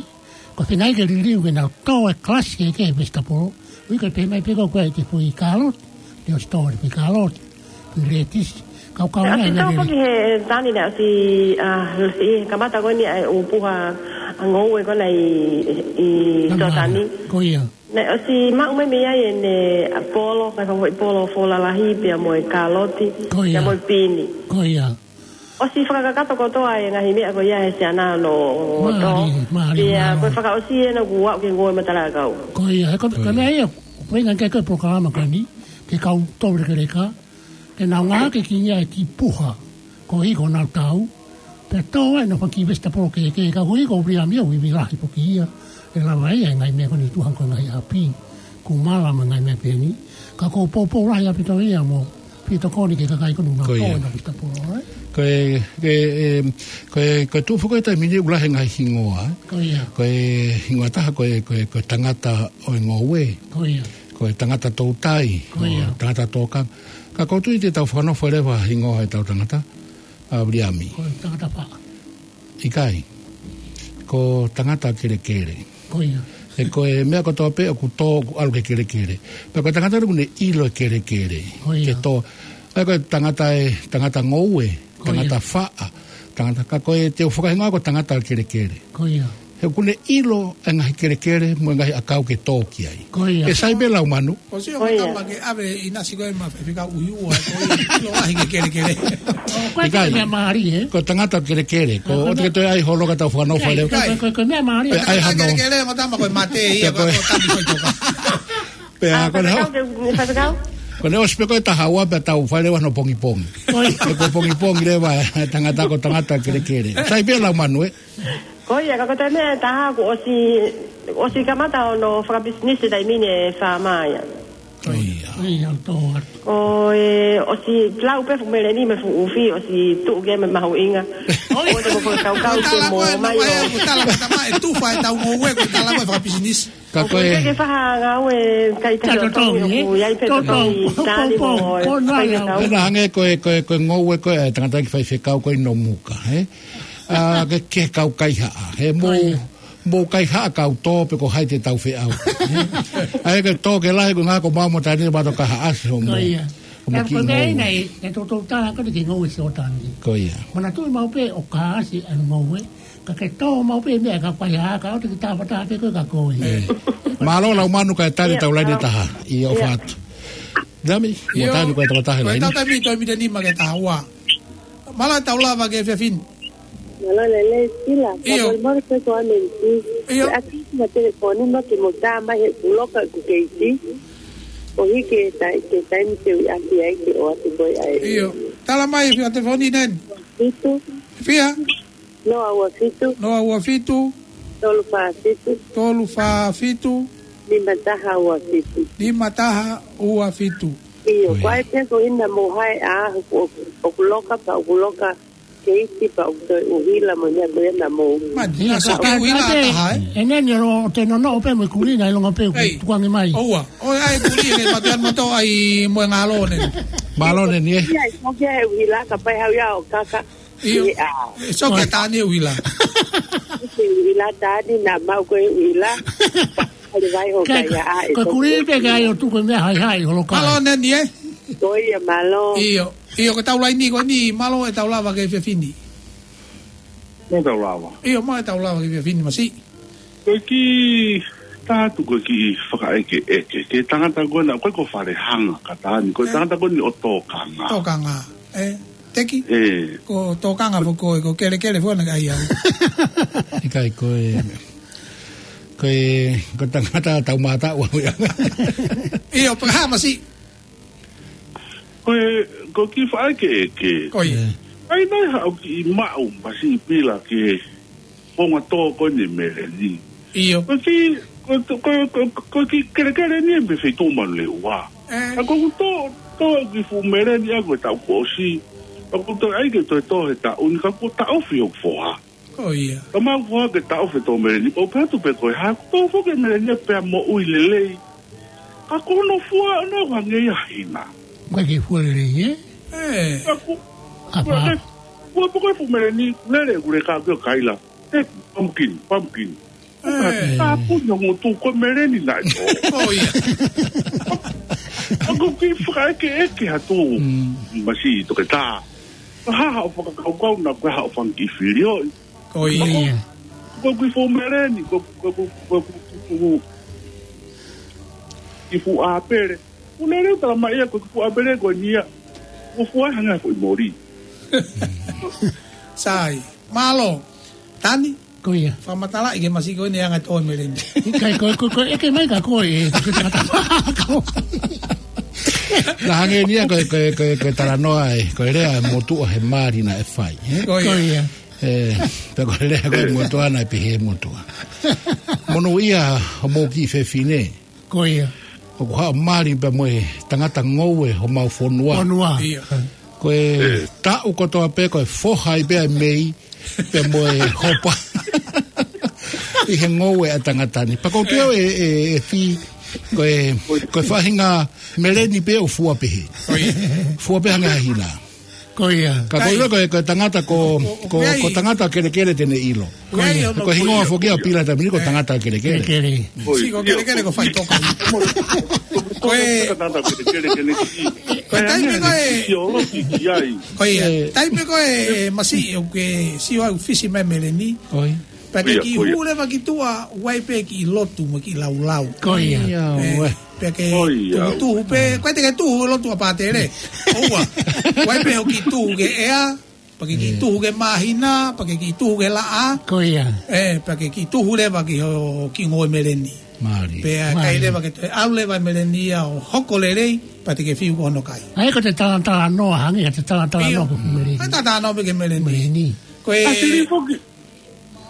Ko e feinga ke liliu ke nau tō e kalasi kehekehe e vesitapolo. ʻUhi ko e pehē mai pē ko ē ʻoku ʻi ai e foʻi kāloti, te ʻosi tō e foʻi kāloti, foʻi lētisi. Kau kau ʻOsi tō foki he taimi ni ʻosi, ʻa, ʻi he kamata ko eni ʻa e ʻū puha ʻa e ngoue ko ena ʻi, ʻi Totani. Ko ia. Naʻe ʻosi maʻu mai mei ai ʻene polo, ka ko e foʻi polo fola lahi pea mo e kāloti, pea mo e pini. Ko ia. ʻOsi fakakakato kotoa e ngaahi meʻa ko ia he siana ʻo hono tō. Mālie, mālie. Pea ko e fakaʻosi ʻena kuo aʻu ki he ngoue matala ʻakau. Ko ia, he ko, ko e meʻa ia, ko e ʻuhinga ko ē e polokalama ko eni, ke kau tō lekeleka, ke nau ngāueʻaki e kiʻi puha, koeʻuhi ko ʻenau tau, pea tō ai ʻenau fanga kiʻi vesitapolo kehekehe, ka ʻuhi ko Viliami ʻoku ivi lahi foki ia, ʻe lava ia e ngaahi meʻa ko eni tuʻu hangē ko e ngaahi ʻapi, kumala mo e ngaahi meʻa pehē ni, ka ko e poupou lahi ʻaupito ia mo fetokoni ki he kakai ko eni ʻoku nau tō ʻenau vesitapolo, ē? Ko e, ko e, em, ko e, ko e tuʻu foki he taimi ni ʻoku lahi e ngaahi hingoa, ē? Ko ia. Ko e hingoa ʻe taha ko e, ko e, ko e tangata ʻo e ngoue. Ko ia. Ko e tangata toutai. Ko ia. Ko e tangata tōkanga. Ka ʻoku ou tui te tau fakanofo leva e hingoa ʻo ʻetau tangata, ʻa Viliami. Ko e tangata faʻa. ʻIkai. Ko e tangata kelekele. Ko ia. He ko e meʻa kotoa pē ʻoku tō, ʻoku ʻalu ki he kelekele. Pea ko e tangata ʻoku ne ʻilo e kelekele. Ko ia. Ke tō. ʻA ia ko e tangata ē, tangata ngoue, ko ia, tangata faʻa, tangata, ka ko e te u fakahingoa ko e tangata kelekele. Ko ia. He ʻoku ne ʻilo e ngaahi kelekele mo e ngaahi ʻakau ke tō ki ai. Ko ia. ʻE sai pē Laumanu. ʻOsi ʻo, ko ia, matala ke ʻave ʻinasi ko ē maʻa Faifekau ʻUhiua, ko e ʻilo lahi ki he kelekele. ʻOku ʻikai. Ko e meʻa mālie, ē? Ko e tangata kelekele. Ko e, ʻoku ʻikai. Te ke toe ʻai holo ka tau fakanofo leva. Ko e, ko e, ko e meʻa mālie. ʻE, ʻai hano. Kelekele, mo tama ko e mate ia, ko e tami ko e toka. Pea, ʻa, ko ʻene, Faifekau, ke, Faifekau? Ko ʻene ʻosi pē ko e taha ua pea tau fai leva hono pongipongi. Ko ia. He ko e pongipongi leva e tangata ko e tangata kelekele. Sai pē Laumanu, ē? Ko ia, ka ko e taimi ʻe taha kuo ʻosi, ʻosi kamata hono fakapisinisi taimi ni e faama ia. Ko ia. Ko ia, tō atu. Ko e ʻosi lau pē fuʻu meleni mo e fuʻu ʻufi, ʻosi tuʻu ki ai mo e mahuʻinga. Ko ia. ʻOua te mo fakakaukau ke mo mai ʻo. Ko e tala ko ē, ko e tala ko ē, ʻe tufa ʻetau ngoue, ko e tala ko ē fakapisinisi. Ka ko e, ʻoku ʻikai ke faʻa ngāue kai tahi ʻo tau, ʻoku ʻi ai pē tau tali mo e faifekau. Pea hangē ko e, ko e, ko e ngoue ko ē ʻa e tangataʻeiki faifekau ko ē ʻi Nomuka, ē? ʻA, ke, ke kau kaihaʻa, ē? Mou, mou kaihaʻa kau tō pe ko hai te tau feʻao. ʻA ia ke tō ke lahi ko e ngaahi ko mau mo tani ma to kahaʻasi hoʻomou. Ko ia. Ko e meʻa ia naʻe, naʻe toutou tala ko eni ki he ngoue Siotani. Ko ia. Manatuʻi maʻu pē ʻoku kahaʻasi ʻa e ngoue. Ka ke tō maʻu pē meʻa ka pai ha, ka ʻoua te ke tāfataha pē koe ka koe. Mālō Laumanu kae tali ʻetau laine ʻe taha. ʻIo, ʻofa atu. Dami, mo tani ko e toko taha he laine. Ko e tau taimi, toe miniti ʻe nima ke taha ua. Mālō ʻetau lava ki he efiafi ni. Mālō lelei Sila. ʻIo. Ka molemole pē ko ʻanenisi. ʻIo. Ke ʻasi ma telefoni ma ke mo tā mai he puloka ku keisi. ʻO hiki e tai, ke taimi te u ʻasi ai ke ʻoatu koe ai. ʻIo. Tala mai fia telefoni nen. Fitu. Fia? Noa ua fitu. Noa ua fitu. Tolu fā fitu. Tolu fā fitu. Nima taha ua fitu. Nima taha ua fitu. ʻIo, ko ia. Ko e pē ko ena mo hai a, ʻoku, ʻoku loka pea ʻoku loka keisi pea ʻoku toe ʻuhila mo nia ko ena mo. Mani, ʻIo, ʻa so ka, ke ka ʻuhila pē, taha, ē? ʻE neni ro te nono o pē mo e kulina ʻi longa pē ʻoku tukuange mai. ʻOua. ʻOi, ʻai kuli ke matu an mato ai mo e ngalo nen. Mālō nen, ē? ʻIo, ʻoku ke ʻuhila ka pai hau ia ʻo kaka. ʻIo. ʻIo. So ke tani ʻuhila. Ke ʻuhila tani na mau ko e ʻuhila. Hale vai ho kai a e. Ko e kuli pē ke ʻai ʻo tuku e meʻa haihai holo kai. Mālō nen, ē? Ko ia, mālō. ʻIo. ʻIo, ko e tau laine ko eni, mālō ʻetau lava ki he efiafi ni. Mālō ʻetau lava. ʻIo, mālō ʻetau lava ki he efiafi ni, masiʻi. Ko e kiʻi Atu ko e kiʻi fakaʻekeʻeke. Ke tangata ko ena, ko e ko Falehanga ka taha ni, ko e tangata ko eni ʻo Tokanga. Tokanga. E, Teki? E. Ko Tokanga foki ko e, ko Kelekele foki naʻe ʻai au. ʻIkai ko e, ko e, ko e tangata tau mata ua ua. ʻIo, pea hā masi. Ko e, ko e kiʻi fakaʻekeʻeke. Ko ia. E. ʻAi nai haʻu kiʻi maʻu masi pila ke fonga tō ko eni meleni. ʻIo. Ko e kiʻi, ko, ko, ko, ko, ko e kiʻi kelekele ni ʻe mei Feituʻu Manurewa. E. ʻA ko ʻeku tō, tō kiʻi fuʻu meleni ʻa ko e taʻu kuo ʻosi. ʻA ko ʻeku tō ʻai ke toe tō he taʻu ni ka kuo taʻofi hoku foha. Ko ia. Ka mau foha ke taʻofi e tō meleni, ʻo pehē atu pē ko e hā, kuo tō foki e meleni ia pea moʻui lelei. Ka ko hono fua ʻana ʻoku hangē ia ha hina. Ko e kiʻi fua lelei, ē? E. Ka ko, Apa. Ko e, ko e, ko e fuʻu meleni, lele ʻeku leka pē ʻo kaila. E, pumpkin, pumpkin. E. Ka puni ʻo ngutu ko e meleni naʻe tō. Ko ia. ʻA ko e kiʻi fakaʻekeʻeke atu. Mm. Masi toketā. Ka hā haʻo fakakaukau na ko e haʻo fanga kiʻi filioʻi. Ko ia. Ko e kiʻi fuʻu meleni, ko, ko, ko, ko, ko, ko, kiʻi fuʻu ʻāpele. Ko e lele tala mai ia, ko e kiʻi fuʻu ʻāpele ko eni ia. Ko e fua hangē ha foʻi moli. Sai. Mālō. Tani? Ko ia. Fakamatalaʻi ke masi ko eni anga tō e meleni. ʻIkai ko, ko, ko, ʻeke mai ka ko e, ko e tangata. Ko. Na hangē ni ia ko e, ko e, ko e, ko e talanoa e, ko e lea e motuʻa he mali naʻe fai, e? Ko ia. Ko ia. E, pea ko e lea ko e motuʻa naʻe pehē motuʻa. Monūʻia homou kiʻi fefine. Ko ia. ʻOku haʻu mali pea mo e tangata ngoue homau fonua. Fonua. Ia. Ko e taʻu kotoa pē ko e foha ai pē ʻa e mei, pea mo e hopa. ʻI he ngoue ʻa e tangata ni. Pea ko e pio e, e, e fi, ko e, ko e faʻahinga meleni pē ʻoku fua pehē. Ko ia. Fua pē hangē ha hina. Ko ia. Ka ko ia ko e, ko e tangata ko, ko, ko tangata kelekele te ne ʻilo. Ko ia. Ko e hingoa foki ʻa Pila Tamini ko tangata kelekele. Kelekele. Ko ia. Sio ko kelekele ko faʻitoka. Ko e tangata kelekele te ne ʻilo. Ko e taimi ko e. Sio lo ki ki ai. Ko ia. Taimi ko e masi ʻoku ke sio au fisi mai meleni. Ko ia. Pea ke kiʻi hū leva ki tuʻa, ʻoku ʻi ai pē kiʻi lotu mo e kiʻi laulau. Ko ia. Ia, ʻe, pea ke tuhutuhu pē, ko e te ke tuhu lotu ʻa Pātele. ʻOua. ʻOku ʻi ai pē hoʻo kiʻi tuhu ki he ʻea, pea ke kiʻi tuhu ki he māhina, pea ke kiʻi tuhu ki he laʻā. Ko ia. ʻE, pea ke kiʻi tuhu leva ki hoʻo kiʻi ngoue meleni. Mālie. Pea ʻikai leva ke toe ʻalu leva meleni ia ʻo hoko lelei, pea te ke fiu ko hono kai. ʻA ia ko e talanoa, hangē ko e talanoa ko e meleni. Ko e talanoa pē ki he meleni. Meleni. Ko e ʻAsili foki.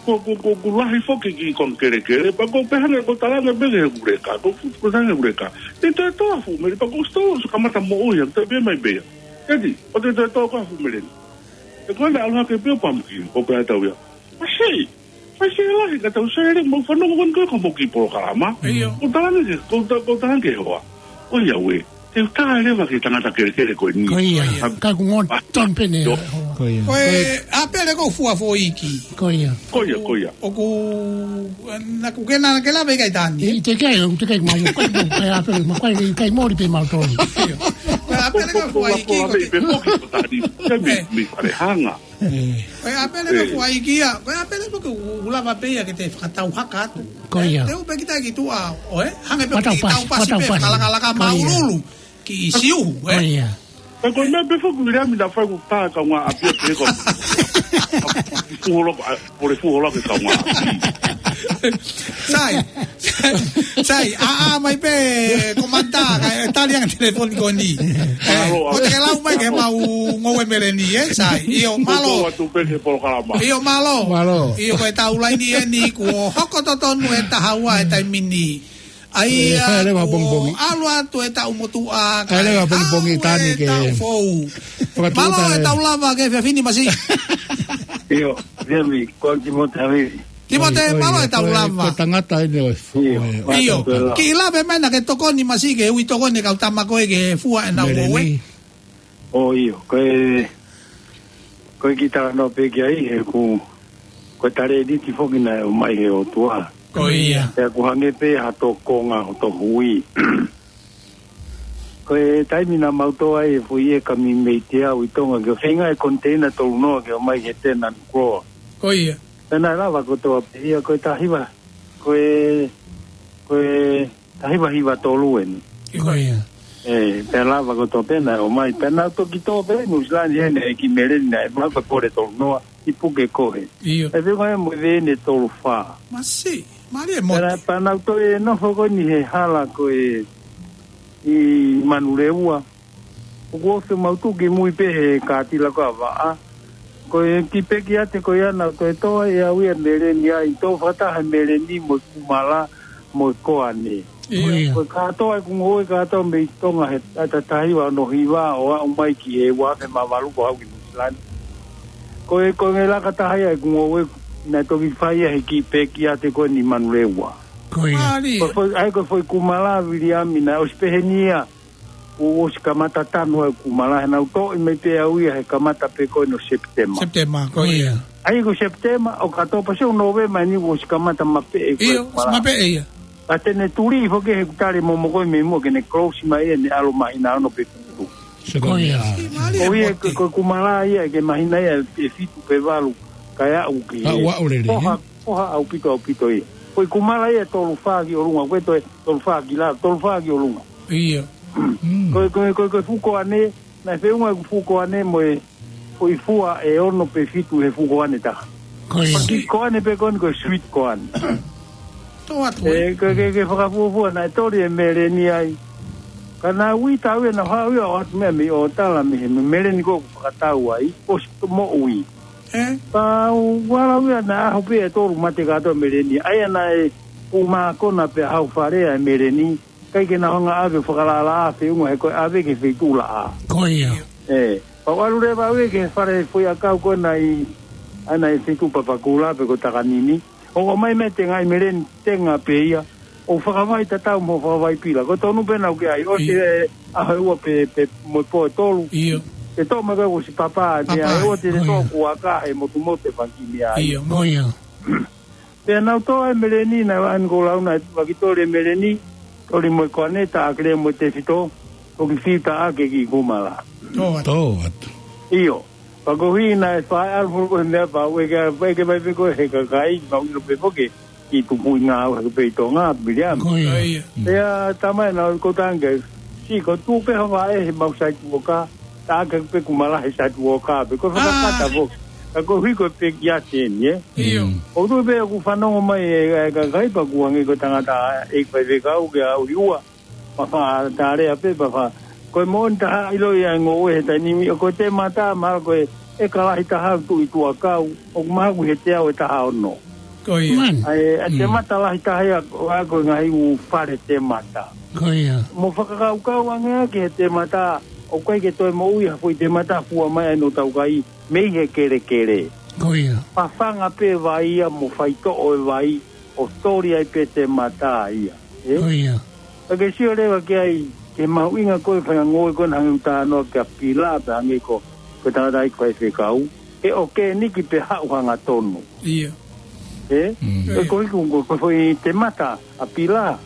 Ko, ko, ko, ko lahi foki kiʻi konga kelekele, pea ko e pehē ange ko e talanga pē ki he kuleka, ko, ko, ko e talanga kuleka. Te toe tō ha fuʻu meleni, pea ko e sito, so kamata moʻui, ʻa te pē mai pē ia. Teti, ʻo te toe tō ko ha fuʻu meleni. ʻE ko ena ʻalu hake pē ʻo pumpkin, ko pea tau ia. Masi, masi lahi ka tau sele, mo fanongo ko eni ko e ko mo kiʻi polokalama. ʻIo. Ko e talanga ke, ko e ta-, ko e talanga ke hoa. Ko ia ue. Te u tā leva ki he tangata kelekele ko eni. Ko ia. Ka ʻoku ngona tonu pē ʻene. Ko ia. Ko e ʻāpele ko e fua foʻi iiki. Ko ia. Ko ia, ko ia. ʻOku, naʻa ku ke na ke lave ʻikai Tani. ʻIkai, ʻikai, ʻoku teʻeki ke mau, ko e ʻāpele, ma ko e ʻikai moli pē mau tonu. Ko e ʻāpele ko e fua iiki ko e. Pē foki ko Tani. Ke mi, mi fare hanga. Ko e ʻāpele ko e fua iiki ia, ko e ʻāpele ko e ke u-, u lava pē ia ke te fakatau haka atu. Ko ia. Te u pē kita ki tuʻa, ʻo ē, hangē pē ko e tau pasi, tau pasi pē, fakalakalaka māʻululu, kiʻi siuhu, ē. Ko ia. Pea ko e meʻa pē foki ʻoku lea mi na fai ku tā kaungāʻapi pē ko. Fuholo, a, pole fuholo ke kaungāʻapi. Sai, sai, ʻā, ʻā mai pē, komanta, kae tali ange telefoni ko eni. Ē, mālō, ʻo te ke lau mai ke mau ngoue meleni, ē, sai. ʻIo, mālō. Atu pē ki he polokalama. ʻIo, mālō. Mālō. ʻIo, ko e tau laini eni, kuo hoko totonu e taha ua e taimi ni. ʻAi, ʻe, ʻa, fai leva kuo pongipongi. ʻAlu atu e taʻu motuʻa, ʻai leva kae pongipongi ʻalu Tani e ke taʻu foʻou. Mālō e tau lava ki he efiafi ni masi. ʻIo, Temi, ko Timote Havili. Timote, ʻoi, ʻoi, mālō e tau lava. Ko e tangata eni ʻo e fo-, ʻio, ʻoi, ʻio. Kiʻi lave mai naʻa ke tokoni masi ke ui tokoni kau tama ko ē ke fua ʻenau ngoue. Meleni. ʻO ʻio, ko e, ko e kiʻi talanoa pē ki ai, he ʻoku, ko e talēniti foki naʻe ʻomai he ʻOtua. Ko ia. Pea ʻoku hangē pē ha tō konga hoto hui. Ko e taimi naʻa mau tō ai e foʻi ʻeka mei Teau ʻi Tonga, ke feinga e koniteina tolu noa ke ʻomai ki he Tēnā Nukuloa. Ko ia. Pea naʻe lava kotoa pē ia, ko e taha hiva, ko e, ko e taha hiva hiva tolu eni. Ko ia. ʻE, pea lava ko tō pē naʻe ʻomai. Pea naʻa toki tō pē Nuʻusila ni heni e kiʻi meleni naʻe maʻu ko e pole tolu noa, ʻi puke kohe. ʻIo. ʻE fenga e mo e vene tolu fā. Masiʻi, mālie e motu. Pea, pea naʻa toki nofo ko eni he hala ko ē ʻi Manurewa. ʻOku ou fiemaʻu tuku ki mui pē he kātila ko ē ʻa Vaʻa. Ko e kiʻi pekiate ko ia naʻa toe tō ai ʻe au ia meleni ai, tō fakataha meleni mo e kumala mo e koane. ʻIo. Ko ia. Ko e kātoa ʻeku ngoue kātoa mei Tonga he taha hiva ono hiva ʻo aʻu mai ki he ua afe mā valu ko ʻeku haʻu ki Nuʻusila ni. Ko e, ko e laka taha ia ʻeku ngoue naʻe toki fai ia he kiʻi pekiate ko eni ʻi Manurewa. Ko ia. Mālie. Ko e foʻi, ʻa ia ko e foʻi kumala Viliami naʻe ʻosi pehē ni ia. Kuo ʻosi kamata tanu ʻa e kumala, he naʻa ku toʻo mai pē au ia he kamata pē ko eni ʻo Sepitema. Sepitema, ko ia. ʻA ia ko Sepitema, ʻOkatopa, sio Nōvema eni kuo ʻosi kamata mapeʻe ko e kumala. ʻIo, mapeʻe ia. Ka te ne tuli foki he kuo tali momoko mei muʻa ke ne close mai ʻene ʻalu māhina ono pe fitu. Ko ia. Ko ia, ko, ko e kumala ia ke māhina ia ʻe fitu pe valu, kae aʻu ki he. Aʻu, aʻu lelei, ʻoha, ʻoha ʻaupito, ʻaupito ia. Ko e kumala ia tolu fā ki ʻolunga, ko e toe tolu fā ki lalo, tolu fā ki ʻolunga. ʻIo. Mm. Ko e, ko e, ko e, ko e fuʻu koane, naʻe feʻunga ʻeku fuʻu koane mo e, ko e fua ʻe ono pe fitu he fuʻu koane taha. Ko ia. Ko e kiʻi koane pē ko eni ko e sweet koane. Tō atu, ʻe, ē? Ko e, ke, ke fakafuofua naʻe toli e meleni ai. Ka naʻa ku ʻita au ia naʻa ku haʻu ia ʻo ʻoatu meʻa mei ʻōtala mei he meleni ko ē ʻoku fakatau ai, ʻosi moʻui. Ē? Pea u ʻalu au ia naʻe ʻaho pē ʻe tolu mate kātoa meleni. ʻA ia naʻe ʻū mākona pē ʻaho fale ʻa e meleni. ʻIkai ke nau hanga ʻave fakalālā feʻunga he ko e ʻave ki he feituʻu laʻā. Ko ia. ʻE, pea u ʻalu leva au ia ki he fale foʻiʻakau ko ena ʻi, ʻa ena ʻi he feituʻu Papakura pe ko Takanini. ʻO ʻomai mei he tengaʻi meleni tenga pē ia. ʻO fakavaʻe tatau mo e fakavaʻe pila. Ko e tonu pē naʻa ku ʻi ai. ʻOsi ʻIo. e ʻaho ʻe ua pe, pe mo e pō ʻe tolu. ʻIo. ʻE toʻo mai ko ē ʻosi papa, Papa, ʻe ua te ne ko ia. toʻo kuaka he motumotu e fanga kiʻi meʻa ai. ʻIo. Ko ia. Pea naʻa ku toʻo e meleni naʻe ʻani ko launa e tuʻaki toli e meleni, toli mo e koane, taʻaki leva mo e tefito, ʻo kiʻi fiu taʻaki e kiʻi kumala. Tō atu. Tō atu. ʻIo. Pea ko e ʻuhinga naʻe fai ʻalu foki ko e meʻa pau, ʻeke, ʻeke mai pē ko ē he kakai, mau ʻilo pē foki, kiʻi tupuʻi ngāue hake pē ʻi Tonga, Viliami. Ko ia. Ko ia. Mm. Pea tama ena ko tange, si ko tu pē hava e he mau site worker, taʻaki pē kumala he site worker, pe ko e fakakata Ah. foki. Ka ko e ʻuhi ko e pekiate eni, ē? ʻIo. Mm. ʻOku ou tui pē ʻoku fanongo mai e, e kakai pea ʻoku hangē ko e tangata ʻe fai fekau ke ʻalu ʻi ua. Pea fa, tale a pē, pea fa. Ko e moʻoni taha ʻilo ia e ngoue he taimi ni, ʻo ko e temata, mahalo ko e, ʻe ka lahi taha ʻoku tuʻu ʻi tuʻakau, ʻoku mahalo ʻoku ʻi he teau ʻe taha ono. Ko ia. Man. ʻA e, ʻa e Mm. temata lahi taha ia, ʻa ko e ngaahi ʻū fale temata. Ko ia. Mo fakakaukau ange ʻaki he temata, ʻoku ʻikai ke toe moʻui ha foʻi temata fua mai ai ʻa e taukai, mei he kelekele. Ko ia. Fafanga pē vai ia mo faitoʻo e vai, ʻo toli ai pē temata ia. Ē? Ko ia. Ka ke sio leva ki ai, ke mahuʻinga ko e fai ngoue ko ena hangē ʻoku talanoa ki ai Pila, pea hangē ko, ko e tangata ʻi he faifekau. ʻE ʻokeniki pē haʻu hangatonu. ʻIo. Ē? Mm. Ko e ʻuhi ko, ko, ko e foʻi temata ʻa Pila.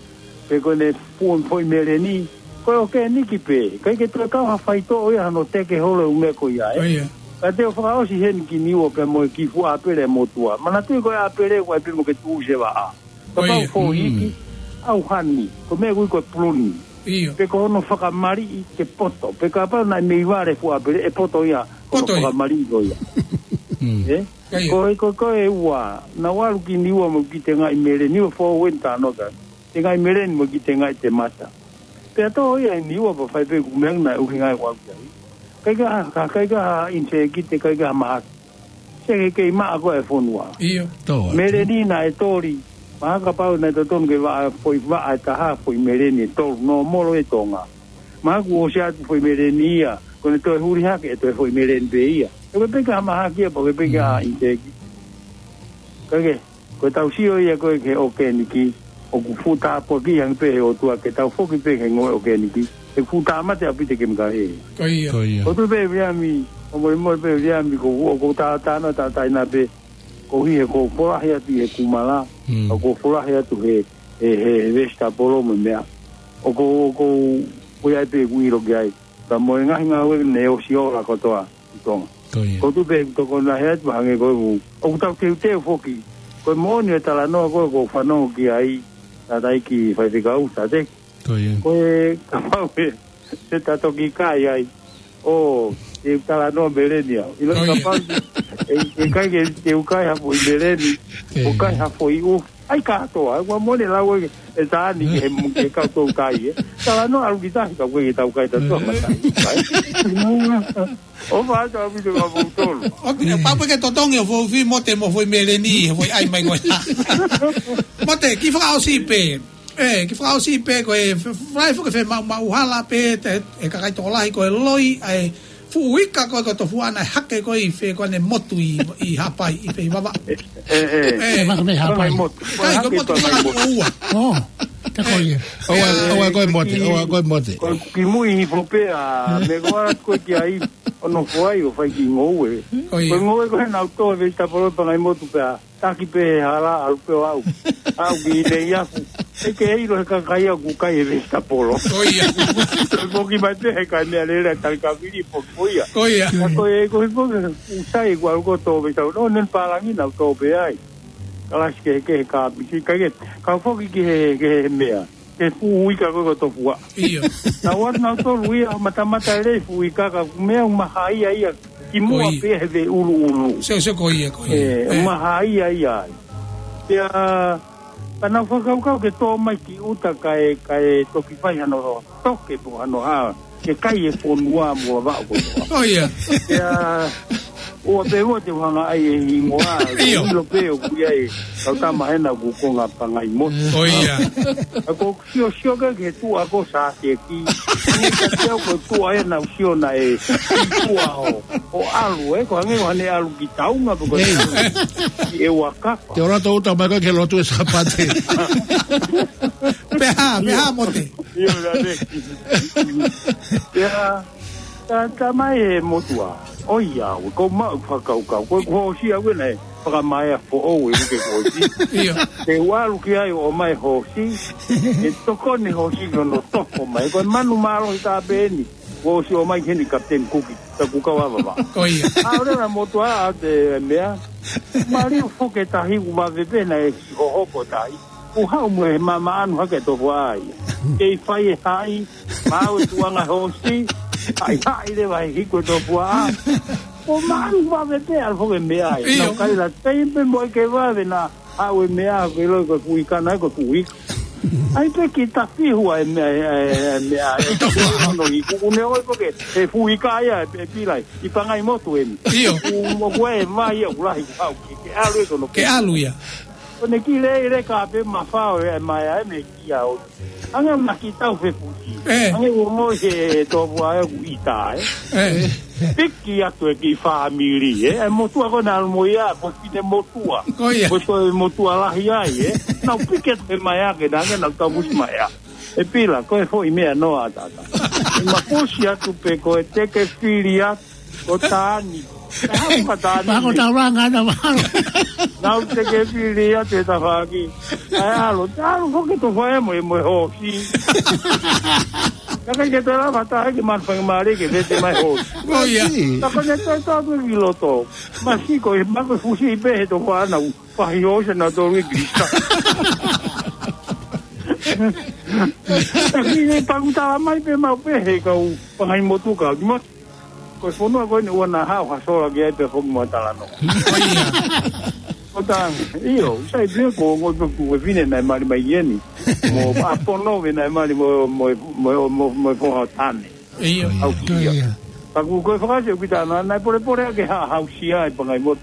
Pe ko ʻene fuʻu foʻi meleni. Ko e ʻokeniki pē. ʻIkai ke toe kau ha faitoʻo ia hano teke holo e ʻū meʻa ko ia, ē? Ko ia. Ka te u fakaʻosi heni ki Niua pea mo e kiʻi fuʻu ʻāpele motuʻa. Manatuʻi ko e ʻāpele ʻoku ʻai pē mo ke tuʻusi e vaʻa. Kapau Ko ia. foʻi Mm. iiki, ʻauhani, ko e meʻa ʻoku ui ko e puluni. ʻIo. Pe ko hono fakamaliʻi ke poto. Pe kapau naʻe mei vale fuʻu ʻāpele, ʻe poto ia, ko hono Poto ia. fakamaliʻi ko ia. Mm. Ē? Ko ia. Ko e, ko, ko e ua, naʻa ku ʻalu ki Niua mo e kiʻi tengaʻi meleni, ʻo fou eni tano ka. Tengaʻi meleni mo e kiʻi tengaʻi temata. Pea tō ia ʻi Niua pea fai pē ʻeku meʻa naʻe ʻuhinga ai ʻeku ʻalu ki ai. ʻIkai ke ha, ka, ʻikai ke ha ʻinisēkite, ʻikai ke ha mahaki. Seke kei maʻa ko ē e fonua. ʻIo. Tō atu. Meleni naʻe toli. Mahalo kapau naʻe totonu ke vaʻa, foʻi vaʻa ʻe taha, foʻi meleni ʻe tolu, nōmolo ʻi Tonga. Mahalo kuo ʻosi atu foʻi meleni ia, ko ʻene toe huli hake ʻe toe foʻi meleni pē ia. ʻE ko e peka ha mahaki ia, pea ko e peka Mm. ʻinisēkite. Ka ke, ko e tau sio ia ko ē ki he ʻokeniki, ʻoku fuʻu tāpuaki ange pē he ʻOtua ke tau foki pē ki he ngoue ʻokeniki. ʻE fuʻu tāmate ʻaupito e kemikale. Ko ia. Ko ia. ʻOku ou tui pē Viliami, ʻo molemole pē Viliami, ko, ʻoku ou tā, tāna, tā, taina pē, ko e ʻuhi he ʻoku ou folahi atu ʻi he kumala, Mm. ʻoku ou folahi atu he, he, he, he vesitapolo mo e meʻa. ʻOku ou, ʻoku ou, ʻoku ʻi ai pē ʻeku ʻilo ki ai. Ka mo e ngaahi ngāue ne ʻosi ola kotoa ʻi Tonga. Ko ia. ʻOku ou tui pē ʻoku tokoni lahi atu hangē ko ē ʻoku, ʻoku tau teuteu foki. Ko e moʻoni e talanoa ko ē ʻoku ou fanongo ki ai. Tātā ki faifekau, tātā. Ko ia. Ko e kapau ʻe, ʻe ta toki kai ai. ʻO, ʻe talanoa meleni au. ʻIlo Ko ia. kapau, ʻe, ʻe kai ke, ke u kai ha foʻi meleni, ʻo kai ha foʻi ʻuki. ʻAi kātoa, ʻoua mone lau ʻe, ʻe tāni ke he mu-, ke kau tau kai, ē. Talanoa ʻalu ki tahi ka koe ke tau kai ta toa mata. ʻO fā tau vitu ka mou tolu. ʻOku, ʻe, pau pē ke totongi ʻo foʻi Mote mo foʻi meleni, ʻo foʻi ʻai mai ko ia. Mote, kiʻi fakaʻosi pē. ʻE, kiʻi fakaʻosi pē ko e f-, f-, fai foki fe mau, mau hala pē, te, ʻe kakai tokolahi ko e loi, ʻa e fuʻu ika ko e ko Tofuaʻa naʻe hake ko e ʻi fē ko ʻene motu ʻi, ʻi Haʻapai, ʻi fē ʻi Vavaʻu. ʻE, ʻe, ʻe. ʻE, maka mei Haʻapai. Motu. Kai ko e motu, motu, motu, motu, motu, motu, motu. Ko ia. ʻOua, ʻoua ko e Mote, ʻoua ko e Mote. Ko e kimuʻi hifo pē ʻa, me ko atu ko e ki ai, ʻo nofo ai ʻo fai ki ngoue. Ko ia. Ko e ngoue ko ē naʻa ku tō he veisitapolo Pangaimotu pē ʻa, taki pē he hala ʻalu pē ʻo aʻu. Aʻu ki Neiafu. ʻE ke ʻilo he kakai ʻoku kai he veisitapolo. Ko ia. Ko e poki mai pē he kai meʻalele ʻa Talikavili poki ko ia. Ko ia. Ka ko e, ko e poki, ʻoku sai ʻeku ʻalu ko ē tō veisitapolo. ʻO ne pālangi naʻa ku tō pē ai. Kalasi kehekehe ka pisi, ka ke, ka foki ki he, ki he meʻa. Ke fuʻu ika ko e ko Tofuaʻa. ʻIo. Naʻa ku ʻalu naʻa ku tō lui ʻo matamata ʻi he fuʻu ika ka meʻa ʻoku mahaia ia ki muʻa Ko ia. pē he veʻuluʻulu. Sio, sio ko ia, ko ia. ʻE, ʻE. mahaia ia ai. Pea, ka naʻa ku fakakaukau ke tō mai ki ʻuta kae, kae toki fai hano toke mo hano hā. Ke kai e fonua mo Vavaʻu kotoa. Ko ia. Pea, ʻoua pē ʻoua te u hanga ʻai e hingoa, ʻIo. ʻilo pē ʻoku ʻi ai e kau tama hena ʻoku konga Pangaimotu. Ko ia. ʻA ko e sio sio ka ke tuʻa ko Sāseki. Ni ka te au ko tuʻa ena u sio naʻe tuʻa ʻo, ʻo ʻalu ē, ko hangē ʻoku ne ʻalu ki Taunga pe ko Ei. ki ʻEua kapa. Te ora tō ʻuta mai ko e ke lotu e Sāpate. Pea, pea Mote. ʻIo, la te. Pea, tā, tā mai e motuʻa. ʻOiauē, ko maʻu fakakaukau. Ko e kuo ʻosi au ena e fakamaea foʻou e uke kuo ʻosi. ʻIo. Te u ʻalu ki ai ʻo mai hoosi. ʻE tokoni hoosi ki hono toko mai. Ko e manu mālohi tā pē eni. Kuo ʻosi ʻomai ki heni Kapiteni Kuki. Tā ku kau ava va. Ko ia. ʻA ʻo lea motuʻa ʻa te meʻa. Mali o foke tahi ku ma vepena e si hohoko tahi. Ku haʻu mo e mama anu hake Tofuaʻa ia. Kei fai e haʻi, mau e tuʻanga hoosi, haʻi haʻi leva he hiku e Tofuaʻa. Ko maʻanu vave pē ʻalu foki e meʻa ai. ʻIo. Nau kai la tei pē mo e ke vave naʻa haʻu e meʻa, ko e loi ko e fuʻu ika naʻe ko e fuʻu ika. ʻAi pē ki tafihu ai meʻa, e, e, e meʻa, e, ono hiku, une oi foki, e fuʻu ika ia, e, e pilai, ʻi Pangaimotu eni. ʻIo. Ku mo kue e mai ia, ku lahi, ku haʻu ki, ke ʻalu e kono Ke ʻalu ia. Ko ne ki le, le ka pe mafao e mai ai me kia o. Ange ma ki tau fe puti. Eh. Ange ua mo he Tofuaʻa ʻoku ʻita, eh. Eh. Piki atu e ki fāmili, eh. E motuʻa ko na mo ia, ko fine motuʻa. Ko ia. Ko to e motuʻa lahi ai, eh. Nau piki atu e mai ake, na ange nau tau musi mai a. E pila, ko e foʻi meʻa noa tata. E ma pusi atu pe ko e teke fili atu. Ko Tani. Ko Tani. Mako tauranga na mahalo. Nau teke fili atu e tafaki. Ai alo, alo, foke to fai mo, mo hosi. Ka ke te lava ta ke man fai mare ke vete mai hosi. Oh, ia. Ta ko ne to to ki loto. Ma si ko, ma ko fusi pe he to fana. Pahi hosi na to ri krista. Ta ki ne paku tala mai pe mau pe he kau pangai motu kau. Di mo Ko e fonua ko eni ua na hao ha sola ki ai pe foki mo talanoa. Ko ia. Ko ta, io, sai pia ko ngo pe ku e fine naʻe mali mai eni. Mo a pono ve naʻe mali mo, mo, mo, mo, mo fo ha tane. Io. Au Ko ia. Ko ia. Ka ku ko e fakasi o kita na, naʻe pole pole ake ha, hausia e pangai mo.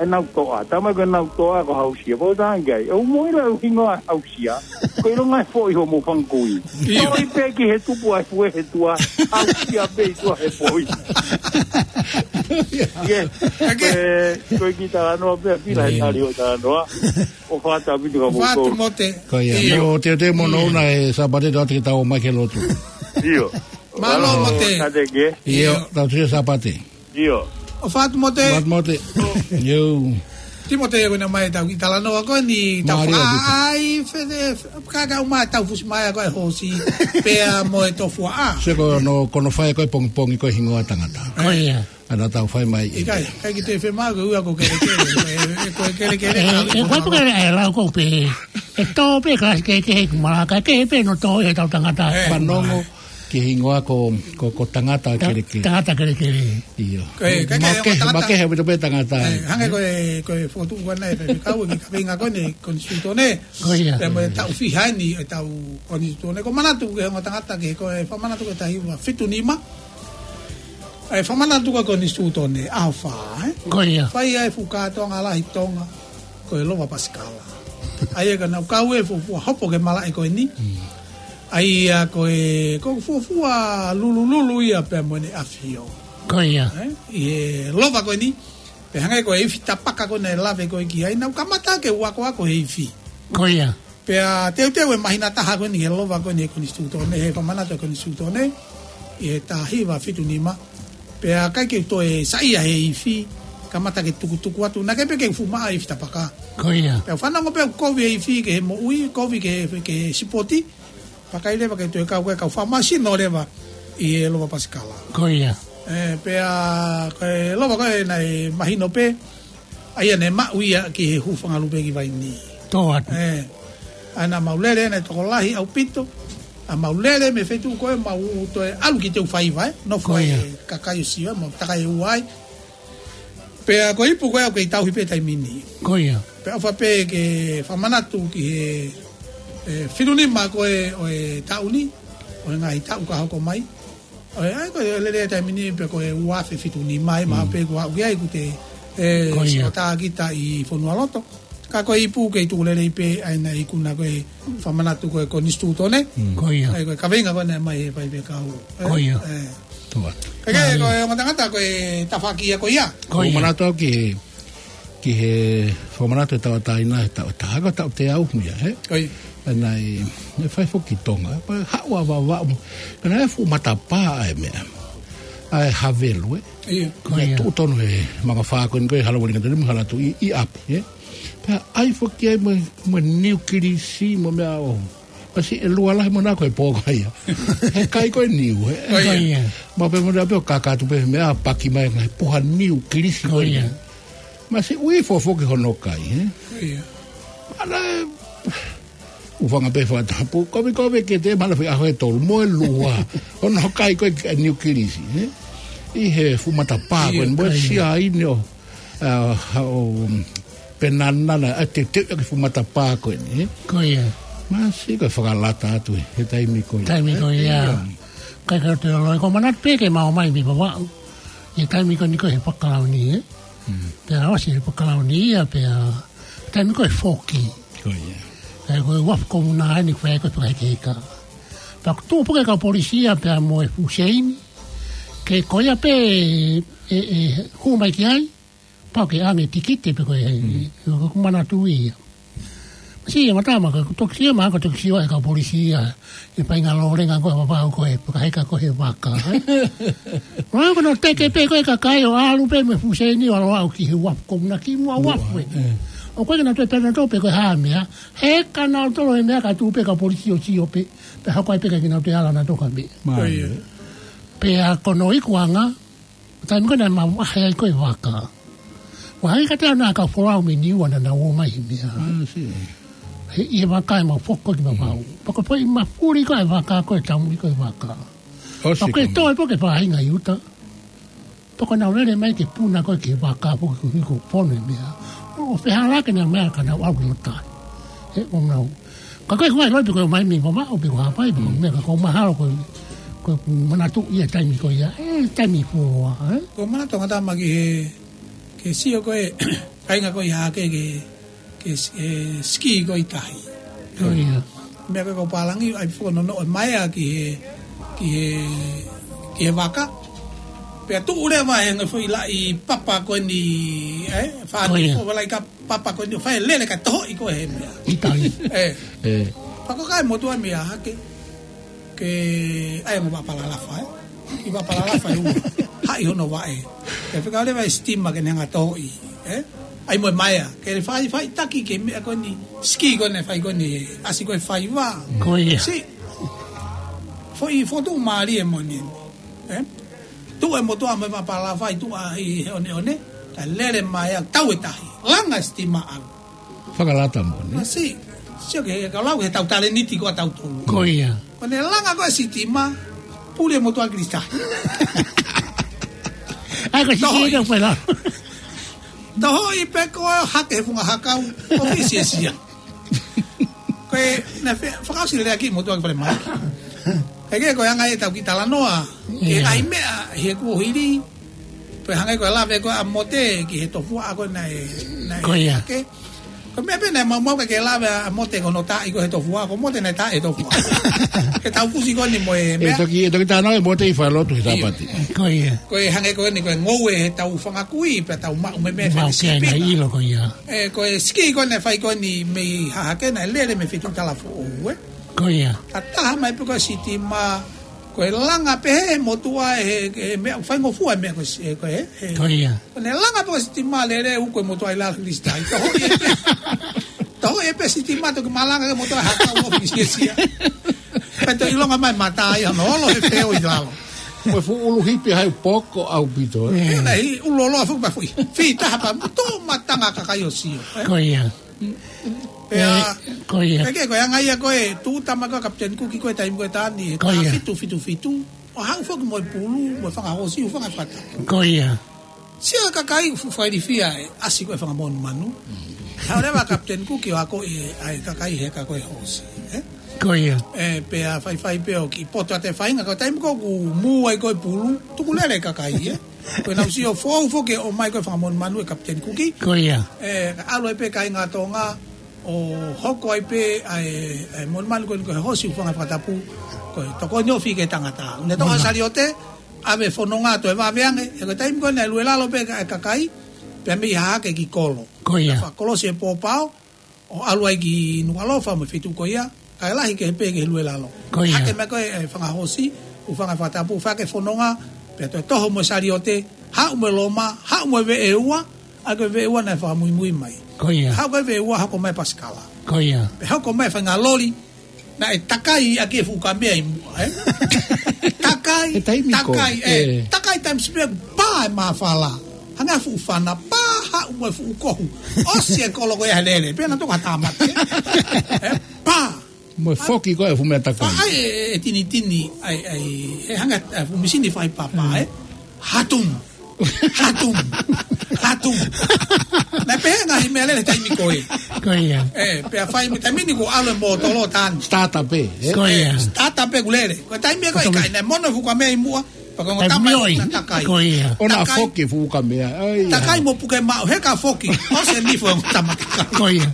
Ai nau toa. Tama ko nau toa ko hausia. Ko ta ngai. O mo ila o hingoa hausia. Ko ilo ngai foʻi ho mo fangkui. Io. Toi pe ki he tupu ai fue he tua. Hausia pe i tua he foʻi. Ia. Ake. Ko e kita noa pe pila e Io. tali o ta noa. O fata vitu ka mo Fatu to. Mote. Ko ia. Io. Mo te te mo no Io. na e Sāpate to te tau mai ke lotu. Io. Mālō Mālō, Mote. Tate ke. Io, Io. tau te Sāpate. Io. O Fatu Mote. Fatu Mote. Io. Timote ia ko na mai tau ki talanoa ko ni tau Mālō, fai Timote. fe, fe, kaka uma tau fusi mai ko e hosi. Pea mo e Tofuaʻa. Se ko no, ko no fai ko e pongipongi ko e hingoa tangata. Ko ia. Ana tau fai mai. Ikai, kai ki te fe ma ko ua ko kelekele. Ko e, ko e kelekele. E, e, ko e, ko e, e, lau ko pe. Tō pē kalasi kehekehe ki Malaka, kehe pē hono tō ʻi heʻetau tangata. Ē. Fanongo ki he hingoa ko, ko, ko Tangata Ta-, Kelekele. Tangata Kelekele. ʻIo. Ko e, ko e, ko e, Makehe, tangata. Makehe ʻaupito pē Tangata. Ē, hangē ko e, ko e fokotuʻu ko ena ʻe he faifekau ki he kaveinga ko eni Konisitūtone. Ko ia. Pea mo e taʻu fiha eni ʻetau Konisitūtone. Ko e manatu ki he ongo tangata ki he, ko e fakamanatu ko e taha hiva fitu nima. ʻA e fakamanatu ko e Konisitūtone, ʻaho fā, ē? Ko ia. Fai ai e fuʻu kātoanga lahi Tonga, ko e Lova Pasikala. ʻA ia ka nau kau e fuofua hopo ki he malaʻe ko eni. Mm. ʻA ia ko e, ko e fuofua lulululu ia pea mo ʻene ʻafio. Ko ia. Ē? ʻI he lova ko eni, pea hangē ko e ifi tapaka ko ē naʻe lave ko ē ki ai, nau kamata ke u akoako he ifi. Ko ia. Pea teuteu e māhina taha ko eni he lova ko eni he Konisitūtone, he fakamanatu e Konisitūtone, ʻi he taha hiva fitu nima. Pea ʻikai ke u toe saiʻia he ifi, kamata ke tukutuku atu, naʻe ʻikai pē ke u fuʻu maʻu e ifi tapaka. Ko ia. Pea u fanongo pē ʻoku kovi e ifi ki he moʻui, kovi ki he, ki he sipoti, pea ʻikai leva ke toe kau, ke kau fakamāsino leva ʻi he Lova Pasikala. Ko ia. Ē, pea ko e lova ko ē naʻe mahino pē, ʻa ia naʻe maʻu ia ki he hūfanga lupe ki Vainī. Tō atu. Ē, ʻa ia naʻa mau lele naʻe tokolahi ʻaupito. ʻA mau lele mei he feituʻu ko ē mau toe ʻalu ki Teufaiva, ē. Nofo Ko ia. e kakai ʻo Sio, mau takai ʻe ua ai. Pea ko e ipu ko ē ʻoku kei tauhi pē taimi ni. Ko ia. Pea ʻofa pē ke fakamanatu ki he, ē, fitu nima ko ē ʻo e taʻu ni, ʻo e ngaahi taʻu ka hoko mai. ʻO e, ʻa ia ko e lele taimi ni pē ko e ua afe fitu nima ai, mahalo Mm. pē kuo aʻu ki ai kuo te, ē, Ko ia. sio tā kita ʻi Fonualoto. Ka ko e ipu kei tuku lelei pē ʻa ia naʻe ikuna ko e fakamanatu ko e Konisitūtone. Mm. Ko ia. ʻA ia ko e kaveinga ko ē naʻe mai he faifekau. Ē? Ko ia. Ē. Tō atu. Ka ke, Mālie. ko e ongo tangata ko e tafaʻaki ia ko ia. Ko ia. Fakamanatu au ki he, ki he fakamanatu e tauʻatāina he taʻu, taha ko e taʻu teau ia, ē? Ko ia. Pea naʻe, naʻe fai foki ki Tonga, pea haʻu ʻa Vavaʻu, pea naʻe fuʻu matapā ʻa e meʻa. ʻA e havelu, ē? ʻIo. Ko Naʻe ia. tuʻu tonu he mangafā ko eni ko e hala Uelingatoni mo e hala Tuʻi ʻi ʻapi, ē? Pea ʻai foki ai mo, mo e niu kilisi mo e meʻa ʻo. Pea siʻi ʻe lua lahi mo na ko e pō ko ia. He kai ko e niu, ē? Ko ia. Ko ia. Maʻu pē mo na pē ʻo kaka atu pē he meʻa paki mai ngaahi puha niu kilisi Ko ko ia. ia. Masiʻi ui fofo ki hono kai, ē? Ko ia. Ala e ʻUfanga pē fakatapu, kovi kovi ke te mala fi aho e tolu, mo e lua. Ono kai ko e niu kilisi, ē? ʻI he fuʻu matapā ko ʻIo, eni, mo e ko ia. sia ʻi neo, ʻa, ʻo, penanana, ʻa te te ʻaki fuʻu matapā ko eni, ē? Ko ia. Masiʻi ko e fakalata atu, ē, he taimi ko ia. Taimi ko ia. ʻIo. Kai ka te olo, ko manatu pē ke mau mai mi Vavaʻu. ʻI he taimi ko eni ko e he fakalauni, ē? Mm. Pea ʻosi he fakalauni ia, pea taimi ko e foki. Ko ia. Pea ko e uafu ko muna ai ni ko e ko e fakahekeheka. Pea ko tuʻu puke kau polisi ia pea mo e Fuseini. Ke ko ia pē ʻe, ʻe, hū mai ki ai. Pau ke ʻange tikite pe ko e, Mm. ko, ko manatu ia. Masiʻi e matama ka ko toki sio ma, ko toki sio e kau polisi ia. ʻE painga lōlenga ko e Vavaʻu ko e, fakaheka ko e vaka, ē? Ua ko no teke pē ko e kakai ʻo ʻalu pē mo e Fuseini ʻo ʻalu ʻo aʻu ki he uafu ko muna ki muʻa uafu, ē. ʻE. ʻO ko e ke na toe pena tō pē ko e hā meʻa. He ka nau tolo e meʻa ka tuʻu pē kau polisi ʻo sio pē. Pea hoko ai pē ka ke nau toe ala na toka pē. Mālie. Pea ko hono ikuʻanga, taimi ko ē naʻa mau ʻahe ai ko e vaka. Ua hai ka te ana ka folau mei Niua naʻa nau ō mai he meʻa. Ah, I see. He ʻi he vaka ʻe mau foki ki Vavaʻu. Mm. Pea ko e foʻi mafuli ko e vaka ko e taumuʻi ko e vaka. ʻOsi Pea ko e ko e toe pē ke faʻahinga ʻi ʻuta. Pea ko ʻenau lele mai ke puna ko e ke vaka foki ko e hiko pono e meʻa. ʻO fehala ke nau meʻa ka nau ʻalu ki loto tahi. He ʻo nau Ka ko e kuai loi pe ko e mai mei Vavaʻu pe ko Haʻapai pe ko Mm. meʻa ka ko mahalo ko, ko manatu ia taimi ko ia, ʻe taimi fuoloa, ē? Ko manatu ngata ma ki he, ke sio ko e, kainga ko ia ke, ke, ke, ē, ski ko i tahi. Ko ia. Meʻa ka ko pālangi, ʻai fo no no e mai a ki he, ki he, ki he vaka. Pea tuʻu leva he ngaahi foʻi laʻi papa ko eni, ē? Fā Ko ia. Ko e laʻi ka papa ko eni ʻo fai lele ka tohoʻi ko e he meʻa. ʻI tahi. ʻE. ʻE. Pea ko kai motu ai meʻa hake. Ke ʻai mo vapalalafa, ē. ʻI vapalalafa ʻe ua. Haʻi hono vaʻe. Ke fika leva e sitima ke ne hanga tohoʻi, ē. ʻAi mo e maea. Ke le fai, fai taki ke meʻa ko eni. Ski ko eni, fai ko eni. ʻAsi ko e faiva. Ko ia. Si. Foʻi fotu mālie mo eni. Ē? Tuʻu e motuʻa mo e vapalalafa ʻi tuʻa ʻi he ʻoneʻone, ka lele mai ʻo tau e tahi. Langa e sitima ʻalu. Fakalata mo eni. Masiʻi. Sio ki he, ka lau he tau talēniti ko ē ʻatautolu. Ko ia. Ko ʻene langa ko ē sitima, puli e motuʻa Kilisitahi. ʻAi, ko e Tohoʻi. Sitima ko ē la. Tohoʻi pē ko ē hake he funga hakau, ʻo fisiasia. Ko e, naʻe fe-, fakaʻosi lea ki motuʻa ki Falemai. He ko e anga ʻetau kiʻi talanoa, ke Ia. Lahi meʻa, he kuo hili, pea hangē ko e lave ko ē ʻa Mote ki he tofuaʻa ko ē naʻe, naʻe Ko ia. Hake. Ko e meʻa pē naʻe maumau ka ke lave ʻa Mote ko hono taaʻi ko ē he tofuaʻa, ko Mote naʻe taaʻi he tofuaʻa. He tau kusi ko eni mo e E meʻa. Toki, e toki tānaki ʻe Mote ʻi he falelotu he Ia. Sāpate. Ko ia. Ko e hangē ko eni ko e ngoue he tau fanga kui, pea tau maʻu mei he Mau fanga ke sipi. Naʻe ʻilo ko ia. E, ko e siki ko ē naʻe fai ko eni mei Hahake naʻe lele mei he feituʻu talafoʻou, ē. Ko ia. Ka taha mai pē ko e sitima, ko e langa pē he motuʻa he, he meʻa, faingofua e meʻa ko e si-, e, ko e, he. Ko ia. Ko ʻene langa pē ko e sitima lele ʻo uku e motuʻa ʻi lalo Kilisitahi. Tohoʻi ē pē. Tohoʻi ē pē sitima toki malanga ki he motuʻa hakau ʻo fisiasia. Pea toe ʻilonga mai mata ia hono olo he feo ʻi lalo. Ko e fuʻu ʻulu hipi hai poko ʻaupito, ē. Ia. Ia, naʻe ʻi ʻulu ʻoloa fuʻu pa fui. Fī taha pea mo tō matanga kakai ʻo sio, ē. Ko ia. Pea, E, ko ia. Pea ke, ko e anga ia ko ē, tūʻuta mai ko ē Kapiteni Kuki ko ē taimi ko ē Tani, he Ko ia. Taha fitu fitu fitu, ʻo haʻu foki mo e pulu, mo e fanga hoosi, ʻo fanga fata. Ko ia. Sio e kakai fuʻu failifia ē, ʻasi ko ē fanga monumanu. Haʻu leva Kapiteni Kuki ʻo akoʻi ʻa e kakai he ka ko e hoosi, ē? Ko ia. E, pea faifai pē ʻo kiʻi poto atu e faʻahinga, ko e taimi ko ē ʻoku mū ai ko ē pulu, tukulele e kakai, ē? Ko ʻenau sio foʻou foki ʻo ʻomai ko ē fanga monumanu ʻe Kapiteni Kuki. Ko ia. E, ka ʻalu ai pē kāinga Tonga, ʻo hoko ai pē ʻa e, ʻa e monumanu ko eni ko e hoosi ʻo fanga fakatapu, ko e tokoni ofi ki he tangata. Ne toka Mona. Saliote, ʻave fononga toe vave ange, he ko e taimi ko ē naʻe lue lalo pē ka-, e kakai, pea mei Hahake ki Kolo. Ko ia. Fakakolosi e pōpao, ʻo ʻalu ai ki Nukuʻalofa mo e feituʻu ko ia, kae lahi kehe pē ki he lue lalo. Ko ia. Hake mai ko ē, e fanga hoosi, ʻo fanga fakatapu, fai hake fononga, pea toe toho mo e saliote, haʻu mo e loma, haʻu mo e veʻe ua, ʻa ko e veʻe ua naʻe fakamuimui mai. Ko ia. Haʻu ko ē veʻe ua, hoko mai pasikala. Ko ia. Pea hoko mai faʻahinga loli, naʻe takai ʻaki e fuʻu kamea ʻi muʻa, ē? Takai, He taimi ko takai, ē, ē. Takai taimi sipi pā e māfala. Hanga fuʻu fana, pā haʻu mo e fuʻu kohu. ʻOsi e kolo ko ia he lele, pea naʻe toka tāmate. Ē, pā. Mo e foki ko ē fuʻu meʻa takai. Pā ai e, e tinitini, ai, ai, e hanga, e fuʻu misini fai papa, ē? Hatum. Hatum. Hatum. Naʻe pehē ngaahi meʻalele taimi ko ē. Ko ia. E, pea fai mo e taimi ni ko ʻalu e mōtolo Tani. Starter pē, ē? Ko ia. E, starter pē kuo lele. Ko e taimi ko ē Ko e kai, naʻe mono fuʻu kamea ʻi muʻa. Pea ko e Taimi tama ʻoi. Na takai. Ko ia. ʻO na Takai. Foki fuʻu kamea. Ai, Takai ai. Mo puke maʻu, he ka foki. ʻOsi e nifo e tama takai. Ko ia.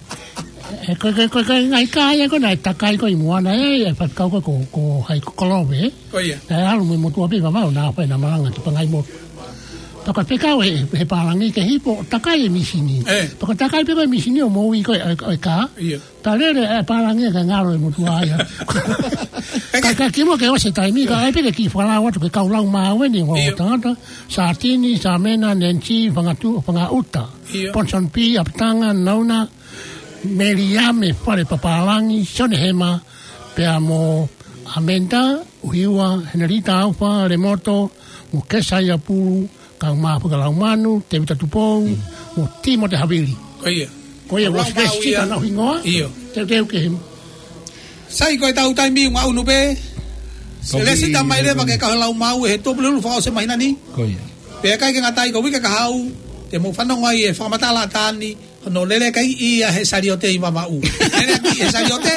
E, ko, ko, ko, ko, ngaahi kā ia ko ē naʻe takai ko ē ʻi muʻa na, e, e, faikau ko, ko, ko hai ko Kolove, ē? Ko ia. Naʻe ʻalu mo e motuʻa pē ʻi Vavaʻu naʻa fai na malanga ki Pangaimotu. Pea ko e fekau he, he pālangi ke hipo, takai e misini. E. Pea ko e takai pē ko ē misini ʻo moʻui ko ē, e, e kā. Ia. Pea lele e pālangi kae ngalo e motuʻa ia. Ka, ka kimuʻa ke ʻosi e taimi, ka ai pē ke kiʻi fakalau atu ke kau lau maʻu eni, ʻo Ia. Tangata, Sātini, Sāmena, Nensi, Fangatu-, Fangaʻuta. Ia. Ponsonby, ʻApatanga, Nauna, Meliame, Fale Papālangi, Sione Hema, pea mo ʻAmenda, ʻUhiua, Henelita Aufa, Lemoto, mo Kesaia Pulu, Kaumāfiha Laumanu, Tēvita Tupou, mo Tīmote Havili. Ko ia. Ko ia, Lau ua maʻu fesi ia. Ka nau hingoa. Io. Teuteu ke him. Sai ko e tau taimi ʻunga unu pē. Ko e lēsisita mai leva ke kau he lau maʻu he Tuʻapulelulu fakaʻosi e māhina ni. Ko ia. Pea ʻikai ke ngata ai ko e uike kahaʻu, te mou fanongo ai e fakamatala ʻa Tani, hono lele ʻaki ia he saliote ʻi Vavaʻu. Lele ʻaki he saliote,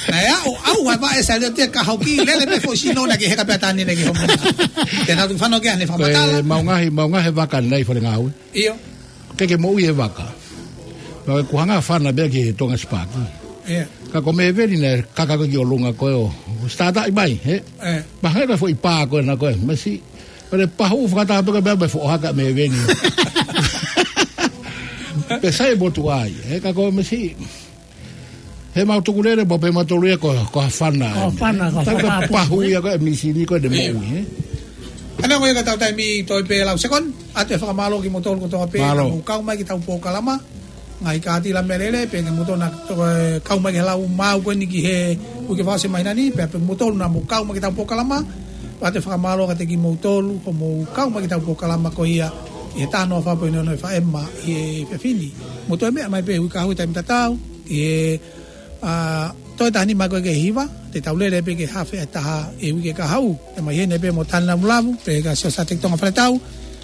naʻe aʻu, aʻu ʻa e vaʻe saliote ka hoki, lele pē foʻi sino naʻe kei heka pē ʻa Tani naʻe kei homo. Te nau tuku fanongo ki ai ʻene Ko e fakamatala. Maʻu ngaahi, maʻu ngaahi vaka naʻe ʻi fale ngāue. Io. Ke ke moʻui e vaka. Pea ko e hanga fana pē ki he Tonga Spark. Ia. Ka ko Meveni naʻe kaka ko ē ki ʻolunga ko ē ʻo, ʻo starter ʻi mai, ē? Ē. Pea hanga ko e foʻi pā ko ē na ko ē, masi. Pea ne pahu fakataha pē ko e meʻa mo e foʻohaka Meveni. Pea sai e motuʻa ia, ē, ka ko e masi. He mau tukulele, mau pehē mautolu ia ko, ko ha fana. Ko ha fana, ko ha Ka fana, pahu ia ko e misini ko ē ne Ia. Moʻui, ē? Ana ko ia ka tau taimi toe pē lau sekoni, ʻoatu e fakamālō kimoutolu kotoa pē, Mālō. Naʻa mou kau mai ki heʻetau polokalama, ngaahi kātila meʻalele, pea kimoutolu naʻa, toe, kau mai ki he lau maʻu ko eni ki he uike fakaʻosi e māhina ni, pea pē kimoutolu naʻa mou kau mai ki heʻetau polokalama, ʻoatu e fakamālō kiate kimoutolu, hoʻomou kau mai ki heʻetau polokalama ko ia, ʻi he taha noa fā poini ono F M, ʻi he efiafi ni. Mou toe meʻa mai pē he uike kahaʻu he taimi tatau, ʻi he ʻA, toe taha nima ko ē ki he hiva, te tau lele pē ki he hafe ʻa e taha ʻi he uike kahaʻu. ʻE mai heni pē mo Tana Mulavu, pea kia Siosa Tetonga Faletau,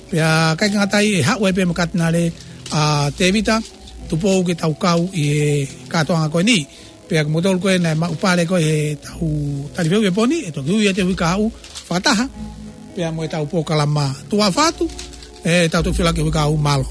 pea ʻikai ke ngata ai, ʻe haʻu ai pē mo Katinale ʻa Tevita Tupou ke tau kau ʻi he kātoanga ko eni. Pea ko moutolu ko ē naʻe maʻu pale ko ē he tau talifehuʻi he pō ni, ʻe toki ui atu he uike kahaʻu fakataha pea mo e tau polokalama tuʻa ʻofa atu, ʻe tau toki fila ki he uike kahaʻu, mālō.